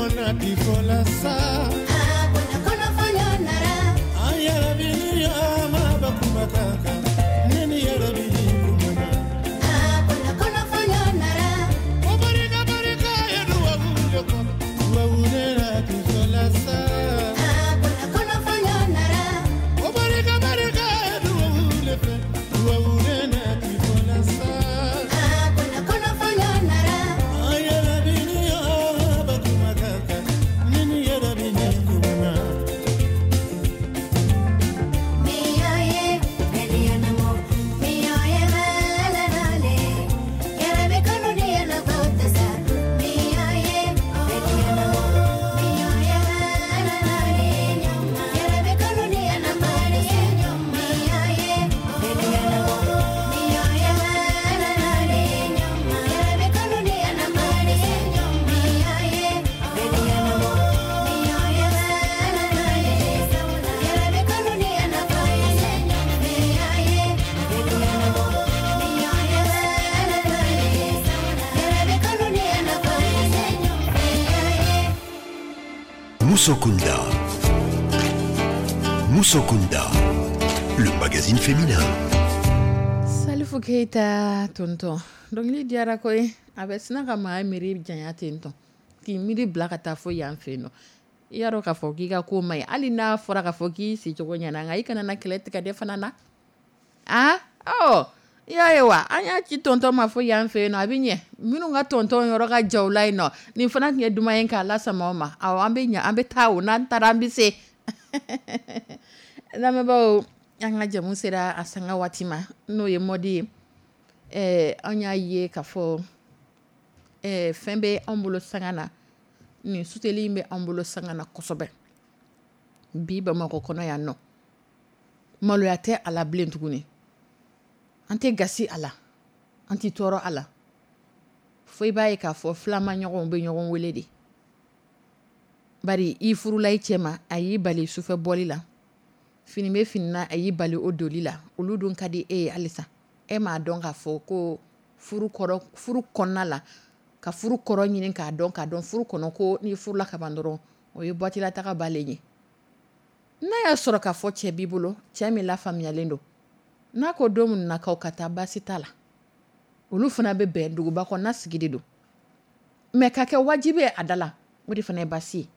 Fɔla sa. An yɛrɛ ni ma ba kuma kan kan ne ni yɛrɛ ni kuma ko barika barika ye dubabu de kɔnɔ dubabu de la ti fɔla sa. Ko barika barika ye dubabu de fɛ dubabu de la ti fɔla sa. An yɛrɛ ni ma ba kuma kan kan ne ni yɛrɛ ni kuma. Moussokunda. Moussokunda, le magazine féminin. Salifu Keyita, tonton, dɔnkili diyara koyi. A bɛ sina ka maa miiri janya ten tɔn, k'i miiri bila ka taa fo yan fɛ yen nɔ. I y'a dɔn k'a fɔ k'i ka ko ma ɲi, hali n'a fɔra k'a fɔ k'i sicogo ɲɛna, nka i kana na kɛlɛ tigɛ de fana na. A ɔ, i y'a ye wa, an y'a ci tonton ma fo yan fɛ yen nɔ, a bɛ ɲɛ minnu ka tonton yɔrɔ ka ja u la yen nɔ. Nin fana tun ye duman ye k'a lasama o ma. Awɔ, an bɛ ɲɛ, an bɛ taa o, n'an taara an bɛ se. Lamɛnbaaw, an ka jamu sera a sanga waati ma, n'o ye mode ye. An y'a ye k'a fɔ fɛn bɛ anw bolo sanga na, nin suteli in bɛ anw bolo sanga na kosɛbɛ bi Bamakɔ kɔnɔ yan nɔ. Maloya tɛ a la bilen tuguni, an tɛ gasi a la, an tɛ tɔɔrɔ a la. Fo i b'a ye k'a fɔ filama ɲɔgɔnw bɛ ɲɔgɔn wele de, bari i furula i cɛ ma, a y'i bali sufɛ bɔli la, fini bɛ fini na, a y'i bali o doli la, olu dun ka di e ye halisa. E m'a dɔn k'a fɔ ko furu kɔrɔ, furu kɔnɔna la, ka furu kɔrɔ ɲini k'a dɔn, k'a dɔn furu kɔnɔ ko n'i furula ka ban dɔrɔn, o ye boîte la taga balen ye. N'a y'a sɔrɔ k'a fɔ cɛ b'i bolo, cɛ min lafaamuyalen don, n'a ko don min na k'aw ka taa, baasi t'a la, olu fana bɛ bɛn, duguba kɔnɔna sigi de don. Mais ka kɛ wajibi ye a da la, o de fana ye baasi ye.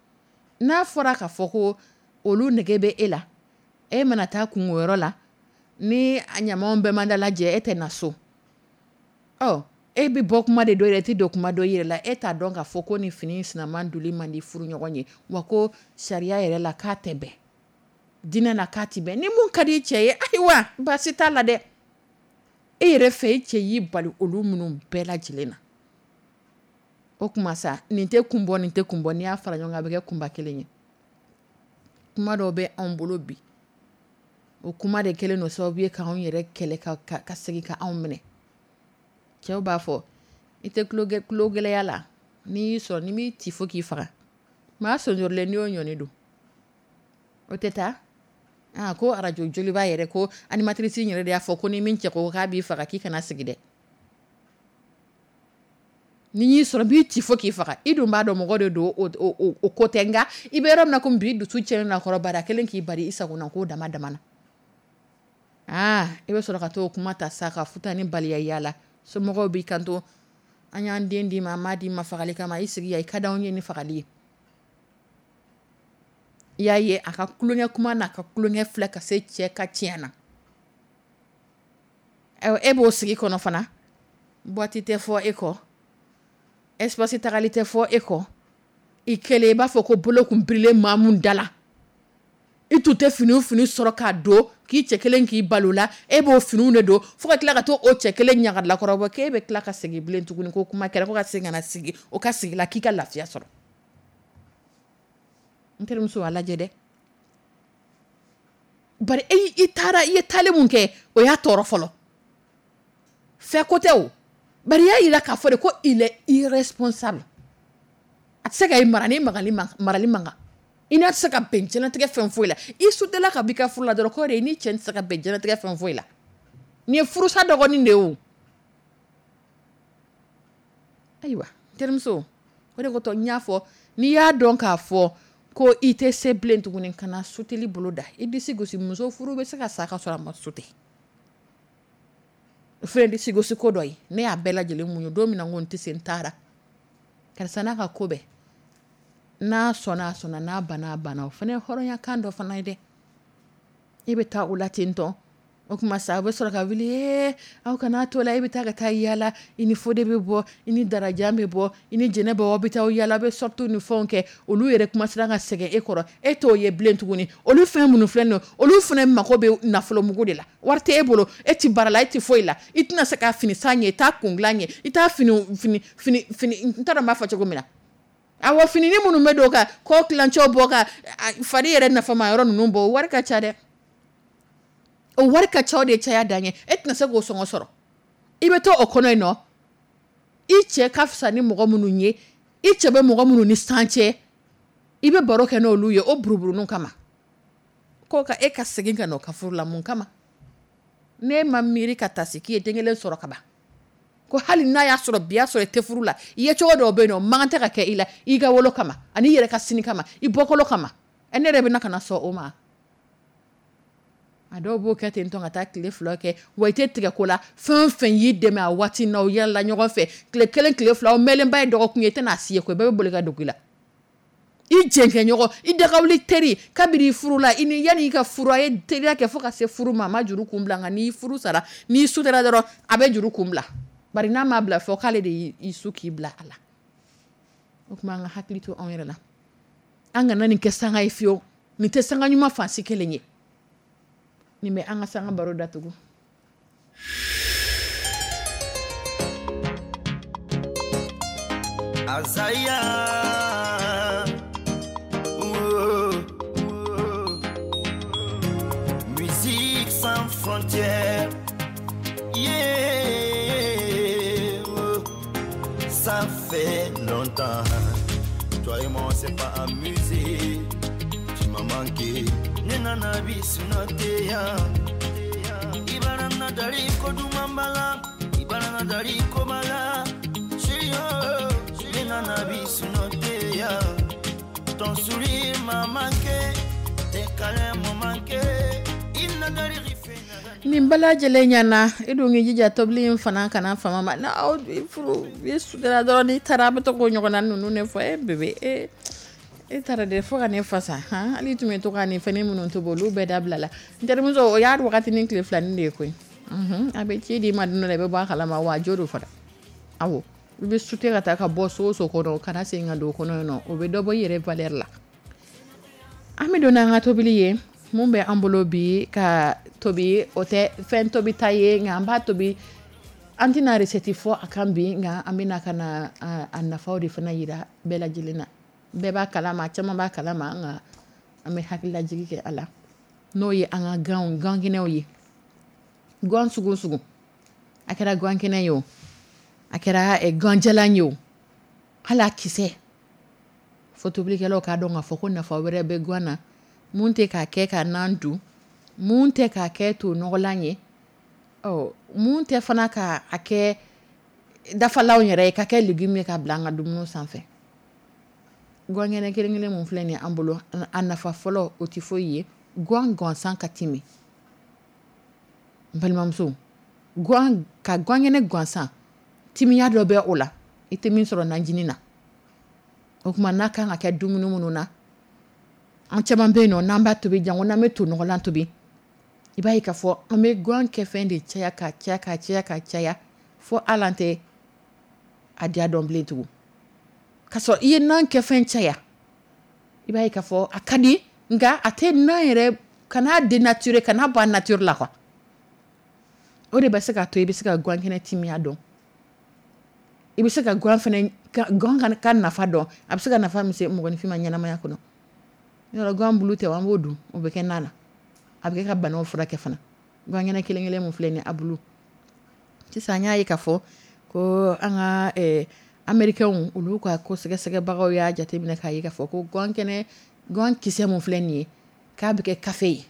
N'a fɔra k'a fɔ ko olu nege bɛ e la, e mana taa kungoyɔrɔ la, ni a ɲamaw bɛɛ ma dalajɛ, e tɛ na so. Ɔ, e bɛ bɔ kuma de dɔ yɛrɛ, e tɛ don kuma dɔ yɛrɛ la, e t'a dɔn k'a fɔ ko nin fini sinaman doli man di furu ɲɔgɔn ye, wa ko sariya yɛrɛ la k'a tɛ bɛn, diinɛ la k'a tɛ bɛn. Ni mun ka di cɛ ye, ayiwa, baasi t'a la dɛ. E yɛrɛ fɛ, e cɛ y'i bali olu minnu bɛɛ lajɛlen na, o kuma sa, nin tɛ kun bɔ, nin tɛ kun bɔ, n'i y'a fara ɲɔgɔn kan, a bɛ kɛ kunba kelen ye. Kuma dɔw bɛ anw bolo bi, o kuma de kɛlen don sababu ye k'anw yɛrɛ kɛlɛ, ka segin ka anw minɛ. Cɛw b'a fɔ i tɛ tulo gɛlɛya la, n'i y'i sɔrɔ, n'i m'i ci fo k'i faga, maa sɔnjɔrilen n'i y'o ɲɔni don, o tɛ taa. Aa, ko arajo joliba yɛrɛ ko animatrice yɛrɛ de y'a fɔ ko ni min cɛ ko k'a b'i faga, k'i kana sigi dɛ. Ni y'i sɔrɔ, b'i ci fo k'i faga. I dun b'a dɔn mɔgɔ de don, o ko tɛ, nka i bɛ yɔrɔ min na komi bi, dusu tiɲɛnen don a kɔrɔ, bari a kɛlen k'i bari i sagona ko dama dama na. Aa, i bɛ sɔrɔ ka t'o kuma ta sa ka futa ni baliya yaala. Somɔgɔw b'i kanto, an y'an den d'i ma, an m'a d'i ma fagali kama, i sigi yan, i ka d'anw ye ni fagali ye. I y'a ye a ka tulonkɛ kuma n'a ka tulonkɛ filɛ ka se cɛ ka tiɲɛ na. E b'o sigi kɔnɔ fana, boîte tɛ fɔ e kɔ, espace tagali tɛ fɔ e kɔ, i kɛlen i b'a fɔ ko bolo kun birilen maa mun da la. I tun tɛ fini fini sɔrɔ k'a don k'i cɛ kelen k'i balo la, e b'o finiw de don fo ka tila ka to o cɛ kelen ɲagalakɔrɔbɔ, k'e bɛ tila ka segin bilen tuguni ko kuma kɛra ko ka segin ka na sigi o ka sigi la k'i ka lafiya sɔrɔ. N terimuso, a lajɛ dɛ. Bari e i taara, i ye taali mun kɛ, o y'a tɔɔrɔ fɔlɔ. Fɛ ko tɛ o, bari i y'a yira k'a fɔ de ko il est irresponsable. A tɛ se ka i mara ni marali man kan. I n'a tɛ se ka bɛn diɲɛlatigɛ fɛn foyi la. I sutela ka b'i ka furu la dɔrɔn, k'o de i ni cɛ tɛ se ka bɛn diɲɛlatigɛ fɛn foyi la. Nin ye furusa dɔgɔnin de ye o. Ayiwa, terimuso, o de kotɔ n y'a fɔ N'i y'a dɔn k'a fɔ ko i tɛ se bilen tuguni, kana suteli bolo da i disi gosi. Muso furu bɛ se ka sa ka sɔrɔ a ma sute. O fana disi gosi ko dɔ ye. Ne y'a bɛɛ lajɛlen muɲu. Don min na n ko n tɛ se, n taara. Karisa n'a ka ko bɛɛ, n'a sɔnna a sɔnna, n'a banna a banna. O fana ye hɔrɔnya kan dɔ fana ye dɛ. I bɛ taa o la ten tɔ, o tuma sa a bɛ sɔrɔ ka wuli, ee, aw kana to la, e bɛ taa ka taa yaala, i ni Fode bɛ bɔ, i ni Darajan bɛ bɔ, i ni Jɛnɛba, aw bɛ taa yaala, aw bɛ sortie ni fɛnw kɛ. Olu yɛrɛ kuma siran ka sɛgɛn e kɔrɔ, e t'o ye bilen tuguni. Olu fɛn minnu filɛ nin ye, olu fana mako bɛ nafolomugu de la. Wari tɛ e bolo, e tɛ baara la, e tɛ foyi la, i tɛna se ka fini san ɲɛ, i t'a kun dilan ɲɛ, i t'a fini fini fini fini, n t'a dɔn n b'a fɔ cogo min na. Awɔ, finini minnu bɛ don ka kɔ tilancɛw bɔ, ka fari yɛrɛ nafama yɔrɔ ninnu bɔ, o wari ka ca dɛ. O wari ka ca, o de ye caya dan ye. E tɛna se k'o sɔngɔ sɔrɔ. I bɛ to o kɔnɔ yen nɔ. I cɛ ka fisa ni mɔgɔ minnu ye, i cɛ bɛ mɔgɔ minnu ni san cɛ, i bɛ baro kɛ n'olu ye o buruburunu kama. Ko ka e ka segin ka na o ka furu la, mun kama? Ne ma miiri ka taa se k'i ye den kelen sɔrɔ ka ban, ko hali n'a y'a sɔrɔ bi y'a sɔrɔ i tɛ furu la, i ye cogo dɔw bɛ yen nɔ, o man kan tɛ ka kɛ i la, i ka wolo kama, ani i yɛrɛ ka sini kama, i bɔkolo kama. Ɛ, ne yɛrɛ bɛ na ka na sɔn o ma. A dɔw b'o kɛ ten tɔ ka taa tile 2 kɛ, wa i tɛ tigɛ ko la. Fɛn o fɛn y'i dɛmɛ a waati n'aw yɛlɛla ɲɔgɔn fɛ tile 1, tile 2, aw mɛnlenba ye dɔgɔkun ye, i tɛna si ye koyi, bɛɛ bɛ boli ka dogo i la. I jɛnkɛɲɔgɔn, i dagawuli teri, kabini i furu la, i ni yanni i ka furu, a ye teriya kɛ fo ka se furu ma, a ma juru kun bila. Nka n'i furu sara, n'i sutara dɔrɔn, a bɛ juru kun bila. Bari n'a m'a bila fɔ k'ale de y'i su k'i bila a la. O tuma an ka hakili to anw yɛrɛ la. An kana nin kɛ sanga ye fiyewu. Nin tɛ sanga ɲuman fansi kelen ye. Nin bɛ an ka sanga baro datugu. Azaya, oh, oh. Musique sans frontières, yeah, oh. Ça fait longtemps, toi et moi on s'est pas amusé, tu m'as manqué. Nena bisunoteya, Ibarana dari kodumambala, Ibarana dari kobala, Shio, Nena bisunoteya. Ton sourire m'a manqué, tes câlins m'ont manqué, il n'a dari Nin bɛɛ lajɛlen ɲɛna, i dun k'i jija tobili in fana kana fama ma. N'aw furu i sutara dɔrɔn, n'i taara a bɛ to k'o ɲɔgɔnna ninnu de fɔ. E bébé, e e taara de fo ka ne fasa han. Hali tun bɛ to ka nin fɛn minnu tobi, olu bɛɛ dabila la. N terimuso, o y'a wagati ni tile filanin de ye koyi. A bɛ ci d'i ma don dɔ la, i bɛ bɔ a kalama wa a jo don fana. Awɔ, i bɛ sute ka taa ka bɔ so o so kɔnɔ, kana segin ka don o kɔnɔ yen nɔ, o bɛ dɔ bɔ i yɛrɛ valeur la. An bɛ don n'an ka tobili ye. Mun bɛ an bolo bi ka tobi, o tɛ fɛn tobi ta ye, nka an b'a tobi, an tɛna recette fɔ a kan bi, nka an bɛna ka na a nafaw de fana yira bɛɛ lajɛlen na. Bɛɛ b'a kalama, caman b'a kalama, nka an bɛ hakililajigi kɛ a la. N'o ye an ka ganw, gankɛnɛw ye. Gan sugu sugu, a kɛra gankɛnɛ ye o, a kɛra ganjalan ye o, hali a kisɛ. Fo tobilikɛlaw k'a dɔn k'a fɔ ko nafa wɛrɛ bɛ gan na, mun tɛ k'a kɛ ka nan dun, mun tɛ k'a kɛ to nɔgɔlan ye, ɔ mun tɛ fana k'a kɛ dafalanw yɛrɛ ye, ka kɛ légume ye ka bila an ka dumuni sanfɛ. Gankɛnɛ kelen kelen mun filɛ nin ye an bolo, a nafa fɔlɔ o tɛ foyi ye, gan gansan ka timi. N balimamuso, gan ka gankɛnɛ gansan, timiya dɔ bɛ o la, i tɛ min sɔrɔ najini na. O tuma n'a kan ka kɛ dumuni minnu na, an caman bɛ yen nɔ, n'an b'a tobi, janko n'an bɛ to nɔgɔlan tobi, i b'a ye k'a fɔ an bɛ gan kɛ fɛn de caya ka caya ka caya ka caya fo hali an tɛ a diya dɔn bilen tugun. K'a sɔrɔ i ye nan kɛ fɛn caya, i b'a ye k'a fɔ a ka di, nka a tɛ nan yɛrɛ, kan'a dénaturer, kan'a bɔ a nature la quoi. O de bɛ se k'a to i bɛ se ka gankɛnɛ timiya dɔn. I bɛ se ka gan fɛnɛ, ka, gan ka nafa dɔn, a bɛ se ka nafa min se mɔgɔninfin ma ɲɛnamaya kɔnɔ. Yɔrɔ gan bulu tɛ, an b'o dun, o bɛ kɛ nan na. A bɛ kɛ ka banaw furakɛ fana. Gankɛnɛ kelen kelen mun filɛ nin ye, a bulu. Sisan an y'a ye k'a fɔ ko an ka Américains olu ka ko sɛgɛsɛgɛbagaw y'a jateminɛ k'a ye k'a fɔ ko gankɛnɛ, gan kisɛ mun filɛ nin ye, k'a bɛ kɛ kafe ye.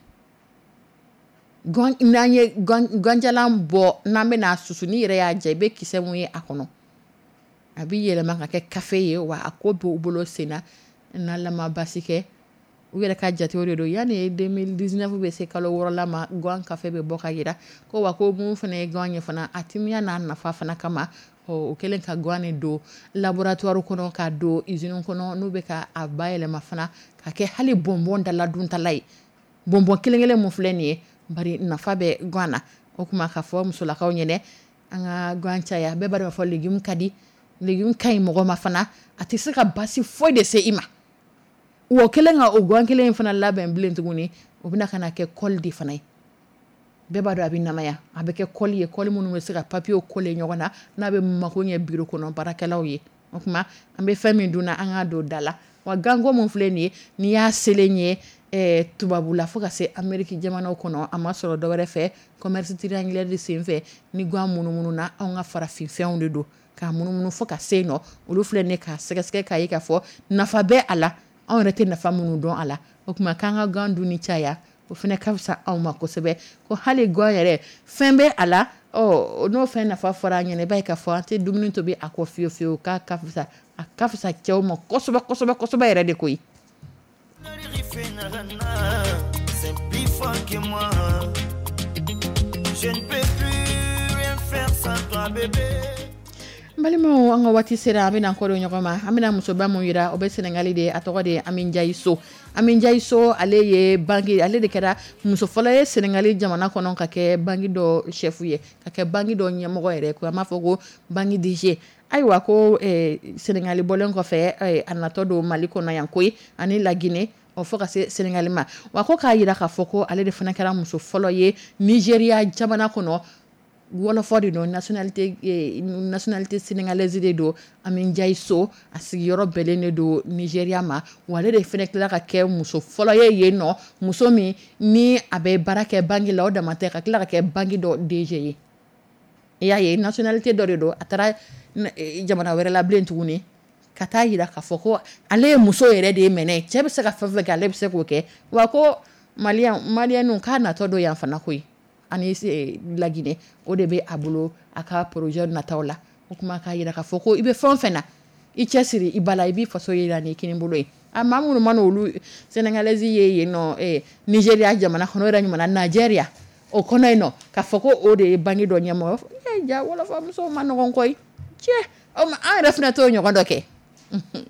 Gan, n'an ye gan, ganjalan bɔ, n'an bɛna susu, n'i yɛrɛ y'a ja, i bɛ kisɛ mun ye a kɔnɔ. A bɛ yɛlɛma ka kɛ kafe ye, wa a ko b'u bolo sen na. N'Ala ma basi kɛ, u yɛrɛ ka jatew de don, yanni 2019 bɛ se kalo 6 la ma, gan kafe bɛ bɔ ka jira ko wa ko mun fana ye gan ye fana, a timiya n'a nafa fana kama, o kɛlen ka gan de don laboratoire kɔnɔ, ka don usine kɔnɔ, n'u bɛ ka a bayɛlɛma fana ka kɛ hali bonbon dala duntala ye. Bonbon kelen kelen mun filɛ nin ye, bari nafa bɛ gan na. O tuma ka fɔ musolakaw ɲɛnɛ, an ka gan caya. Bɛɛ b'a dɔn fɔ légume ka di, légume ka ɲi mɔgɔ ma fana, a tɛ se ka basi foyi de se i ma. Wa kɛlen ka o gan kelen in fana labɛn bilen tuguni, o bɛna ka na kɛ colle de fana ye. Bɛɛ b'a dɔn a bɛ namaya, a bɛ kɛ colle ye, colle minnu bɛ se ka papier coller ɲɔgɔn na, n'a bɛ mako ɲɛ bureau kɔnɔ baarakɛlaw ye. O tuma an bɛ fɛn min dun na, an k'a don da la. Wa ganko mun filɛ nin ye, n'i y'a selen ye tubabula fo ka se Amérique jamanaw kɔnɔ, a ma sɔrɔ dɔwɛrɛ fɛ, commerce triangulaire de sen fɛ ni gan munumunu na, anw ka farafinfɛnw de don k'a munumunu fo ka se nɔ. Olu filɛ nin ye k'a sɛgɛsɛgɛ k'a ye k'a fɔ nafa bɛ a la, anw yɛrɛ tɛ nafa minnu dɔn a la. O tuma k'an ka gan dunni caya, o fana ka fisa anw ma kosɛbɛ. Ko hali gan yɛrɛ fɛn bɛ a la, ɔ n'o fɛn nafa fɔra an ɲɛna, i b'a ye k'a fɔ an tɛ dumuni tobi a kɔ fiyewu fiyewu, k'a ka fisa, a ka fisa cɛw ma kosɛbɛ kosɛbɛ kosɛbɛ yɛrɛ de koyi. C'est plus fort que moi. Je ne peux plus rien faire sans toi, bébé. N balimaw, an ka waati sera, an bɛna kɔdon ɲɔgɔn ma. An bɛna musoba mun yira, o bɛ Senegali de, a tɔgɔ de ye Ami Njayi So. Ami Njayi So, ale ye banque, ale de kɛra muso fɔlɔ ye Senegali jamana kɔnɔ ka kɛ banque dɔ chef ye, ka kɛ banque dɔ ɲɛmɔgɔ yɛrɛ ko an b'a fɔ ko banque DG. Ayiwa, ko Senegali bɔlen kɔfɛ, a natɔ don Mali kɔnɔ yan koyi, ani Laginɛ, ɔ fo ka se Senegali ma. Wa ko k'a yira k'a fɔ ko ale de fana kɛra muso fɔlɔ ye Nigéria jamana kɔnɔ. Wɔlɔfɔ de don, nationalité sénégalaise de don. Ami Njayi So, a sigiyɔrɔ bɛnnen de don Nigéria ma. Wa ale de fana tila ka kɛ muso fɔlɔ ye yen nɔ, muso min ni a bɛ baara kɛ banque la, o dama tɛ, ka tila ka kɛ banque dɔ DG ye. I y'a ye, nationalité dɔ de don, a taara jamana wɛrɛ la bilen tuguni ka taa yira k'a fɔ ko ale ye muso yɛrɛ de ye mɛnɛ, cɛ bɛ se ka fɛn fɛn kɛ, ale bɛ se k'o kɛ. Wa ko maliyɛnw k'a natɔ don yan fana koyi, ani Laginɛ, o de bɛ a bolo a ka projet nataw la. O kuma k'a yira k'a fɔ ko i bɛ fɛn o fɛn na, i cɛsiri i ba la, i b'i faso yira n'i kini bolo ye. A maa minnu mana olu sénégalaise ye yen nɔ, Nigéria jamana kɔnɔ, o yɛrɛ ɲuman na Nigeria o kɔnɔ yen nɔ, k'a fɔ ko o de ye banque dɔ ɲɛmɔgɔ ye, ja wɔlɔfɔmusow ma nɔgɔn koyi. Cɛ, o ma an yɛrɛ fana t'o ɲɔgɔn dɔ kɛ,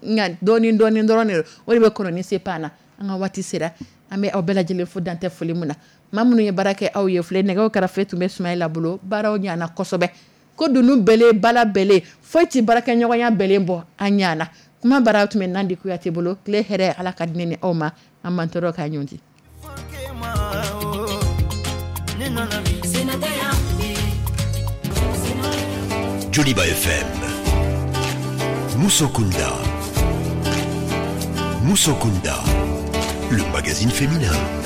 nka dɔɔni dɔɔni dɔrɔn de don, o de bɛ kɔnɔni se pan na. An ka waati sera, an bɛ aw bɛɛ lajɛlen fo dantɛ foli mun na. Maa minnu ye baara kɛ aw ye filɛ, nɛgɛw karafe tun bɛ Sumayila bolo, baaraw ɲana kosɛbɛ, ko dunun bɛlen bala bɛlen, foyi tɛ baarakɛɲɔgɔnya bɛlen bɔ, an ɲana. Kuma baara tun bɛ Nandi Kuyate bolo. Tile hɛrɛ, Ala ka di ne ni aw ma, an m'an tɔɔrɔ k'a ɲɔgɔn. Joliba FM, Mousso Kunda. Mousso Kunda, le magazine féminin.